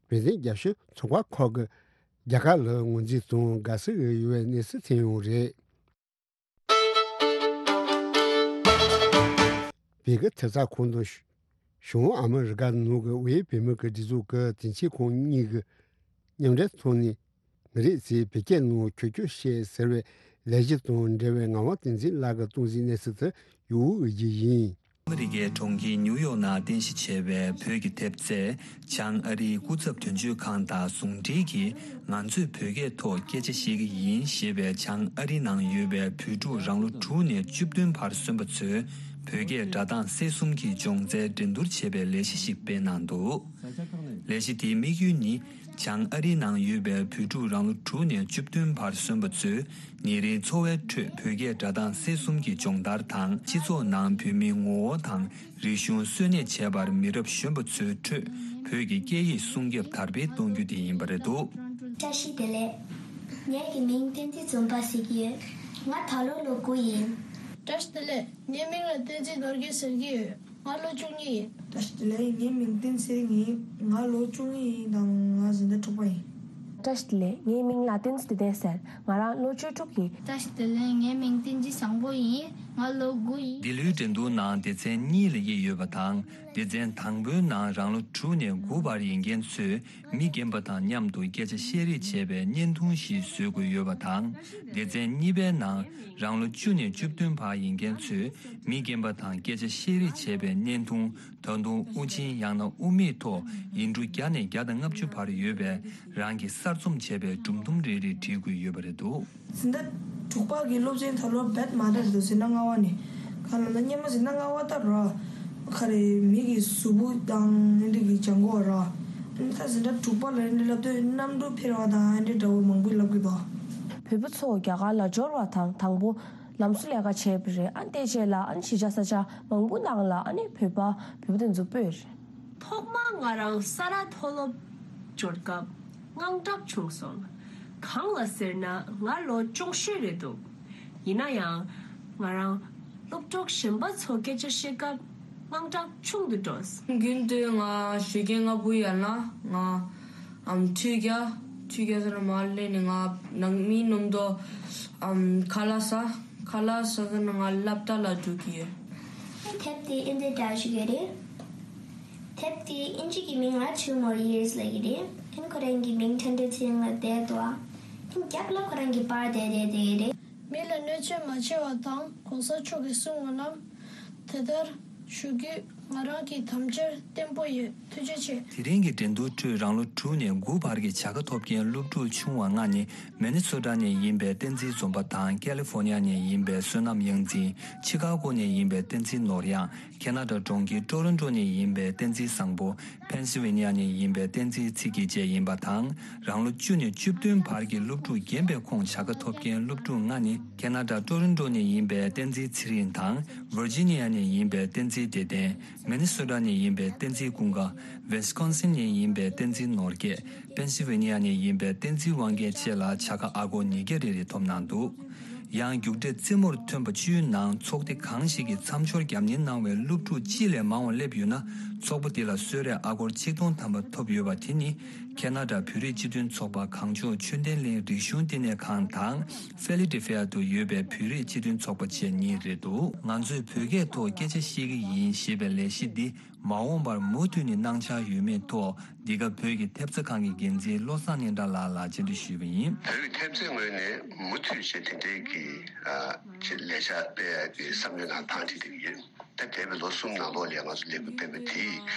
བོད་དོན་རྒྱབ་སྐྱོར་ཚོགས་པ་ཁག་གིས་རྒྱ་གར་ལ་ངོས་འཛིན་དང་དགའ་བསུ་ཡོད་པའི་གནས་ཚུལ་ཐོན་ཡོད་རེད། བོད་ཀྱི་ཐེབས་རྩ་ཁང་དང་བྱང་ཨ་མི་རི་ཀ་ནང་གི་དབུས་བོད་མི་གི་སྒྲིག་འཛུགས་ཀྱི་དོན་ཚན་ཁང་གཉིས་ཀྱི་མཉམ་འབྲེལ་ཐོག་ནས། ངེད་རེད་ཅེས་བོད་སྐད་ནང་ཁྱོད་ཁྱོད་བཤད་ཟེར་བའི་ལས་གཞི་དང་འབྲེལ་བའི་ངག་དབང་བསྟན་འཛིན་ལགས་ཀྱིས་གཏོང་གཟིགས་གནས་ཚུལ་དེ་ཡོད་འོས་ཀྱི་ཡིན། ཨ་མི་རི་ཀའི་གྲོང་ཁྱེར་ཉིའུ་ཡོག་ནང་རྟེན་གཞི་བྱས་པའི་བོད་ཀྱི་ཐེབས་རྩས་བྱང་ཨ་རིའི་སྐུ་ཚབ་དོན་གཅོད་ཁང་དང་ཟུང་འབྲེལ་གྱིས། ང་ཚོས་བོད་སྐད་ཐོག་སྐད་ཆ་བཤད་ཀྱི་ཡིན་ཞེས་པའི་བྱང་ཨ་རི་ནང་ཡོད་པའི་བོད་ཕྲུག་རང་ལོ་དྲུག་ནས་བཅུ་བདུན་བར་སོན་པ་ཚོའི་བོད་སྐད་སྒྲ་གདངས་གསལ་གསུམ་གྱི་སྦྱོང་རྩལ་འགྲན་བསྡུར་བྱེད་པའི་ལས་གཞི་ཞིག་སྤེལ་གནང་འདུག་ལས་གཞི་དེའི་དམིགས་ཡུལ་ནི། བྱང་ཨ་རིའི་ནང་ཡོད་པའི་བོད་ཕྲུག་རང་ལོ་དྲུག་ནས་བཅུ་བདུན་བར་སོན་པ་ཚོས་ཉིན་རེའི་འཚོ་བའི་ཁྲོད་བོད་སྐད་སྒྲ་གདངས་གསལ་གསུམ་གྱི་སྦྱོང་བརྡར་དང་། སྤྱི་ཚོགས་ནང་བོད་མིའི་ངོ་བོ་དང་རིག་གཞུང་གསོན་གནས་བྱེད་པར་མི་རབས་གཞོན་པ་ཚོའི་ཁྲོད་བོད་ཀྱི་སྐད་ཡིག་སྲུང་སྐྱོབ་དར་སྤེལ་གཏོང་རྒྱུ་དེ་ཡིན་པ་རེད་འདུག་བཀྲ་ཤིས་བདེ་ལེགས། ངེད་ཀྱི་མིང་བསྟན་འཛིན་འཛོམས་པ་ཟེར་གྱི་ཡོད། ང་ད་ལོ་ལོ་དགུ་ཡིན། བཀྲ་ཤིས་བདེ་ལེགས། ངའི་མིང་ལ་བསྟན་འཛིན་ནོར་རྒྱས་ཟེར་གྱི་ཡོད། ང་ལོ་བཅུ་གཉིས་ཡིན། བཀྲ་ཤིས་བདེ་ལེགས། ངའི་མིང་བསྟན་འཛིན་ཚེ་རིང་ཡིན། ང་ལོ་བཅུ་གཉིས་ཡིན་དང་ང་འཛིན་གྲྭ་དྲུག་པ་ཡིན། བཀྲ་ཤིས་བདེ་ལེགས། ངའི་མིང་ལ་བསྟན་འཛིན་བདེ་ལྡན་ཟེར། ང་རང་ལོ་བཅུ་དྲུག་ཡིན། བཀྲ་ཤིས་བདེ་ལེགས། ངའི་མིང་བསྟན་འཛིན་བཟང་པོ་ཡིན། ང་ལོ་དགུ་ཡིན། འདི་ལོའི་འགྲན་བསྡུར་ནང་སྡེ་ཚན་གཉིས་ལ་དབྱེ་ཡོད་པ་དང་། སྡེ་ཚན་དང་པོའི་ནང་རང་ལོ་དྲུག་ནས་དགུ་བར་ཡིན་མཁན་ཚོས་མི་རྒན་པ་དང་མཉམ་དུ་སྐད་ཆ་བཤད་རེས་བྱས་པའི་བརྙན་ཐུང་ཞིག་བཟོ་དགོས་ཡོད་པ་དང་། སྡེ་ཚན་གཉིས་པའི་ནང་རང་ལོ་བཅུ་ནས་བཅུ་བདུན་བར་ཡིན་མཁན་ཚོས་མི་རྒན་པ་དང་སྐད་ཆ་བཤད་རེས་བྱས་པའི་བརྙན་ཐུང་། ད་དུང་དབུ་ཅན་ཡང་ན་དབུ་མེད་ཐོག་ཡིག་འབྲུ་བརྒྱ་ནས་བརྒྱ་དང་ལྔ་བཅུ་བར་ཡོད་པའི་རང་གིས་གསར་རྩོམ་བྱས་པའི་སྒྲུང་ཐུང་རེ་རེ་བྲིས་དགོས་ཡོད་པ་རེད་འདུག་འཛིན་གྲྭ་དྲུག་པ་གི་སློབ་ཚན་ད་ལོ་རྦད་མ་འདྲ་རེད་འདུག་འཛིན་གྲྭ་ལྔ་པ་ནས། གང་ལབ་ན་སྔོན་མ་འཛིན་གྲྭ་ལྔ་པ་ལྟར་ར། ག་རེ་མི་གི་གཟུགས་པོ་དང་ཨེ་འདྲ་གི་སྦྱང་དགོས་ར། ད་འཛིན་གྲྭ་དྲུག་པ་ལ་ཨེ་འདྲ་ལབ་དུས་གནམ་གྲུ་འཕུར་བ་དང་ཨེ་འདྲ་འདྲ་བོ་མང་པོ་ལབ་གི་འདུག་བོད་པ་ཚོ་རྒྱ་གར་ལ་འབྱོར་བ་དང་དང་པོ་ལམ་བཟོ་ལས་ཀ་བྱས་པ་རེད། ཨ་ནི་དེ་རྗེས་ལ་ཨ་ནི་གཞིས་ཆགས་ས་ཆ་མང་པོ་ནང་ལ་ཨ་ནི་བོད་པ་བོད་པ་དེ་ཚོ་སྤོས་རེད། ཐོག་མ་ང་རང་ས་རཱ་མཐོ་སློབ་འབྱོར་སྐབས་དངངས་སྐྲག་བྱུང་སོང་། གང་ལ་ཟེར་ན་ང་ལོ་ཅུང་ཤོས་རེད་འདུག་ཡིན་ན་ཡང་ང་རང་སློབ་གྲོགས་གཞན་པ་ཚོ་སྐད་ཆ་བཤད་སྐབས་དངངས་སྐྲག་ཆུང་དུ་འགྲོ། རྒྱུན་དུ་ང་ཞོགས་ཀས་སྔ་པོ་ཡར་ན་ང་ཨམ་ཁྲུས་རྒྱག་ཁྲུས་རྒྱག་ཟེར་ན་མར་སླེབས་ནས་ང་ནང་མིའི་ནང་དུ་ཨམ་ཁ་ལག་ཟ། ཁ་ལག་ཟ་ཟེར་ན་ང་སློབ་གྲྭ་ལ་འགྲོ་གི་ཡོད། དེབ་དེ་ཨིན་དེ་འདྲ་ཞིག་ཡོད་རེད། དེབ་དེ་ཨིན་ཇི་གི་མིང་ལ་Two More Years ལབ་ཀྱི་རེད། ཨིན་ཁོ་རང་གི་མིང་ཐན་ཏེ་ཚེ་རིང་ལ་བསྡད་འདུག་ཨིན་རྒྱབ་ལ་ཁོ་རང་གི་པར་བསྡད་བསྡད་བསྡད་ཀྱི་རེད། མི་ལ་གནོད་སྐྱོན་མ་བྱས་པ་དང་གོང་ས་མཆོག་གིས་གསུངས་པ་རྣམས་དེ་ལྟར་ཞུ་རྒྱུ་ང་རང་གི་དམ་བཅའ་བརྟན་པོ་ཡོད། ཐུགས་རྗེ་ཆེ། དེ་རིང་གི་འགྲན་བསྡུར་ཁྲོད་རང་ལོ་དྲུག་ནས་དགུ་བར་གྱི་བྱ་དགའ་ཐོབ་མཁན་སློབ་ཕྲུག་ཆུང་བ་ལྔ་ནི། མི་ནི་སོ་ཊ་ནས་ཡིན་པའི་བསྟན་འཛིན་འཛོམས་པ་དང་། ཀ་ལི་ཧྥོ་ནི་ཡ་ནས་ཡིན་པའི་བསོད་ནམས་དབྱངས་འཛིན། ཆི་ཀ་གོ་ནས་ཡིན་པའི་བསྟན་འཛིན་ནོར་དབྱངས། ཁེ་ན་ཌ་གྲོང་ཁྱེར་ཊོ་རོན་ཊོ་ནས་ཡིན་པའི་བསྟན་འཛིན་བཟང་པོ། ཕེན་སི་ཝེ་ནི་ཡ་ནས་ཡིན་པའི་བསྟན་འཛིན་ཚེ་སྐྱིད་བཅས་ཡིན་པ་དང་། རང་ལོ་བཅུ་ནས་བཅུ་བདུན་བར་གྱི་སློབ་ཕྲུག་རྒན་པའི་ཁོངས་བྱ་དགའ་ཐོབ་མཁན་སློབ་ཕྲུག་ལྔ་ནི། ཁེ་ན་ཌ་ཊོ་རོན་ཊོ་ནས་ཡིན་པའི་བསྟན་འཛིན་ཚེ་རིང་དང་། ཝར་ཇི་ནི་ཡ་ནས་ཡིན་པའི་བསྟན་འཛིན་བདེ་ལྡན། མི་ནི་སོ་ཊ་ནས་ཡིན་པའི་བསྟན་འཛིན་ཀུན་དགའ། ཝིས་ཀོན་སིན་ནས་ཡིན་པའི་བསྟན་འཛིན་ནོར་རྒྱས། ཕེན་སི་ཝེ་ནི་ཡ་ནས་ཡིན་པའི་བསྟན་འཛིན་དབང་རྒྱལ་བཅས་ལ་བྱ་དགའ་ཨ་སྒོར་ཉིས་བརྒྱ་རེ་རེ་ཐོབ་གནང་འདུག་ཡང་རྒྱུགས་སྤྲོད་རྩེད་མོར་ཐོན་པ་བཅུའི་ནང་ཚོགས་སྡེ་གང་ཞིག་གིས་མཚམས་སྦྱོར་རྒྱབ་གཉེར་གནང་བའི་སློབ་ཕྲུག་གཅིག་ལས་མང་བ་སླེབས་ཡོད་ན། ཚོགས་པ་དེ་ལ་གསོལ་རས་ཨ་སྒོར་ཆིག་སྟོང་ཐམ་པ་ཐོབ་ཡོད་པ་དེ་ནི། ཁེ་ན་ཌ་བོད་རིགས་སྤྱི་མཐུན་ཚོགས་པ་གངས་ལྗོངས་ཆོས་ལྡན་གླིང་རིག་གཞུང་བསྟི་གནས་ཁང་དང་། ཧྥི་ལི་ཌེལ་ཧྥི་ཡ་དུ་ཡོད་པའི་བོད་རིགས་སྤྱི་མཐུན་ཚོགས་པ་བཅས་གཉིས་རེད་འདུག་ང་ཚོས་བོད་སྐད་ཐོག་སྐད་ཆ་བཤད་ཀྱི་ཡིན་ཞེས་པའི་ལས་གཞི་འདི། མ་འོངས་པར་མུ་མཐུད་ནས་གནང་འཆར་ཡོད་མེད་ཐོག་འདི་ག་བོད་ཀྱི་ཐེབས་རྩ་ཁང་གི་འགན་འཛིན་བློ་བཟང་སྙན་གྲགས་ལགས་ལ་བཅར་འདྲི་ཞུས་པ་ཡིན། བོད་ཀྱི་ཐེབས་རྩའི་ངོས་ནས་མུ་མཐུད་བྱས་དེ་འབྲེལ་གྱི་ཨ་ཅིག་ལས་འཆར་སྤེལ་ཡག་གི་བསམ་བློའི་ནང་ཐང་ཁྲིད་བསྡད་ཀྱི་ཡོད། ད་འདས་པའི་ལོ་གསུམ་ནང་ལོགས་ལ་ང་ཚོ་ལས་འགུལ་སྤེལ་བ་དེའི་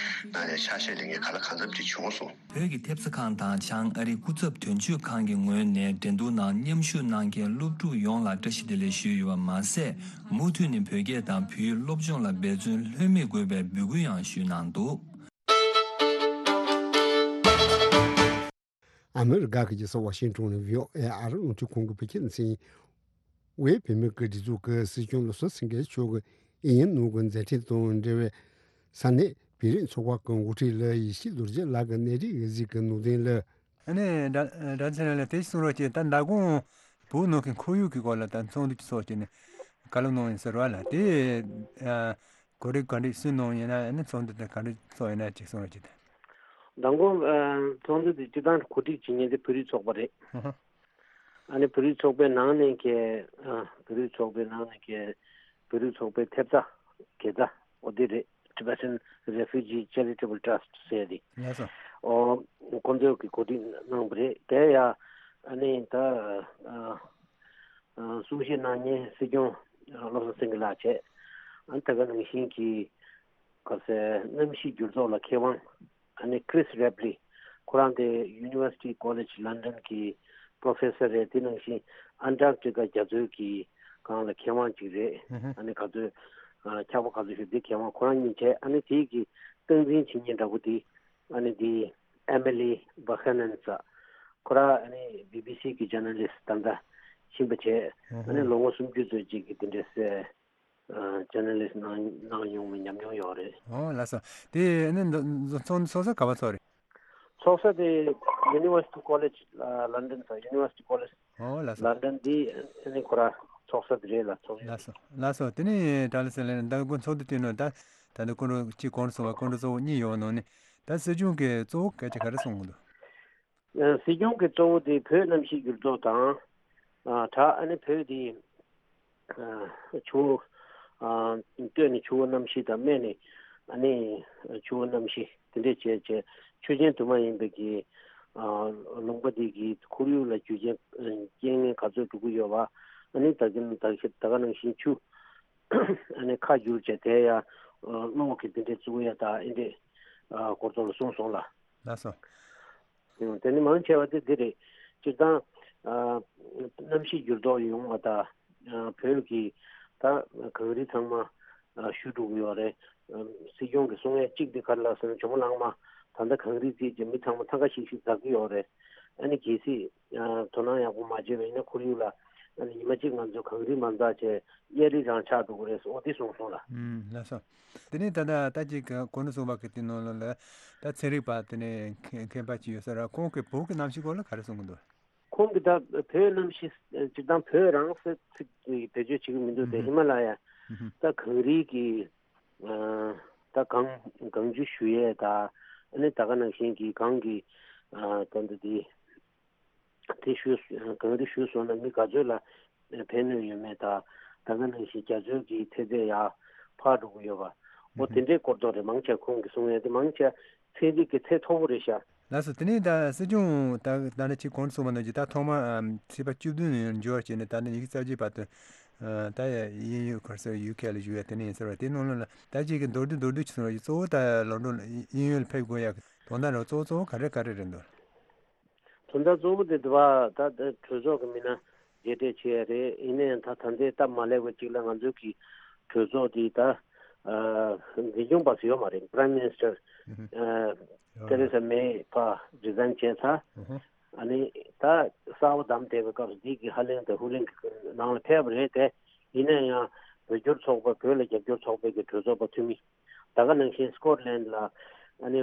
ནང་ནས་ཆ་ཤས་ལེན་མཁན་ག་ལ་གང་འཚམ་ཅིག་བྱུང་སོང་། བོད་ཀྱི་ཐེབས་རྩ་ཁང་དང་བྱང་ཨ་རིའི་སྐུ་ཚབ་དོན་གཅོད་ཁང་གི་ངོས་ནས་འགྲན་བསྡུར་ནང་མཉམ་ཞུགས་གནང་མཁན་སློབ་ཕྲུག་ཡོངས་ལ་བཀྲ་ཤིས་བདེ་ལེགས་ཞུས་ཡོད་པ་མ་ཟད། མུ་མཐུད་ནས་བོད་སྐད་དང་བོད་ཡིག་སློབ་སྦྱོང་ལ་འབད་བརྩོན་ལྷོད་མེད་དགོས་པའི་འབོད་སྐུལ་ཡང་ཞུས་གནང་འདུག་ཨ་མི་རི་ཀ་གི་རྒྱལ་ས་ཝ་ཤིང་ཏོན་ནས་བྷི་ཨོ་ཨེ་ཨ་རི་རླུང་འཕྲིན་ཁང་གི་བོད་སྐད་སྡེ་ཚན་ཡིན། དབུས་བོད་མི་གི་སྒྲིག་འཛུགས་ཀྱི་སྲིད་སྐྱོང་བློ་བཟང་སེང་གེ་མཆོག་གིས་དབྱིན་ཡུལ་ནང་གི་མཛད་འཕྲིན་དང་འབྲེལ་བའི་ ས་གནས་བོད་རིགས་ཚོགས་པ་གི་འགོ་ཁྲིད་ལགས་ཡེ་ཤེས་རྡོ་རྗེ་ལགས་ཀྱི་གནས་རིག་གི་གཟིགས་ཀྱི་ནང་དོན་ལ། ཨ་ནི་དྲ་དྲ་ཚེ་རིང་ལགས་དེ་གསུང་རོགས་གྱིས། ད་མདང་དགོང་བོད་ནང་གི་ཁོར་ཡུག་གི་སྐོར་ལ་ད་ཚོགས་འདུ་ཅིག་ཚོགས་བྱས་ནས་བཀའ་སློབ་གནང་ཡིན་ཟེར་བ་ལ། དེ་ཨ་གོ་སྒྲིག་ག་འདྲ་སུས་གནང་ཡིན་ན། ཨ་ནི་ཚོགས་འདུ་དེ་ག་འདྲ་ཚོགས་ཡིན་ན་ཅིག་གསུང་རོགས་གྱིས། ད་མདང་དགོང་ཨ་ཚོགས་འདུ་དེ་སྤྱིར་བཏང་གོ་སྒྲིག་བྱེད་མཁན་དེ་བོད་རིགས་ཚོགས་པ་རེད། ཨ་ཧ། ཨ་ནི་བོད་རིགས་ཚོགས་པའི་ནང་ནས་ཀྱི་ཨ་བོད་རིགས་ཚོགས་པའི་ནང་ནས་ཀྱི་བོད་རིགས་ཚོགས་པའི་ཐེབས་རྩ་དགེ་རྩ་འོ་དེ་རེད། Tibetan Refugee Charitable Trust ཟེར་དེ། ལགས་སོ། ཨོ་ཁོང་ཚོས་ཀྱི་གོ་སྒྲིག་གནང་བ་རེད། དེ་ཡ་ཨ་ནི་ད་ཨ་ཨ་གསུང་བཤད་གནང་མཁན་སྲིད་སྐྱོང་བློ་བཟང་སེང་གེ་ལགས་བྱས། ཨ་ནི་ད་ག་ནང་བཞིན་གྱི་ག་ཟེར་གནམ་གཤིས་འགྱུར་ལྡོག་ལ་མཁས་དབང་ཨ་ནི་Chris Rapley། ཁོ་རང་དེ་University College London གི་Professor རེད། དེ་ནང་བཞིན་Antarctica རྒྱ་མཚོའི་གི་སྒང་ལ་མཁས་དབང་ཅིག་རེད། ཨ་ནི་ག་ཚོད་ཨ་འཁྱག་པ་ག་ཚོད་ཞིག་དེ་མཁས་དབང་ཁོ་རང་གཉིས་བྱས། ཨ་ནི་དེའི་གི་སྟངས་འཛིན་བྱེད་མཁན་འདྲ་པོ་དེ་ཨ་ནི་དེ་Emily Buchanan ཟེར། ཁོ་རང་ཨ་ནི་B B C གི་journalist ད་ལྟ་ཕྱིན་པ་བྱས། ཨ་ནི་ལོ་ངོ་སུམ་ཅུ་ཙམ་ཅིག་གི་དེ་འདྲའི་སེ་journalist གནང་གནང་མྱོང་བའི་ཉམས་མྱོང་ཡོད་རེད། ཨོ་ལགས་སོ། དེ་ནི་འདི་ཚོགས་ཚོགས་ས་ག་པར་ཚོགས་རེད། ཚོགས་ས་དེ་University College London ཟེར། University College ཨོ་ལགས་སོ། London འདི་ནི་ཁོ་ར་ཚོགས་ས་དེ་རེད་ལ། ཚོགས་ཡོད། ལགས་སོ་ལགས་སོ། དེ་ནི་ད་ལ་སེ་ལེ་ནི་ད་དགོང་ཚོགས་འདུ་དེ་ནི་ད་ད་ནི་སྐུ་མགྲོན་གཅིག་གོང་དུ་སོང་བ། སྐུ་མགྲོན་གཙོ་བོ་གཉིས་ཡོད་པ་ནང་ནས། ད་སྲིད་སྐྱོང་གི་གཙོ་བོ་སྐད་ཆ་ག་རེ་གསུངས་འདུག། ཨ་སྲིད་སྐྱོང་གི་གཙོ་བོ་དེ་བོད་གནམ་གཤིས་འགྱུར་ལྡོག་དང་ཨ་དྲག་ཨ་ནི་བོད་དེ་ཨ་ཆུ་བོ་ཨ་སྟོད་ནས་ཆུ་བོ་གནམ་གཤིས་དང་སྨད་ནས་ཨ་ནི་ཆུ་བོ་གནམ་གཤིས་དེ་འདྲས་བྱས་བྱས། ཆུ་ཆེན་དུ་མ་ཡིན་པའི་གི་ཨ་ལུང་པ་དེ་གི་ཁོར་ཡུག་ལ་རྒྱུ་རྐྱེན་རྐྱེན་ངན་ག་ཚོད་འགྲོ་གི་ཡོད་པ། ཨ་ནི་ད་གིན་ད་ག་ད་ག་ནང་བཞིན་ཆུ་ཨ་ནི་ཁ་བསྒྱུར་བྱས་དེ་ཡ་གློག་གི་དེ་འདྲས་བཙུགས་ཡ་ད་ཨེ་འདྲས་ཨ་སྐོར་ཐོག་ལ་གསུངས་སོང་ལ། ལགས་སོ། ཨང་། དེ་ནི་མང་ཆེ་བ་དེ་འདི་རེད། སྤྱིར་བཏང་ཨ་གནམ་གཤིས་འགྱུར་ལྡོག་ཡོང་བ་དང་ཨ་བོད་ཀྱི་ད་གངས་རི་ཚང་མ་ཨ་བཞུ་འགྲོ་གི་ཡོད་རེད། ཨ་སྲིད་སྐྱོང་གིས་གསུང་ཡས་གཅིག་དེ་ག་རེ་ལབ་ཟེར་ན། ཇོ་མོ་གླང་མ་ད་ལྟ་གངས་རི་བརྩིགས་བྱས་མི་ཚང་མ་ཐང་ག་ཤིག་ཤིག་འཛེག་གི་ཡོད་རེད། ཨ་ནི་གལ་སྲིད་ཨ་དོ་སྣང་ཡག་པོ་མ་བྱས་པ་ཡིན་ན་ཁོར་ཡུག་ལ་ཨ་ནི་ཉི་མ་གཅིག་ང་ཚོ་གངས་རི་མ་འཛེགས་བྱས་གཡའ་རི་རང་ཆགས་འགྲོ་གི་རེད་ཟེར། འོ་དེ་གསུངས་སོང་ལ། ཨང་། ལགས་སོ། དེ་ནས་ད་ལྟ་ད་ཅིག་གི་གོ་ནུ་སོང་བ་གི་དེ་ནང་ལོགས་ལ་ད་ཚན་རིག་པ་དེ་ནས་མཁས་མཁས་པ་ཅིག་ཡོད་ས་ར། ཁོང་གིས་བོད་ཀྱི་གནམ་གཤིས་སྐོར་ལ་ག་རེ་གསུང་གི་འདུག། ཁོང་གིས་ད་བོད་གནམ་གཤིས་སྤྱིར་བཏང་བོད་རང་སེ་ཚིག་གི་བེད་སྤྱོད་བྱེད་ཀྱི་མི་འདུག་སྟེ། ཧི་མ་ལ་ཡ་ད་གངས་རི་གི་ཨ་ད་གངས་གངས་ཆུ་བཞུ་ཡས་ད་ཨ་ནི་ད་ག་ནང་བཞིན་གྱི་གངས་ཀྱི་ཨ་ད་འདི་དེ། དེ་ཞུས། གངས་རི་ཞུས་སོང་ན་མི་ག་ཚོད་ལ་ཕན་གནོད་ཡོད་མེད་དང་། ད་ག་ནང་བཞིན་རྒྱ་མཚོའི་གི་ཚད་ཚད་ཡར་འཕར་འགྲོ་གི་ཡོད་པ། འོ་དེ་འདྲའི་སྐོར་ཐོག་རེད། མང་ཆེ་ཁོང་གིས་གསུང་ཡས་དེ་མང་ཆེ་ཚན་རིག་གི་ཚད་མཐོ་པོ་རེད་ཤག། ལགས་སོ། དེ་ནས་ད་སྲིད་སྐྱོང་ད་ད་ནི་ཅིག་གོང་དུ་གསུངས་པ་ནང་བཞིན་ད་ཐོག་མར་ཨམ་ཚེས་པ་བཅུ་བདུན་ནས་འབྱོར་བྱས་ནས་ད་ནི་ཉི་ཤུ་རྩ་གཅིག་བར་དུ་ཨ་ད་ཡ་དབྱིན་ཡུལ་ག་རེ་ཟེར། ཡུ་ཀེ་ལ་བཞུགས་ཡ་དེ་ནས་ཡིན་ཟེར་བ། དེ་ནང་ལོགས་ལ་ད་ཅིག་གི་མདོར་བསྡུས་མདོར་བསྡུས་ཅིག་གསུངས་རོགས་གྱིས། གཙོ་བོ་ད་ལོན་ཌོན་དབྱིན་ཡུལ་ལ་ཕེབས་དགོས་ཡ་གི་དོན་དག་རེད། གཙོ་བོ་གཙོ་བོ་ག་རེ་ག་རེ་རེད་འདུག། དོན་དག་གཙོ་བོ་དེ་དུ་བ་ད་ལྟ་གྲོས་ཚོགས་ཀྱི་མི་སྣ་མཇལ་འཕྲད་བྱས་ཡ་རེད། ཡིན་ན་ཡང་ད་ད་ལྟའི་སྟབས་མ་ལེགས་པ་གཅིག་ལ་ང་ཚོའི་གི་གྲོས་ཚོགས་དེ་ད་ཨ་འཛིན་སྐྱོང་པ་སུ་ཡོད་མ་རེད། Prime Minister ཨ་Theresa May ཕར་resign བྱས་ཚར། ཨ་ནི་ད་གསར་པ་བདམས་བསྡད་པའི་སྐབས་སུ་འདི་གི་ཧ་ལེང་དང་ཧུ་ལེང་གི་ནང་ལ་ཕེབས་པ་རེད་དེ། ཡིན་ན་ཡང་བོད་སྐྱོར་ཚོགས་པ། བོད་ལ་རྒྱབ་སྐྱོར་ཚོགས་པའི་གི་གྲོས་ཚོགས་པ་འཐུས་མི། ད་ག་ནང་བཞིན་སྐོཊ་ལན་ལ་ཨ་ནི་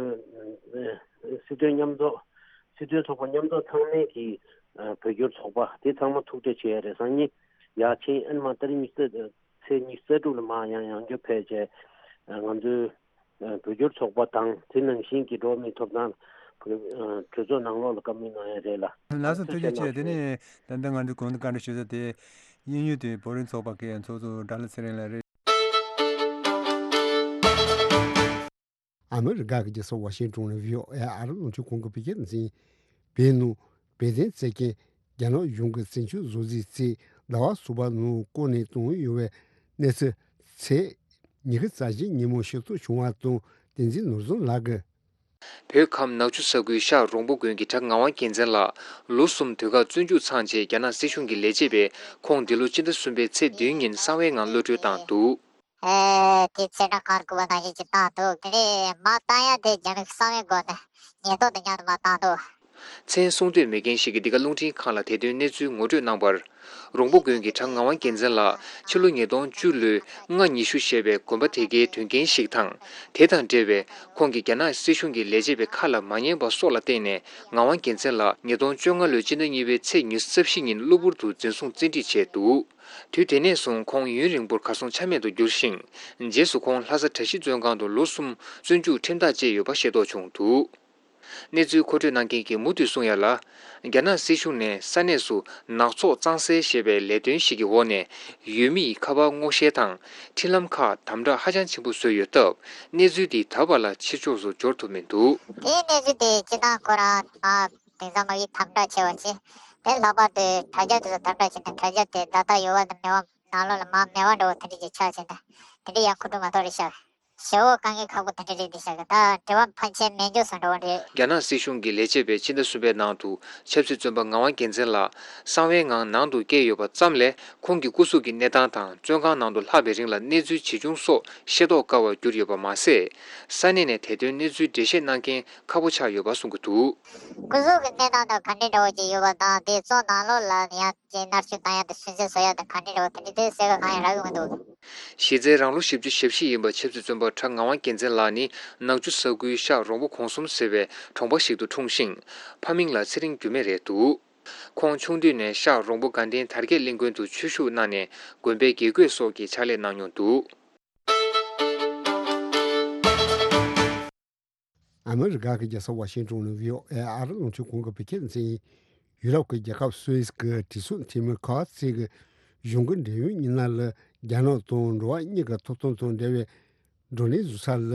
སྲིད་དོན་མཉམ་འཛོམས། སྲིད་དོན་ཚོགས་པ་མཉམ་འཛོམས་ཚང་མའི་གི་ཨ་བོད་སྐྱོར་ཚོགས་པ་དེ་ཚང་མ་ཐུག་འཕྲད་བྱས་རེས་གཟའ་ཉི་ཡར་ཕྱིན། ཨ་ནི་མ་ཏ་རིག་ཉི་ཤུ་རྩ་ཚེས་ཉི་ཤུ་རྩ་དྲུག་ལ་མར་ཡང་ཡང་བསྐྱར་ཕེབས་བྱས་ཨ་ང་ཚོའི་ཨ་བོད་སྐྱོར་ཚོགས་པ་དང་དེ་ནང་བཞིན་གྱི་འགྲོ་བ་མིའི་ཐོབ་ཐང་ཨ་གྲོས་ཚོགས་ནང་ལོགས་ལ་བཀའ་མོལ་གནང་ཡ་རེད་ལ། ལགས་སོ། ཐུགས་རྗེ་ཆེ། དེ་ནས་ད་ལྟ་ང་ཚོ་གོང་དུ་བཀའ་འདྲི་ཞུས་ས་དེ་དབྱིན་ཡུལ་དུ་བོད་རིགས་ཚོགས་པ་གི་ཚོགས་གཙོ་སྒྲ་ལྷ་ཚེ་རིང་ལགས་རེད། ཨ་མི་རི་ཀ་གི་རྒྱལ་ས་ཝ་ཤིང་ཊོན་ནས་བྷི་ཨོ་ཨེ་ཨ་རི་རླུང་འཕྲིན་ཁང་གི་བོད་སྐད་སྡེ་ཚན། བོད་ནང་བོད་དོན་བརྩད་མཁན་རྒྱ་ནག་གཞུང་གི་བཙན་བྱོལ་བཟོ་རྩིས་ཚེས་ཟླ་བ་གསུམ་པ་ནང་བསྐོང་ནས་བཏང་ཡོད་པའི་གནས་ཚུལ་ཚེས་ཉི་ཤུ་རྩ་བཞི་ཉིན་མོ་ཤེས་རྟོགས་བྱུང་བ་དང་། བསྟན་འཛིན་ནོར་བཟང་ལགས་ཀྱིས། བོད་ཁམས་ནག་ཆུ་ས་ཁུལ་ཤག་རོང་པོ་དགོན་གྱི་གྲྭ་ངག་དབང་རྒྱལ་མཚན་ལགས་ལོ་གསུམ་དུས་བཀག་བཙོན་འཇུག་ཚང་རྗེས་རྒྱ་ནག་སྲིད་གཞུང་གིས་ལས་བྱེད་པས་ཁོང་འདི་ལོ་སྤྱི་ཟླ་གསུམ་པའི་ཚེས་བདུན་ཉིན་གསང་བའི་ངང་གློད་གྲོལ་བཏང་འདུག། ཨེ། དེ་ཚེ་སྲོག་ཁར་དགོས་པ་ནང་བཞིན་གྱི་བཏང་འདུག། དེ་ནས་མར་བཏང་ཡ་དེ་རྒྱ་མི་གསང་བའི་སྒོ་ནས་ཉེན་རྟོག་དང་མཉམ་དུ་མར་བཏང་འདུག། མཚན་གསུང་འདོད་མེད་མཁན་ཞིག་གིས་འདི་ག་རླུང་འཕྲིན་ཁང་ལ་དེ་དོན་གནས་ཚུལ་ངོ་སྤྲོད་གནང་བར། རོང་པོ་དགོན་གྱི་གྲྭ་ངག་དབང་རྒྱལ་མཚན་ལགས་ཕྱི་ལོ་ཉིས་སྟོང་བཅུ་ལོའི་ལྔ་ཉི་ཤུ་ཞེས་པའི་དགོན་པ་དེ་གའི་དོན་རྐྱེན་ཞིག་དང་། དེ་དང་འབྲེལ་བའི་ཁོང་གིས་རྒྱ་ནག་སྲིད་གཞུང་གི་ལས་བྱེད་པའི་ཁ་ལ་མ་ཉན་པ་སོགས་ལ་བརྟེན་ནས་ངག་དབང་རྒྱལ་མཚན་ལགས་ཉིས་སྟོང་བཅོ་ལྔ་ལོའི་སྤྱི་ཟླ་གཉིས་པའི་ཚེས་ཉི་ཤུ་རྩ་བཞི་ཉིན་གློ་བུར་དུ་འཛིན་བཟུང་བཙན་ཁྲིད་བྱས་འདུག་དུས་དེ་ནས་བཟུང་ཁོང་ཡུན་རིང་པོར་གར་སོང་ཆ་མེད་དུ་གྱུར་ཞིང་། རྗེས་སུ་ཁོང་ལྷ་ས་གྲྭ་བཞི་བཙོན་ཁང་དུ་ལོ་གསུམ་བཙོན་འཇུག་ཁྲིམས་ཐག་བཅད་ཡོད་པ་ཤེས་རྟོགས་བྱུང་འདུག་གནས་ཚུལ་མཁོ་སྤྲོད་གནང་མཁན་གྱིས་མུ་མཐུད་གསུང་ཡ་ལ། རྒྱ་ནག་སྲིད་གཞུང་ནས་ས་གནས་སུ་ནག་ཚོགས་གཙང་སེལ་ཞེས་པའི་ལས་དོན་ཞིག་གི་འོག་ནས་ཡུལ་མིའི་ཁ་པར་སྔོག་བཤེར་དང་འཕྲིན་ལམ་ཁག་དམ་དྲག་ཧ་ཅང་ཆེན་པོ་བཟོས་ཡོད་སྟབས། གནས་ཚུལ་འདི་ད་བར་ལ་ཕྱི་ཕྱོགས་སུ་འབྱོར་ཐུབ་མི་འདུག་དེའི་གནས་ཚུལ་དེ་སྤྱི་བཏང་ཁོ་རང་ཨ་དེང་སང་མ་ཡིག་དམ་དྲག་ཆེ་བ་བྱས། དེ་ལྷག་པར་དུ་དྲ་རྒྱ་དེ་ཚོ་དམ་དྲག་བྱས་ནས་དྲ་རྒྱ་དེ་ད་ལྟ་ཡོད་པ་དང་མེད་པ་ནང་ལོགས་ལ་མར་མེད་པ་འདྲ་བོ་དེ་འདྲ་ཅིག་ཆགས་བྱས་ནས་དེ་འདྲ་ཡང་ཁོ་ཐུག་མ་གཏོགས་རེད་ཤག་ཞེ་བོ་དཀའ་ངལ་ཁག་པོ་དེ་འདྲ་རེད་འདི་ཤག་ད་དྲི་བ་ཕལ་ཆེར་མེད་འཇོག་སོང་འགྲོ་བ་རེད། རྒྱ་ནག་སྲིད་གཞུང་གི་ལས་བྱེད་པས་ཕྱི་ཟླ་གསུམ་པའི་ནང་དུ་ཆབ་སྲིད་བཙོན་པ་ངག་དབང་རྒྱལ་མཚན་ལགས་གསང་བའི་ངང་ནང་དུ་བསྐྱལ་ཡོད་པ་ཙམ་ལས་ཁོང་གི་སྐུ་གཟུགས་ཀྱི་གནས་སྟངས་དང་བཙོན་ཁང་ནང་དུ་ལྷག་པའི་རིང་ལ་གནས་ཚུལ་ཇི་བྱུང་སོགས་ཤེས་རྟོགས་དཀའ་བར་གྱུར་ཡོད་པ་མ་ཟད། ས་གནས་ནས་དེ་དོན་གནས་ཚུལ་འགྲེལ་བཤད་གནང་མཁན་ཁག་པོ་ཆགས་ཡོད་པ་གསུང་གི་འདུག་སྐུ་གཟུགས་ཀྱི་གནས་སྟངས་དང་ག་འདྲའི་འདྲ་བོ་ཅིག་ཡོད་པ་དང་དེ་བཙོན་ནང་ལོགས་ལ་ཡང་ཅིག་མནར་གཅོད་བཏང་ཡ་དང་སུན་གཙེར་བཟོ་ཡ་དང་ག་འདྲའི་འདྲ་བོ་དེ་འདྲའི་དེ་གསལ་ཁ་གང་ཡང་རག་གི་མི་འདུག་གཞི་རྩའི་རང་ལོ་བཞི་བཅུ་ཞེ་བཞི་ཡིན་པ་ཆབ་སྲིད་བཙོན་པ་གྲྭ་ངག་དབང་རྒྱལ་མཚན་ལགས་ནི་ནག་ཆུ་ས་ཁུལ་ཤག་རོང་པོ་གོང་གསུམ་ཟེར་བའི་གྲོང་པ་ཞིག་ཏུ་འཁྲུངས་ཤིང་། ཕ་མིང་ལ་ཚེ་རིང་འགྱུར་མེད་རེད་འདུག་ཁོང་ཆུང་དུས་ནས་ཤག་རོང་པོ་དགའ་ལྡན་དར་རྒྱས་གླིང་དགོན་དུ་ཆོས་ཞུགས་གནང་ནས་དགོན་པའི་དགེ་བསྐོས་སོགས་ཀྱི་ཕྱག་ལས་གནང་མྱོང་འདུག་ཨ་མི་རི་ཀ་གི་རྒྱལ་ས་ཝ་ཤིང་ཏོན་ནས་བྷི་ཨོ་ཨེ་ཨ་རི་རླུང་འཕྲིན་ཁང་གི་བོད་སྐད་སྡེ་ཚན་ཡིན། ཡུ་རོབ་ཀྱི་རྒྱལ་ཁབ་སུད་སི་གི་དྲི་གཟུགས་འཐེན་མི་ཁ་ཚིག་གི་གཞུང་གི་འབྲེལ་ཡོད་མི་སྣ་ལ་རྒྱ་ནག་དང་འགྲོ་བ་མིའི་ཐོབ་ཐང་དང་འབྲེལ་བའི་བགྲོ་གླེང་བཟོ་ས་ལ་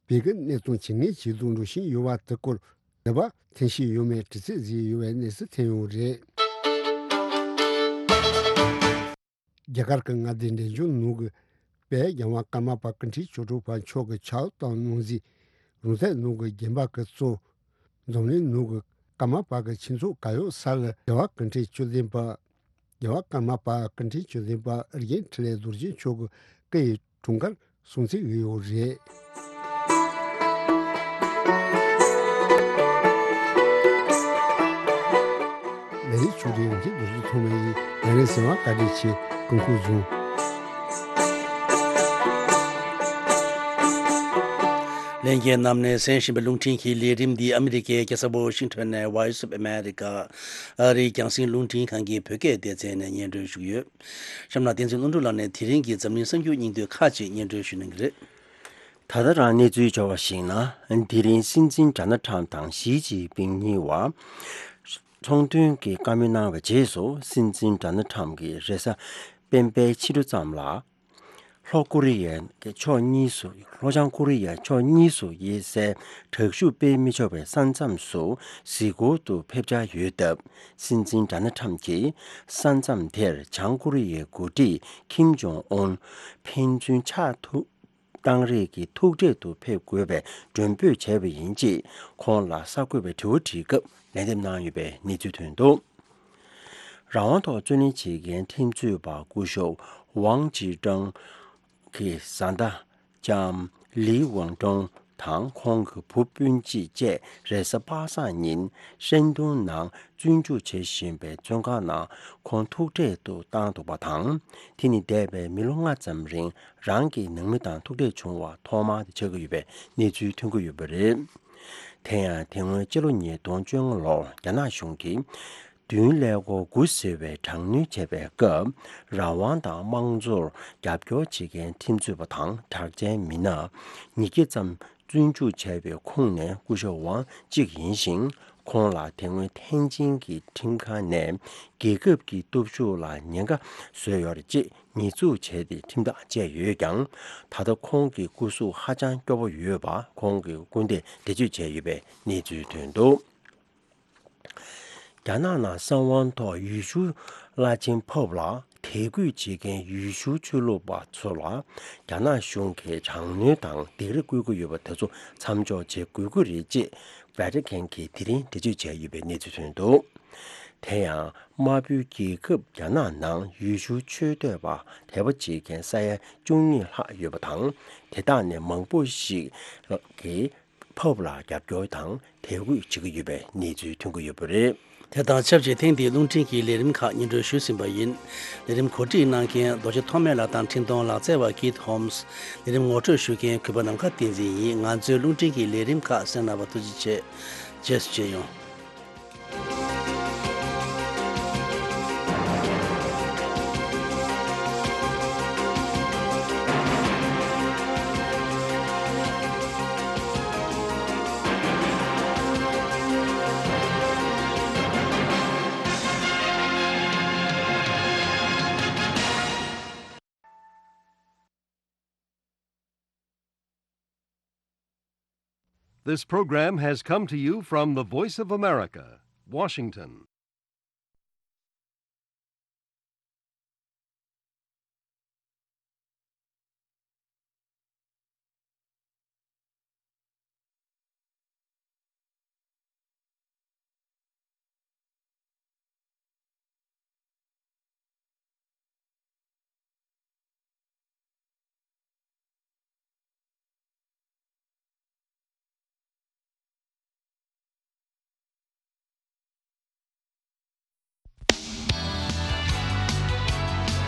བོད་ཀྱི་གནས་སྟངས་ཇེ་ངན་ཇེ་སྡུག་འགྲོ་བཞིན་ཡོད་པ་དེ་སྐོར་ལ་བ་ཐེངས་ཤིག་ཡོད་མེད་དྲི་རྩད་བཟོས་ཡོད་པའི་གནས་ཚུལ་ཐོན་ཡོད་རེད། རྒྱ་གར་གྱི་མངའ་སྡེ་འབྲས་ལྗོངས་ནང་གི་དཔལ་རྒྱལ་བ་ཀརྨ་པ་ཀུན་ཁྲན་སྐྱབས་མགོན་མཆོག་གི་ཕྱག་དབང་གནང་མཛད་རོང་བཙན་ནང་གི་རྒྱན་པ་གི་གཙོ། འཛམ་གླིང་ནང་གི་ཀརྨ་པ་གི་ཆོས་ཚོགས་ག་ཡོད་ས་ལ་རྒྱལ་བ་ཀུན་ཁྲན་སྐྱབས་ལྡན་པ། རྒྱལ་བ་ཀརྨ་པ་ཀུན་ཁྲན་སྐྱབས་ལྡན་པ་རིག་འཛིན་འཕྲིན་ལས་རྡོ་རྗེ་མཆོག་གི་བཀའ་ཡི་དྲུང་འགར་སྲུང་བརྩི་ཡོད་རེད། ལས་རིགས་ཆུ་རིགས་རང་བཞིན་རྡོ་རྗེ་ཐོགས་མེད་ཡིན། ཡང་ནས་གཟིགས་པར་བཀའ་དྲིན་ཆེ། སྐུ་ཁམས་བཟང་། ལྷན་རྒྱས་རྣམས་ནས་གསན་བཞིན་པའི་རླུང་འཕྲིན་གྱི་ལས་རིམ་འདི་ཨ་མི་རི་ཀའི་རྒྱལ་ས་ཝ་ཤིང་ཊོན་ནས་Voice of America ཨ་རིའི་རྒྱང་སྲིང་རླུང་འཕྲིན་ཁང་གི་བོད་སྐད་སྡེ་ཚན་ནས་སྙན་སྒྲོན་ཞུ་གི་ཡོད། གཤམ་ལ་བསྟན་འཛིན་ཀླུ་སྒྲུབ་ལགས་ནས་དེ་རིང་གི་འཛམ་གླིང་གསར་འགྱུར་སྙིང་བསྡུས་ཁག་ཅིག་སྙན་སྒྲོན་ཞུ་གནང་གི་རེད། ད་ལྟ་རང་གནས་ཚུལ་འབྱོར་བར་གཞིགས་ན། དེ་རིང་སྲིད་འཛིན་ཌོ་ནལ་ཁྲམ་དང་ཞི་ཅིན་ཕིང་གཉིས་བར་ཚོང་དོན་གྱི་བཀའ་མོལ་གནང་བའི་རྗེས་སུ། སྲིད་འཛིན་ཌོ་ནལ་ཁྲམ་གྱིས་རེས་གཟའ་སྤེན་པའི་ཕྱི་དྲོ་ཙམ་ལ། ལྷོ་ཀོ་རི་ཡའི་ཕྱོགས་གཉིས་སུ། ལྷོ་བྱང་ཀོ་རི་ཡའི་ཕྱོགས་གཉིས་སུ་དབྱེ་སའི་དྲག་ཤུགས་སྤེལ་མི་ཆོག་པའི་ས་མཚམས་སུ་གཟིགས་སྐོར་དུ་ཕེབས་འཆར་ཡོད་སྟབས། སྲིད་འཛིན་ཌོ་ནལ་ཁྲམ་གྱིས་ས་མཚམས་དེར་བྱང་ཀོ་རི་ཡའི་འགོ་ཁྲིད་ཁིམ་ཇོང་ཨུན་ཕན་ཚུན་ཕྱག་ཐུག་བཏང་རེས་ཀྱི་ཐུག་འཕྲད་དུ་ཕེབས་དགོས་པའི་མགྲོན་འབོད་བྱས་པ་ཡིན་ཅེས་ཁོང་ལ་གསར་འགོད་པས་དྲི་བ་དྲིས་སྐབས་ལན་འདེབས་གནང་ཡོད་པའི་གནས་ཚུལ་ཐོན་འདུག་རང་དབང་ཐོག་རྩོད་ལེན་བྱེད་མཁན་ཁྲིམས་རྩོད་པ་སྐུ་ཞབས་ཝང་ཅི་ཀྲང་གི་བཟའ་ཟླ་ལྕམ་ལི་ཝང་ཀྲང་དང་ཁོང་གི་བུ་སྤུན་གཅིག་བཅས་རེས་གཟའ་པ་སངས་ཉིན་ཧྲན་ཏུང་ནང་བཙོན་འཇུག་བྱེད་བཞིན་པའི་བཙོན་ཁང་ནང་ཁོང་ཐུག་འཕྲད་དུ་བཏང་འདུག་པ་དང་། དེ་ནི་འདས་པའི་མི་ལོ་ལྔ་ཙམ་རིང་རང་གི་ནང་མི་དང་ཐུག་འཕྲད་བྱུང་བ་ཐོག་མ་དེ་ཆགས་ཀྱི་ཡོད་པའི་གནས་ཚུལ་ཐོན་གྱི་ཡོད་པ་རེད། དེ་ཡང་དེ་སྔོན་སྤྱི་ལོ་ཉིས་སྟོང་བཅོ་ལྔ་ལོར་རྒྱ་ནག་གཞུང་གིས་བདུན་ཀླད་ཀོར་དགུ་ཟེར་བའི་དྲག་གནོན་བྱས་པའི་སྐབས། རང་དབང་དང་དམངས་གཙོར་རྒྱབ་སྐྱོར་བྱེད་མཁན་ཁྲིམས་རྩོད་པ་དང་གྲགས་ཅན་མི་སྣ་ཉིས་བརྒྱ་ཙམ་བཙོན་འཇུག་བྱས་པའི་ཁོངས་ནས་སྐུ་ཞབས་ཝང་གཅིག་ཡིན་ཞིང་། ཁོང་ལ་དེ་སྔོན་ཐེན་ཅིན་གྱི་ཁྲིམས་ཁང་ནས་རྒྱལ་ཁབ་ཀྱི་སྟོབས་ཤུགས་ལ་ཉེན་ཁ་བཟོས་ཡོད་རེད་ཅེས་ཉེས་འཛུགས་བྱས་ཏེ་ཁྲིམས་ཐག་བཅད་ཡོད་ཀྱང་། ད་ལྟ་ཁོང་གི་སྐུ་གཟུགས་ཧ་ཅང་སྐྱོ་པོ་ཡོད་པ་ཁོང་གི་སྐུ་ཟླས་འགྲེལ་བརྗོད་བྱས་ཡོད་པའི་གནས་ཚུལ་ཐོན་འདུག་རྒྱ་ནག་ནང་གསང་བའི་ཐོག་ཡུལ་ཤུལ་བླ་ཆེན་ཕོབ་ལ་དད་གུས་བྱེད་མཁན་ཡུལ་ཤུལ་ཆོས་ལུགས་པ་ཚོ་ལ་རྒྱ་ནག་གཞུང་གིས་དྲག་གནོན་དང་སྡིགས་ར་བསྐུལ་གྱི་ཡོད་པ་དེ་ཚོ་མཚམས་འཇོག་བྱེད་དགོས་ཀྱི་རེད་ཅེས་ཝེ་ཊི་ཁན་གྱིས་དེ་རིང་འགྲེལ་བརྗོད་བྱས་ཡོད་པའི་གནས་ཚུལ་ཐོན་འདུག་དེ་ཡང་། དམར་པོའི་རྒྱལ་ཁབ་རྒྱ་ནག་ནང་ཡུལ་ཤུལ་ཆོས་དད་པ་དད་པ་བྱེད་མཁན་ས་ཡ་བཅུ་གཉིས་ལྷག་ཡོད་པ་དང་། དེ་དག་ནས་མང་པོ་ཞིག་གིས་ ཧོབ་ལ་རྒྱབ་སྐྱོར་དང་དད་གུས་བྱེད་ཀྱི་ཡོད་པའི་གནས་ཚུལ་ཐོན་གྱི་ཡོད་པ་རེད། དེ་དང་ཆབས་ཅིག་ཐེངས་འདིའི་རླུང་འཕྲིན་གྱི་ལས་རིམ་ཁག་སྙན་སྒྲོན་ཞུས་ཟིན་པ་ཡིན། ལས་རིམ་གོ་སྒྲིག་གནང་མཁན་རྡོ་རྗེ་ཐོགས་མེད་ལགས་དང་འཕྲིན་གཏོང་ལག་རྩལ་བ་ཀིད་ཧོམ་སི། ལས་རིམ་ངོ་སྤྲོད་ཞུ་མཁན་གུས་པ་ནམ་མཁའ་བསྟན་འཛིན་ཡིན། ང་ཚོའི་རླུང་འཕྲིན་གྱི་ལས་རིམ་ཁག་གསན་གནང་བར་ཐུགས་རྗེ་ཆེ། རྗེས་སུ་མཇལ་ཡོང་། This program has come to you from the Voice of America, Washington.